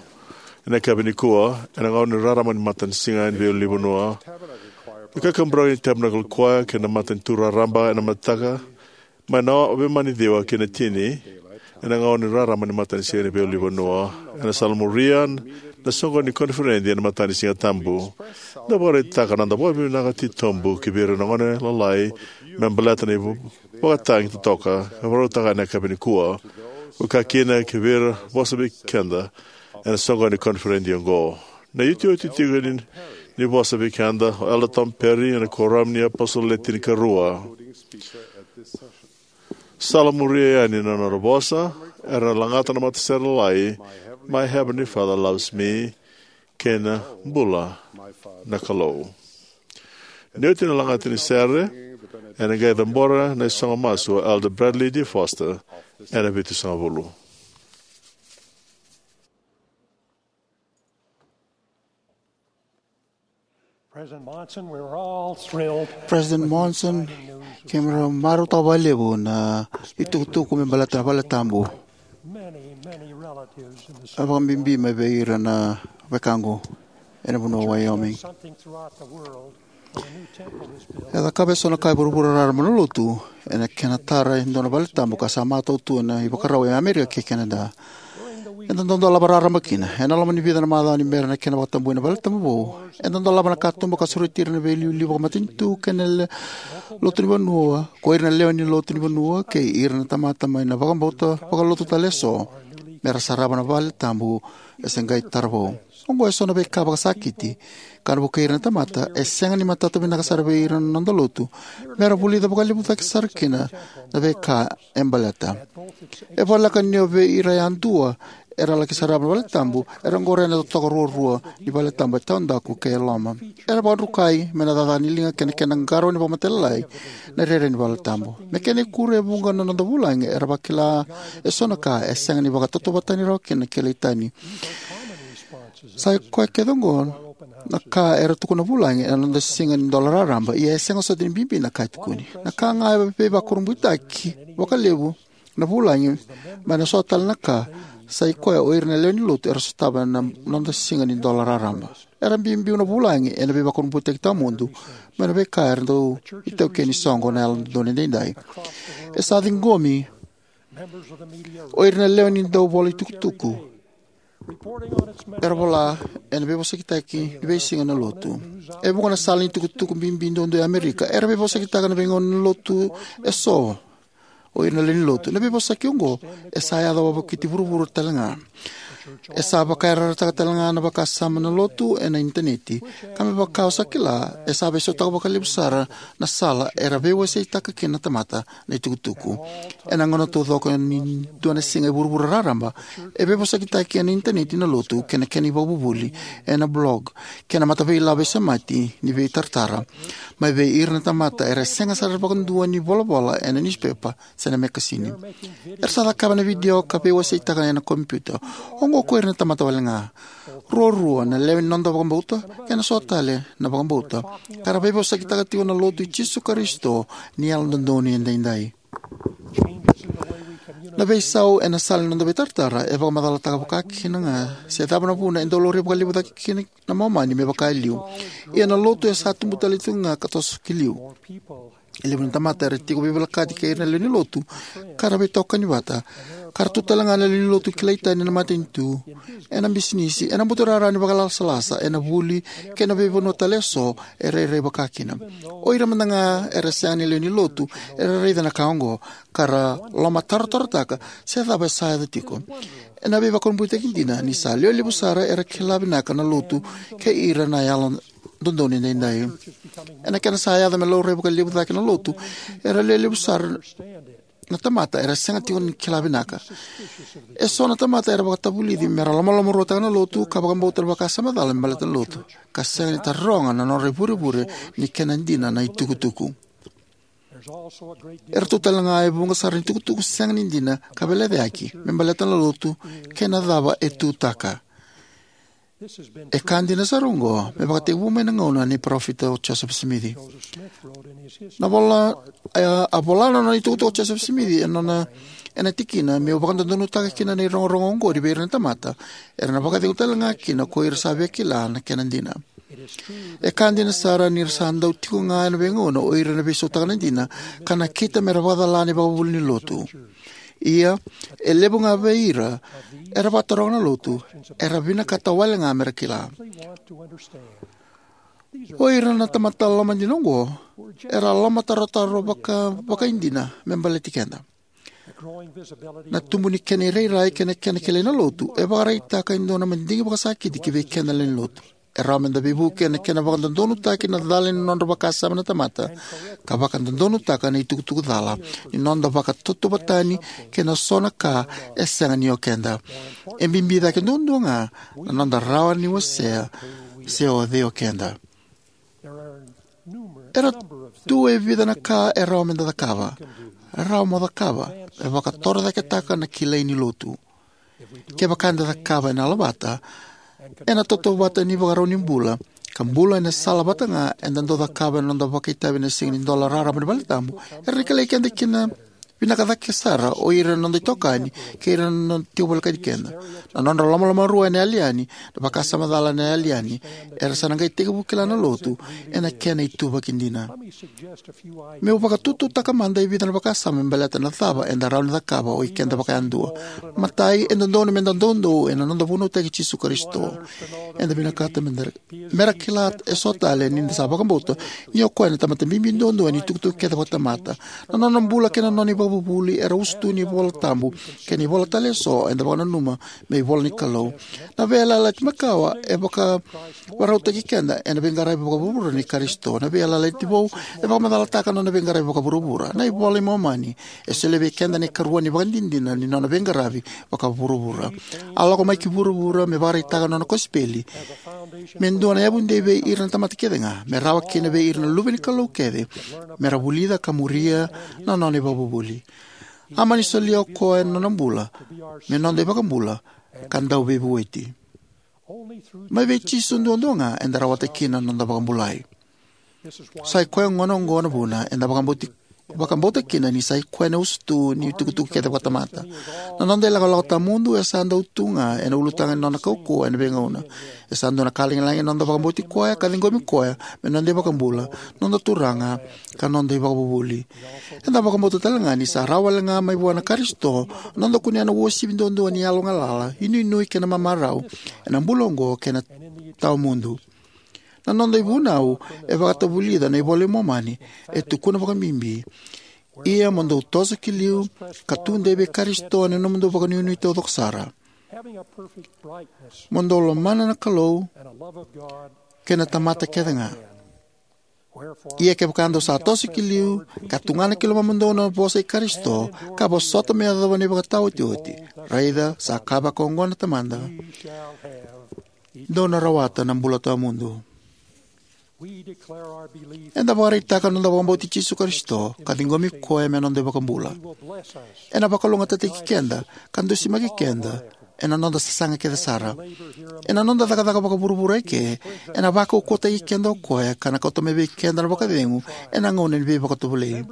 ena yakavi nikua, ena gauna ni rarama ni matanisiga ni veiulunivanua. Na kakaburaki ni Tabernacle Choir kei na matanitu raraba ena mataka, mai na veimama ni ciwa ki na tini, ena gauna ni rarama ni matanisiga ni veiulunivanua. Ena salamuria na soqo ni koniferedi ena matanisiga tabu. Da vakaraitaka na noda vakavinavinaka titobu ki vei ira na gone lalai me baleta na iva-, vakatagi totoka ka vakarautaka ena yakavi nikua. Vakakina ki vei ira vosa vei keda ena soqo ni koniferedi oqo. Na iotioti tiko ni, ni vosa vei keda o Elder Tom Perry ena Kuoramu ni iApositolo Le Tinikarua. Salamuria yani na nona vosa, era na lagata na matasere lalai, My Heavenly Father Loves Me, kei na Bula na Kalou. Ni oti na lagata ni sere, ena qai cabora na isogo masu o Elder Bradley D. Foster ena vitusagavulu. President Monson, we were all thrilled. President Monson, keimami marautaka vakalevu na itukutuku me baleta na vale tabu. Many, many relatives in the, a vakabibi mai vei ira na wekaqu ena vanua o Wyoming. Something throughout the world. A new temple was built. E cakava eso na ka e vuravura raraba na lotu ena kena tara e dua na vale tabu ka sa matau tu ena ivakarau e Amerika kei Canada. Eda dau dolava raraba kina. Ena loma ni vica na macawa ni bera na kena vakatabui na valetabu vou, eda dolava na katuba ka sureti ira na veiliuliu vakamatanitu kei na le lotu ni vanua, ko ira na lewe ni lotu ni vanua kei ira na tamata mai na vakabauta vakalotu tale eso, me ra sarava na valetabu e se qai tara vou. Oqo e so na veika vakasakiti ka na vukei ira na tamata e sega ni matata vinaka sara vei ira na noda lotu me ra vulica vakalevu cake sara kina na veika e baleta. E voleka ni o vei ira yadua era laki sarava na valetabu, era qoroya na totoka ruarua ni valetabu e taudaku kei e loma. Era vakadrukai mai na cakacaka ni liga kei na kena qarauni vakamatailalai na rairai ni valetabu. Me kena ikuri, e vuqa na noda vulagi era vakila e so na ka e sega ni vakatautauvatani rawa kina na kilai tani. Sa i koya kece oqo na ka era tukuna na vulagi ena noda siga ni dola raraba, ia e sega soti ni bibi na ka e tukuni. Na ka ga e veivakurabuitaki vakalevu na vulagi mai na so tale na ka, sa i koya o ira na lewe ni lotu era sotava na noda siga ni dola raraba. Era biubiu na vulagi ena veivakurabuitaki tawamudu mai na veika era dau itaukei ni soqo na Yalododonu Edaidai. E sa ciqomi o ira na lewe ni dau vola itukutuku era vola ena veivosakitaki ni veisiga na lotu. E vuqa na sala ni tukutuku bibi duadua e Amerika era veivosakitaka na veigauna ni lotu e so o ira na lewe ni lotu. Na veivosaki oqo e sa yaco wavokiti vuravura talega. E sa vakayarayarataka talega na vakasama na lotu ena initaneti, ka me vaka o sa kila, e sa veisautaka vakalevu sara na sala era veiwaseitaka kina na tamata na itukutuku. Ena gauna taucoko ni dua na siga e vuravura raraba, e veivosakitaki ena initaneti na lotu kei na kena ivakavuvuli, ena blog, kei na mataveilavo e semati ni veitaratara mai vei ira na tamata era sega sara vakadua ni volavola ena niusipepa se na mekasini. Era sa cakava na vidio ka veiwaseitaka ena kompiuta. Oqo ko ira na tamata walega, ruarua na lewe ni noda vakabauta kei na so tale na vakabauta, ka ra veivosakitaka tiko na lotu i Jisu Karisito ni Yalododonu Edaidai. Na veisau ena sala ni noda veitaratara e vakamacalataka vakakina ga se cava na vuna e dau laurai vakalevu cake kina na Momani me vaka e liu. Ia na lotu e sa tubu tale tiko ga ka toso ki liu. E levu na tamata era tiko veivolekati kei ira na lewe ni lotu, ka ra veitokani vata, ka ra tu talega na lewe ni lotu kilai tani ena matanitu, ena bisinisi, ena buturara ni vakalasalasa, ena vuli, kei na veivanua tale eso e rairai vakakina. O ira mada ga era sega ni lewe ni lotu era raica na ka oqo, ka ra lomatarotarotaka se cava e sa yaco tiko. Ena veivakurabuitaki dina ni sa lewe levu sara era kila vinaka na lotu kei ira na Yalododonu Edaidai. Ena kena sa yaco me laurai vakalevu cake na lotu, era lewe levu sara na tamata era sega tiko ni kila vinaka. E so na tamata era vakatavulici me ra lomalomaruataka na lotu ka vakabauta na vakasama cala me baleta na lotu, ka sega ni taroga na nodra ivurevure ni kena dina na itukutuku. Era tu talega e vuqa sara ni tukutuku sega ni dina ka veilecayaki me baleta na lotu kei na cava e tutaka. E ka dina sara oqo me vakatekivu mai na gauna nei Parofita o Josefa Simici. Na vola, a, a vola na nona itukutuku o Josefa Simici ena nona, ena tikina, meu vakadodonutaka kina na irogorogo oqori vei ira na tamata, era na vakacegu talega kina ko ira sa via kila na kena dina. E ka dina sara ni ra sa dau tiko ga ena veigauna o ira na veisautaka na dina ka nakita me ra vakacala na ivakavuvuli ni lotu. Ia, e levu ga vei ira era vakataroga na lotu, era vinakata walega me ra kila. O ira na tamata lomadina oqo era lomatarotaro vaka, vakaidina me baleti keda. Na tubu ni kena irairai kei na kena kilai na lotu e vakaraitaka e dua na madigi vakasakiti ki vei keda na lewe ni lotu. E rawa me da veivuke ena kena vakadodonutaki na cala ni nodra vakasama na tamata, ka vakadodonutaka na itukutuku cala ni noda vakatautauvatani kei na so na ka e sega ni o keda. E bibi cake duadua ga na noda rawa ni wasea se o cei o keda. Era tu e vica na ka e rawa me da cakava, rawa mo cakava, e vakatorocaketaka na kilai ni lotu. Kevaka eda cakava ena yalovata, ena tautauvata ni vakarau ni bula, ka bula ena sala vata ga eda dau cakava ena noda vakaitavi ena siga ni dola raraba ni valetabu, era na kilai keda kina Vinaka cake sara o ira na noda itokani kei ira na nona tiko volekati keda. Na nodra lomalomarua ena yali yani, na vakasama cala ena yali yani, era sa na qai tekivu kila na lotu ena kena ituvaki dina. Meu vakatututaka mada e vica na vakasama me baleta na cava eda rawa ni cakava o ikeda vakayadua. Matai, e dodonu meda doudou ena noda vunautaki Jisu Karisito. Eda vinakata meda, mera kila eso tale ni da sa vakabauta ni o koya na tamata bibi duadua ni tukutuku kece vakatamata. Na nona bula kei na nona ivakavuvuli era usutu ni iVola Tabu kei na ivola tale eso eda vakananuma me ivola ni Kalou. Na veiyalayalati makawa e vakavarautaki keda ena veiqaravi vakavuravura ni Karisito. Na veiyalayalati vou e vakamacalataka na nona veiqaravi vakavuravura. Na iVola i Momani e solia vei keda na ikarua ni ivakadinadina ni nona veiqaravi vakavuravura. A lako mai ki vuravura me vakaraitaka na nona kosipeli me dua na yavudei vei ira na tamata kece ga, me rawa kina vei ira na luve ni Kalou kece mera vulica ka muria na nona ivakavuvuli. A mani solia o koya na nona bula me noda iVakabula ka Dauveivueti. Mai vei Jisu duadua ga eda rawata kina na noda vakabulai. Sa i koya gona oqo na vuna eda vakabauti, vakabauta kina ni sa i koya na usutu ni tukutuku kece vakatamata. Na noda ilakolako tawamudu e sa dau tu ga ena ulutaga ni nona kaukauwa ena veigauna. E sa dua na ka lagilagi na noda vakabauti koya ka ciqomi koya me noda iVakabula, noda Turaga, ka noda iVakavuvuli. Eda vakabauta tale ga ni sa rawa wale ga mai vua na Karisito na noda kunea na uasivi duadua ni yalogalala, inuinui kei na mamarau ena bula oqo kei na tawamudu. Na noda ivunau e vakatavulica na iVola i Momani, e tukuna vakabibi: Ia mo dou toso ki liu ka tudei vei Karisito ena nomudou vakanuinui taucoko sara, mo dou lomana na Kalou kei na tamata kece ga. Ia kevaka dou sa toso ki liu ka tugana ki lomamudou na vosa i Karisito, ka vosota me yacova na ivakataotioti, raica, sa kaya vakaoqo na Tamada: Dou na rawata na bula tawamudu. Eda vakaraitaka na noda vakabauti Jisu Karisito ka ciqomi koya me noda iVakabula. Ena vakalougatataki keda ka dusimaki keda ena noda sasaga kece sara. Ena noda cakacaka vakavuravura eke, ena vakaukauwataki keda o koya ka na kauta mai vei keda na vakacegu ena gauna ni veivakatovolei.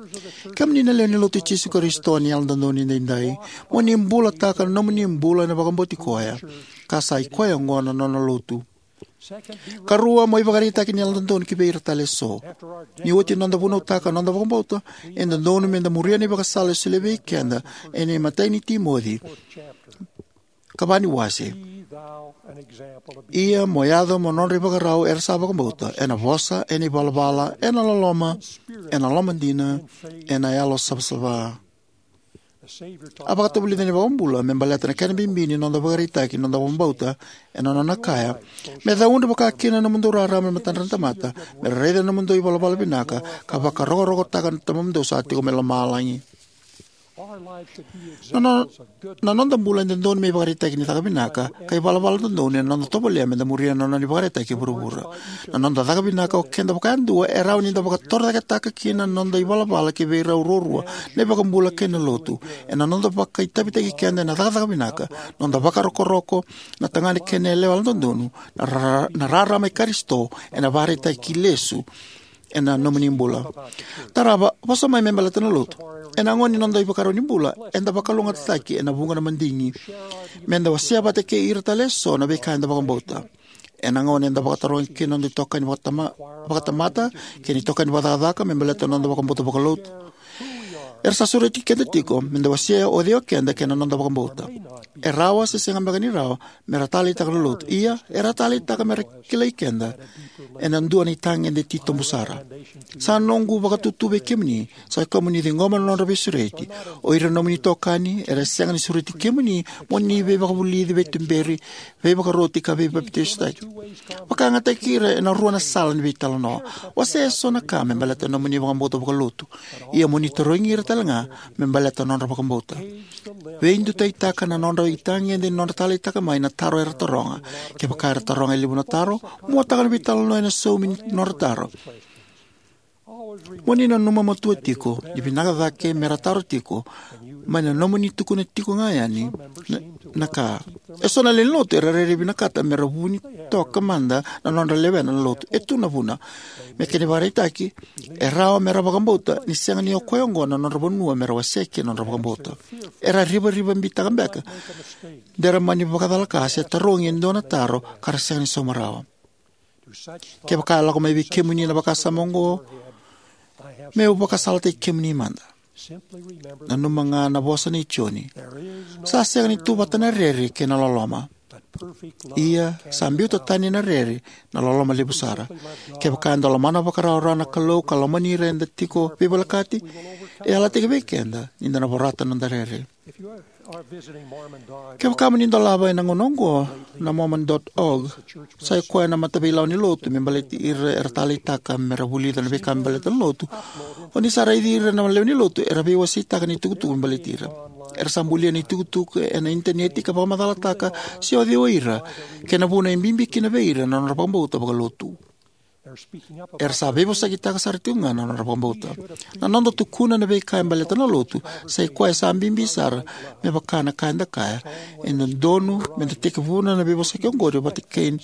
Kemuni na lewe ni Lotu i Jisu Karisito ni Yalododonu Edaidai, mo ni bulataka na nomuni bula ena vakabauti koya, ka sa i koya oqo na nona Lotu. Karua, mo ivakaraitaki ni yalododonu ki vei ira tale eso. Ni oti na noda vunautaka na noda vakabauta, e dodonu meda muria na ivakasala e solia vei keda ena imatai ni Timoci ka va ni wase: Ia mo yaco mo nodra ivakarau era sa vakabauta, ena vosa, ena ivalavala, ena loloma, ena lomadina, ena yalo savasava. A vakatavulica na iVakabula me baleta na kena bibi ni noda vakaraitaki na noda vakabauta ena nona kaya: Me caudre vakakina na nomudou rarama e matadra na tamata, me ra raica na nomudou ivalavala vinaka, ka vakarokorokotaka na Tamamudou sa tiko mai lomalagi. Na, no, na noda bula e dodonu me ivakaraitaki ni caka vinaka ka ivalavala dodonu ena noda tovolea meda muria na nona ivakaraitaki e vuravura. Na noda caka vinaka o keda vakayadua e rawa ni da vakatorocaketaka kina na noda ivalavala ki vei rau ruarua, na iVakabula kei na Lotu. Ena noda vakaitavitaki keda ena cakacaka vinaka, noda vakarokoroko, na tagane kei na yalewa yalododonu, na ra-, na rarama i Karisito ena vakaraitaki lesu ena nomuni bula. Tarava, vosa mai me baleta na Lotu. Ena gauna ni noda ivakarau ni bula, eda vakalougatataki ena vuqa na madigi. Meda wasea vata kei ira tale eso na veika eda vakabauta. Ena gauna eda vakatarogi kina noda itokani vakatama-, vakatamata kei na itokani vakacakacaka me baleta na noda vakabauta vakalotu, era sa sureti keda tiko meda wasea o cei o keda kei na noda vakabauta. E rawa se sega beka ni rawa mera taleitaka na Lotu. Ia, era taleitaka mera kilai keda ena dua na itagede titobu sara. Sa noqu vakatutu vei kemuni, sa kemuni ciqoma na nodra veisureti. O ira na nomuni itokani era sega ni sureti kemuni mo ni veivakavulici, veituberi, veivakaroti ka veipapitaisotaki. Vakayagataki ira ena rua na sala ni veitalanoa. Wasea eso na ka me baleta na nomuni vakabauta vakalotu. Ia mo ni tarogi ira tale ga me baleta na nodra vakabauta. Veidutaitaka na nodra itagede ni nodra taleitaka mai na taro era taroga. Kevaka era taroga e levu na taro, muataka na veitalanoa ena saumi ni nodra taro. Mo ni nanuma matua tiko ni vinaka cake mera taro tiko mai na nomuni tukuna tiko ga yani na, na ka. Eso na lewe ni lotu era rairai vinakata mera vuni toka mada na nodra lewena na lotu. E tu na vuna. Me kena ivakaraitaki, e rawa mera vakabauta ni sega ni o koya oqo na nodra vanua mera wasea kina na nodra vakabauta. Era rivariva bitaka beka de ra mani vakacalaka se tarogi e dua na taro ka ra sega ni sauma rawa. Kevaka e lako mai vei kemuni na vakasama oqo, meu vakasalataki kemuni mada. Nanuma ga na vosa nei Joni. Sa sega ni tu vata na rere kei na loloma. Ia, sa biuta tani na rere na loloma levu sara. Kevaka eda lomana vakarawarawa na Kalou ka lomani ira eda tiko veivolekati, e yalataki vei keda ni da na vorata na noda rere. Kevaka mo ni dolava ena gauna oqo na Mormon dot org, sa i koya na mataveilawa ni lotu me baleti ira era taleitaka mera vulica na veika me baleta na lotu. O ni sa raici ira na lewe ni lotu era veiwaseitaka na itukutuku me baleti ira. Era sa bulia na itukutuku ena initaneti ka vakamacalataka se o cei o ira, kei na vuna e bibi kina vei ira na nodra vakabauta vakalotu. Era sa veivosakitaka sara tiko ga na nodra vakabauta. Na noda tukuna na veika e baleta na lotu sa i koya sa bibi sara, me vaka na ka eda kaya. E dodonu meda tekivuna na veivosaki oqori vata kei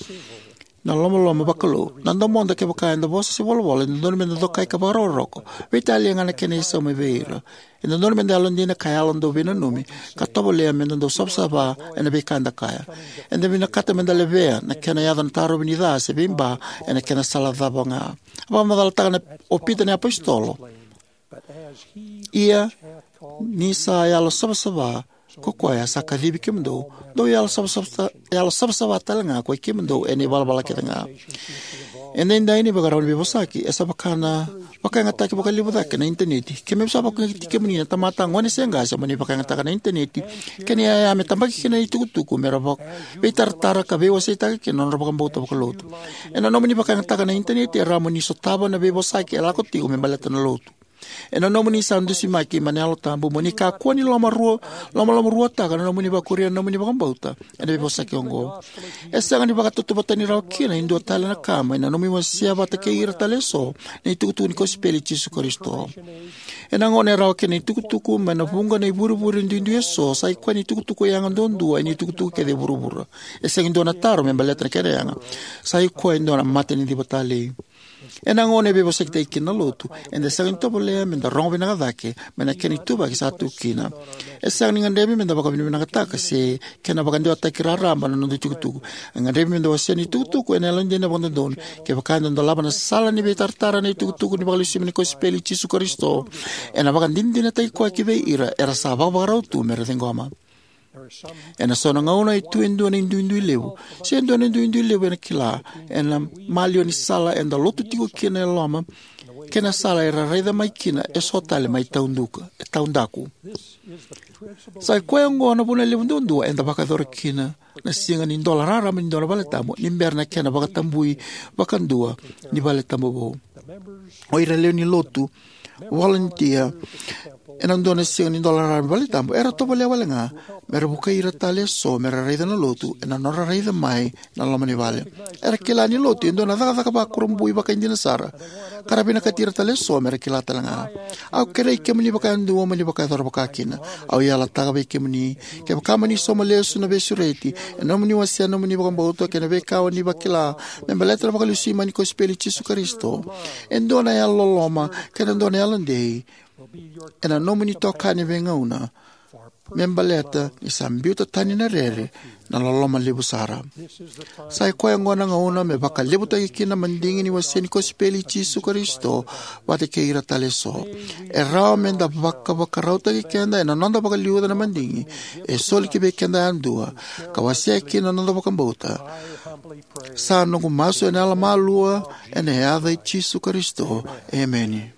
na lomaloma vakalou. Na domoda, kevaka eda vosa se volavola, e dodonu meda dokai ka vakarokoroko. Veitalia ga na kena isau mai vei ira. E dodonu meda yalodina ka yalo dau veinanumi, ka tovolea meda dau savasava ena veika eda kaya. Eda vinakata meda levea na kena yaco na tarovi ni ca se veiba ena kena sala cava ga. A vakamacalataka na, o Pita na iapositolo. Ia, ni sa yalo savasava ko koya sa kacivi kemudou, dou yalo savasava, yalo savasava tale ga ko i kemudou ena ivalavala kece ga. E daidai ni vakarau ni veivosaki, e sa vaka na vakayagataki vakalevu cake na initaneti. Keimami sa vakayagataki kemuni na tamata, gone se qase, mo ni vakayagataka na initaneti kei na iyaya me tabaki kina na itukutuku mera vaka, veitaratara ka veiwaseitaka kina na nodra vakabauta vakalotu. Ena nomuni vakayagataka na initaneti, e rawa mo ni sotava na veivosaki e lako tiko me baleta na lotu. Ena nomuni sa dusimaki mai na Yalo Tabu, mo ni kakua ni lomarua, lomalomaruataka na nomuni vakuria na nomuni vakabauta ena veivosaki oqo. E sega ni vakatautauvatataki rawa kina e dua tale na ka mai na nomuni wasea vata kei ira tale eso na itukutuku ni kosipeli i Jisu Karisito. Ena gauna e rawa kina na itukutuku mai na vuqa na ivurevure duidui eso, sa i koya na itukutuku yaga duadua ena itukutuku kece e vuravura. E sega e dua na taro me baleta na kena yaga. Sa i koya e dua na mataniciva talei. Ena gauna e veivosakitaki kina na lotu, eda sega ni tovolea meda rogo vinaka cake mai na kena ituvaki sa tu kina. E sega ni gadrevi meda vakavinavinakataka se kena vakadewataki raraba na noda itukutuku. E gadrevi meda wasea na itukutuku ena yalodina vakadodonu. Kevaka eda dolava na sala ni veitaratara na itukutuku ni vakalesui mai ni kosipeli i Jisu Karisito, ena vakadinadinataki koya ki vei ira era sa vakavakarau tu mera ciqoma. Ena so na gauna e tu e dua na iduidui levu, se dua na iduidui levu ena kila, ena maliwa ni sala eda lotu tiko kina e loma, kei na sala era raica mai kina eso tale mai tauduka, e taudaku. Sa i koya oqo na vuna levu duadua eda vakayacora kina na siga ni dola raraba ni dua na valetabu ni bera na kena vakatabui vakadua ni valetabu vou. O ira lewe ni lotu volunteer ena dua na siga ni dola raraba ni valetabu, era tovolea wale ga mera vukei ira tale eso mera raica na lotu ena nodra raica mai na loma ni vale. Era kila ni lotu e dua na cakacaka vakurabui vakaidina sara, ka ra vinakati ira tale eso mera kila tale ga. Au kerei kemuni vakayadua mo ni vakayacora vaka kina. Au yalataka vei kemuni, kevaka mo ni sauma lesu na veisureti ena nomuni wasea na nomuni vakabauta kei na veika o ni vakila me baleta na vakalesui mai ni kosipeli i Jisu Karisito, e dua na yalololoma kei na dua na yalodei ena nomuni itokani veigauna, me baleta ni sa biuta tani na rere na loloma levu sara. Sa i koya oqo na gauna me vakalevutaki kina na madigi ni wasea ni kosipeli i Jisu Karisito vata kei ira tale eso. E rawa meda vakavakarautaki keda ena noda vakaliuca na madigi e soli ki vei keda yadua, ka wasea kina na noda vakabauta. Sa noqu masu ena yalomalua, ena yaca i Jisu Karisito. Emeni.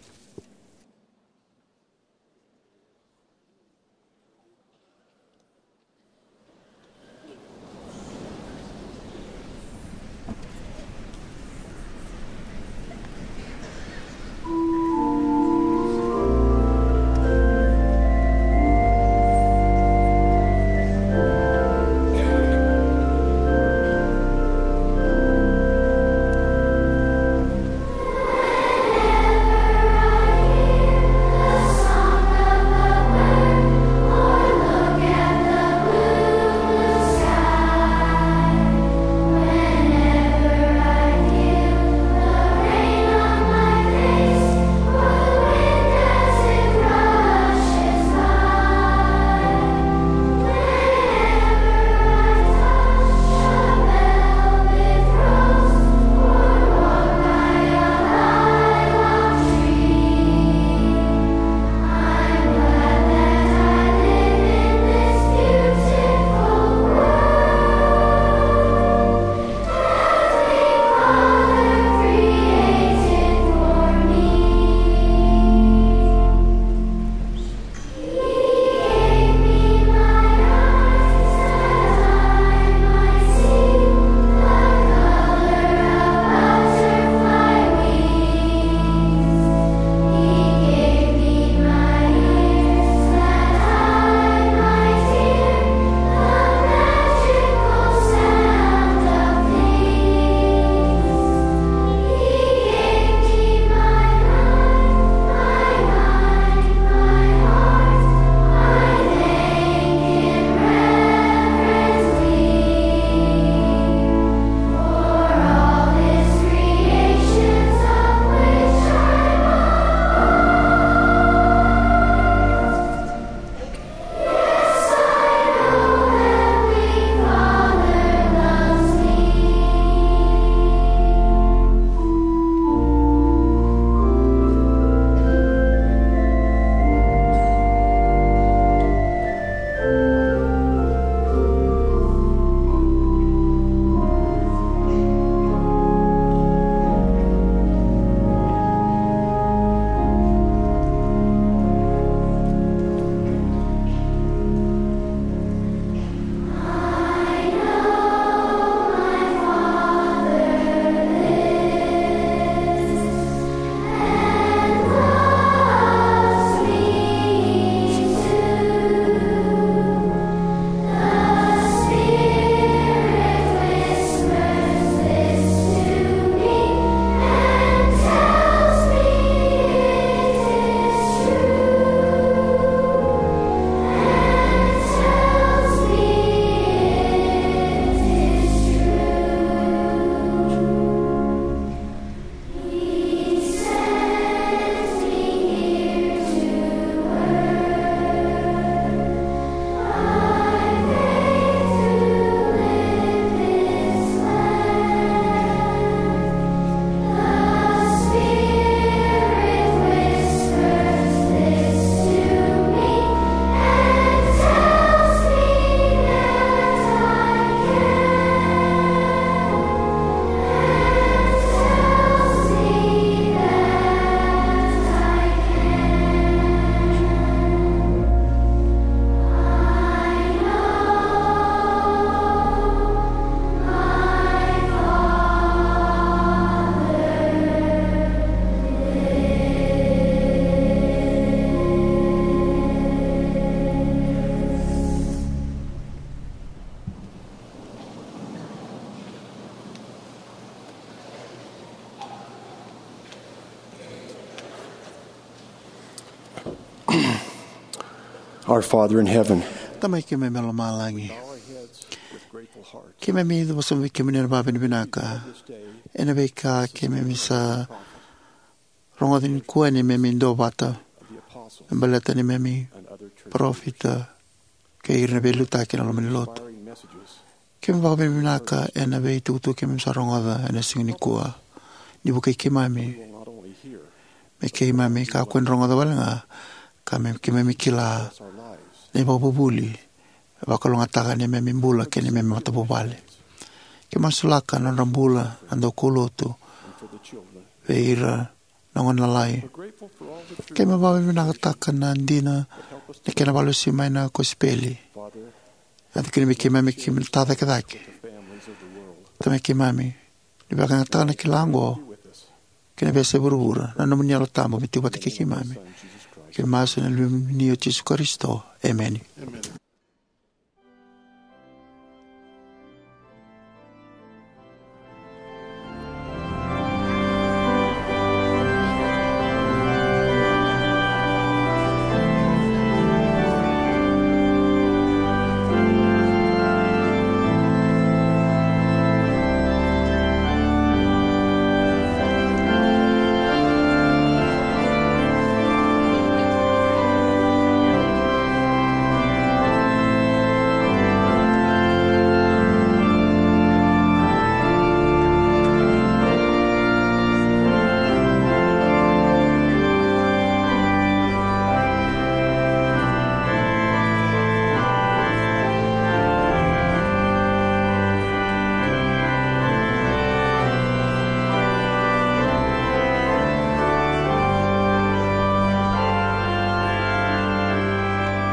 Our Father in heaven, Tamai keimami mai lomalagi, keimami vakavinavinaka ena veika keimami sa rogoca nikua ni keimami duavata me baleta ni keimami parofita kei ira na veiliutaki ena loma ni lotu. Keimami vakavinavinaka ena veitukutuku keimami sa rogoca ena siga nikua. Ni vukei keimami me keimami kakua ni rogoca wale ga, ka me keimami kila na ivakavuvuli e vakalougatataka na neimami bula kei na neimami matavuvale. Keimami masulaka na nodra bula na daukaulotu vei ira na gone lalai. Keimami vakavinavinakataka na dina na kena vakalesui mai na kosipeli. Yaco kina vei keimami, keimami tacakecake. Tamai keimami, ni vakayagataka na kila oqo ki na veiyasai vuravura, na nomuni Yalo Tabu me tiko vata kei keimami. Keimami masu ena yaca ni Luvemuni o Jisu Karisito. Emeni.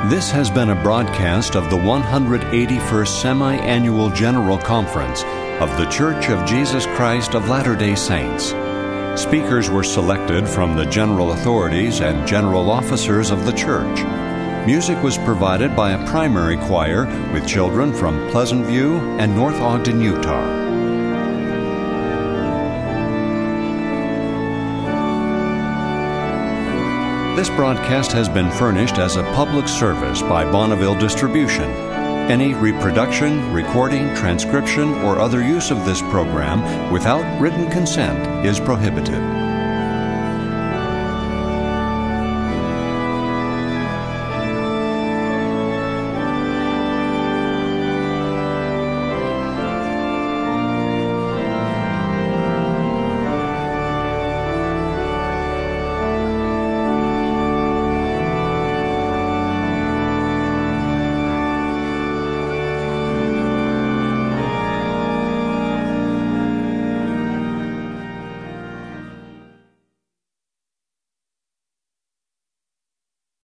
This has been a broadcast of the one hundred eighty-first Semi-Annual General Conference of The Church of Jesus Christ of Latter-day Saints. Speakers were selected from the general authorities and general officers of the church. Music was provided by a primary choir with children from Pleasant View and North Ogden, Utah. This broadcast has been furnished as a public service by Bonneville Distribution. Any reproduction, recording, transcription, or other use of this program without written consent is prohibited.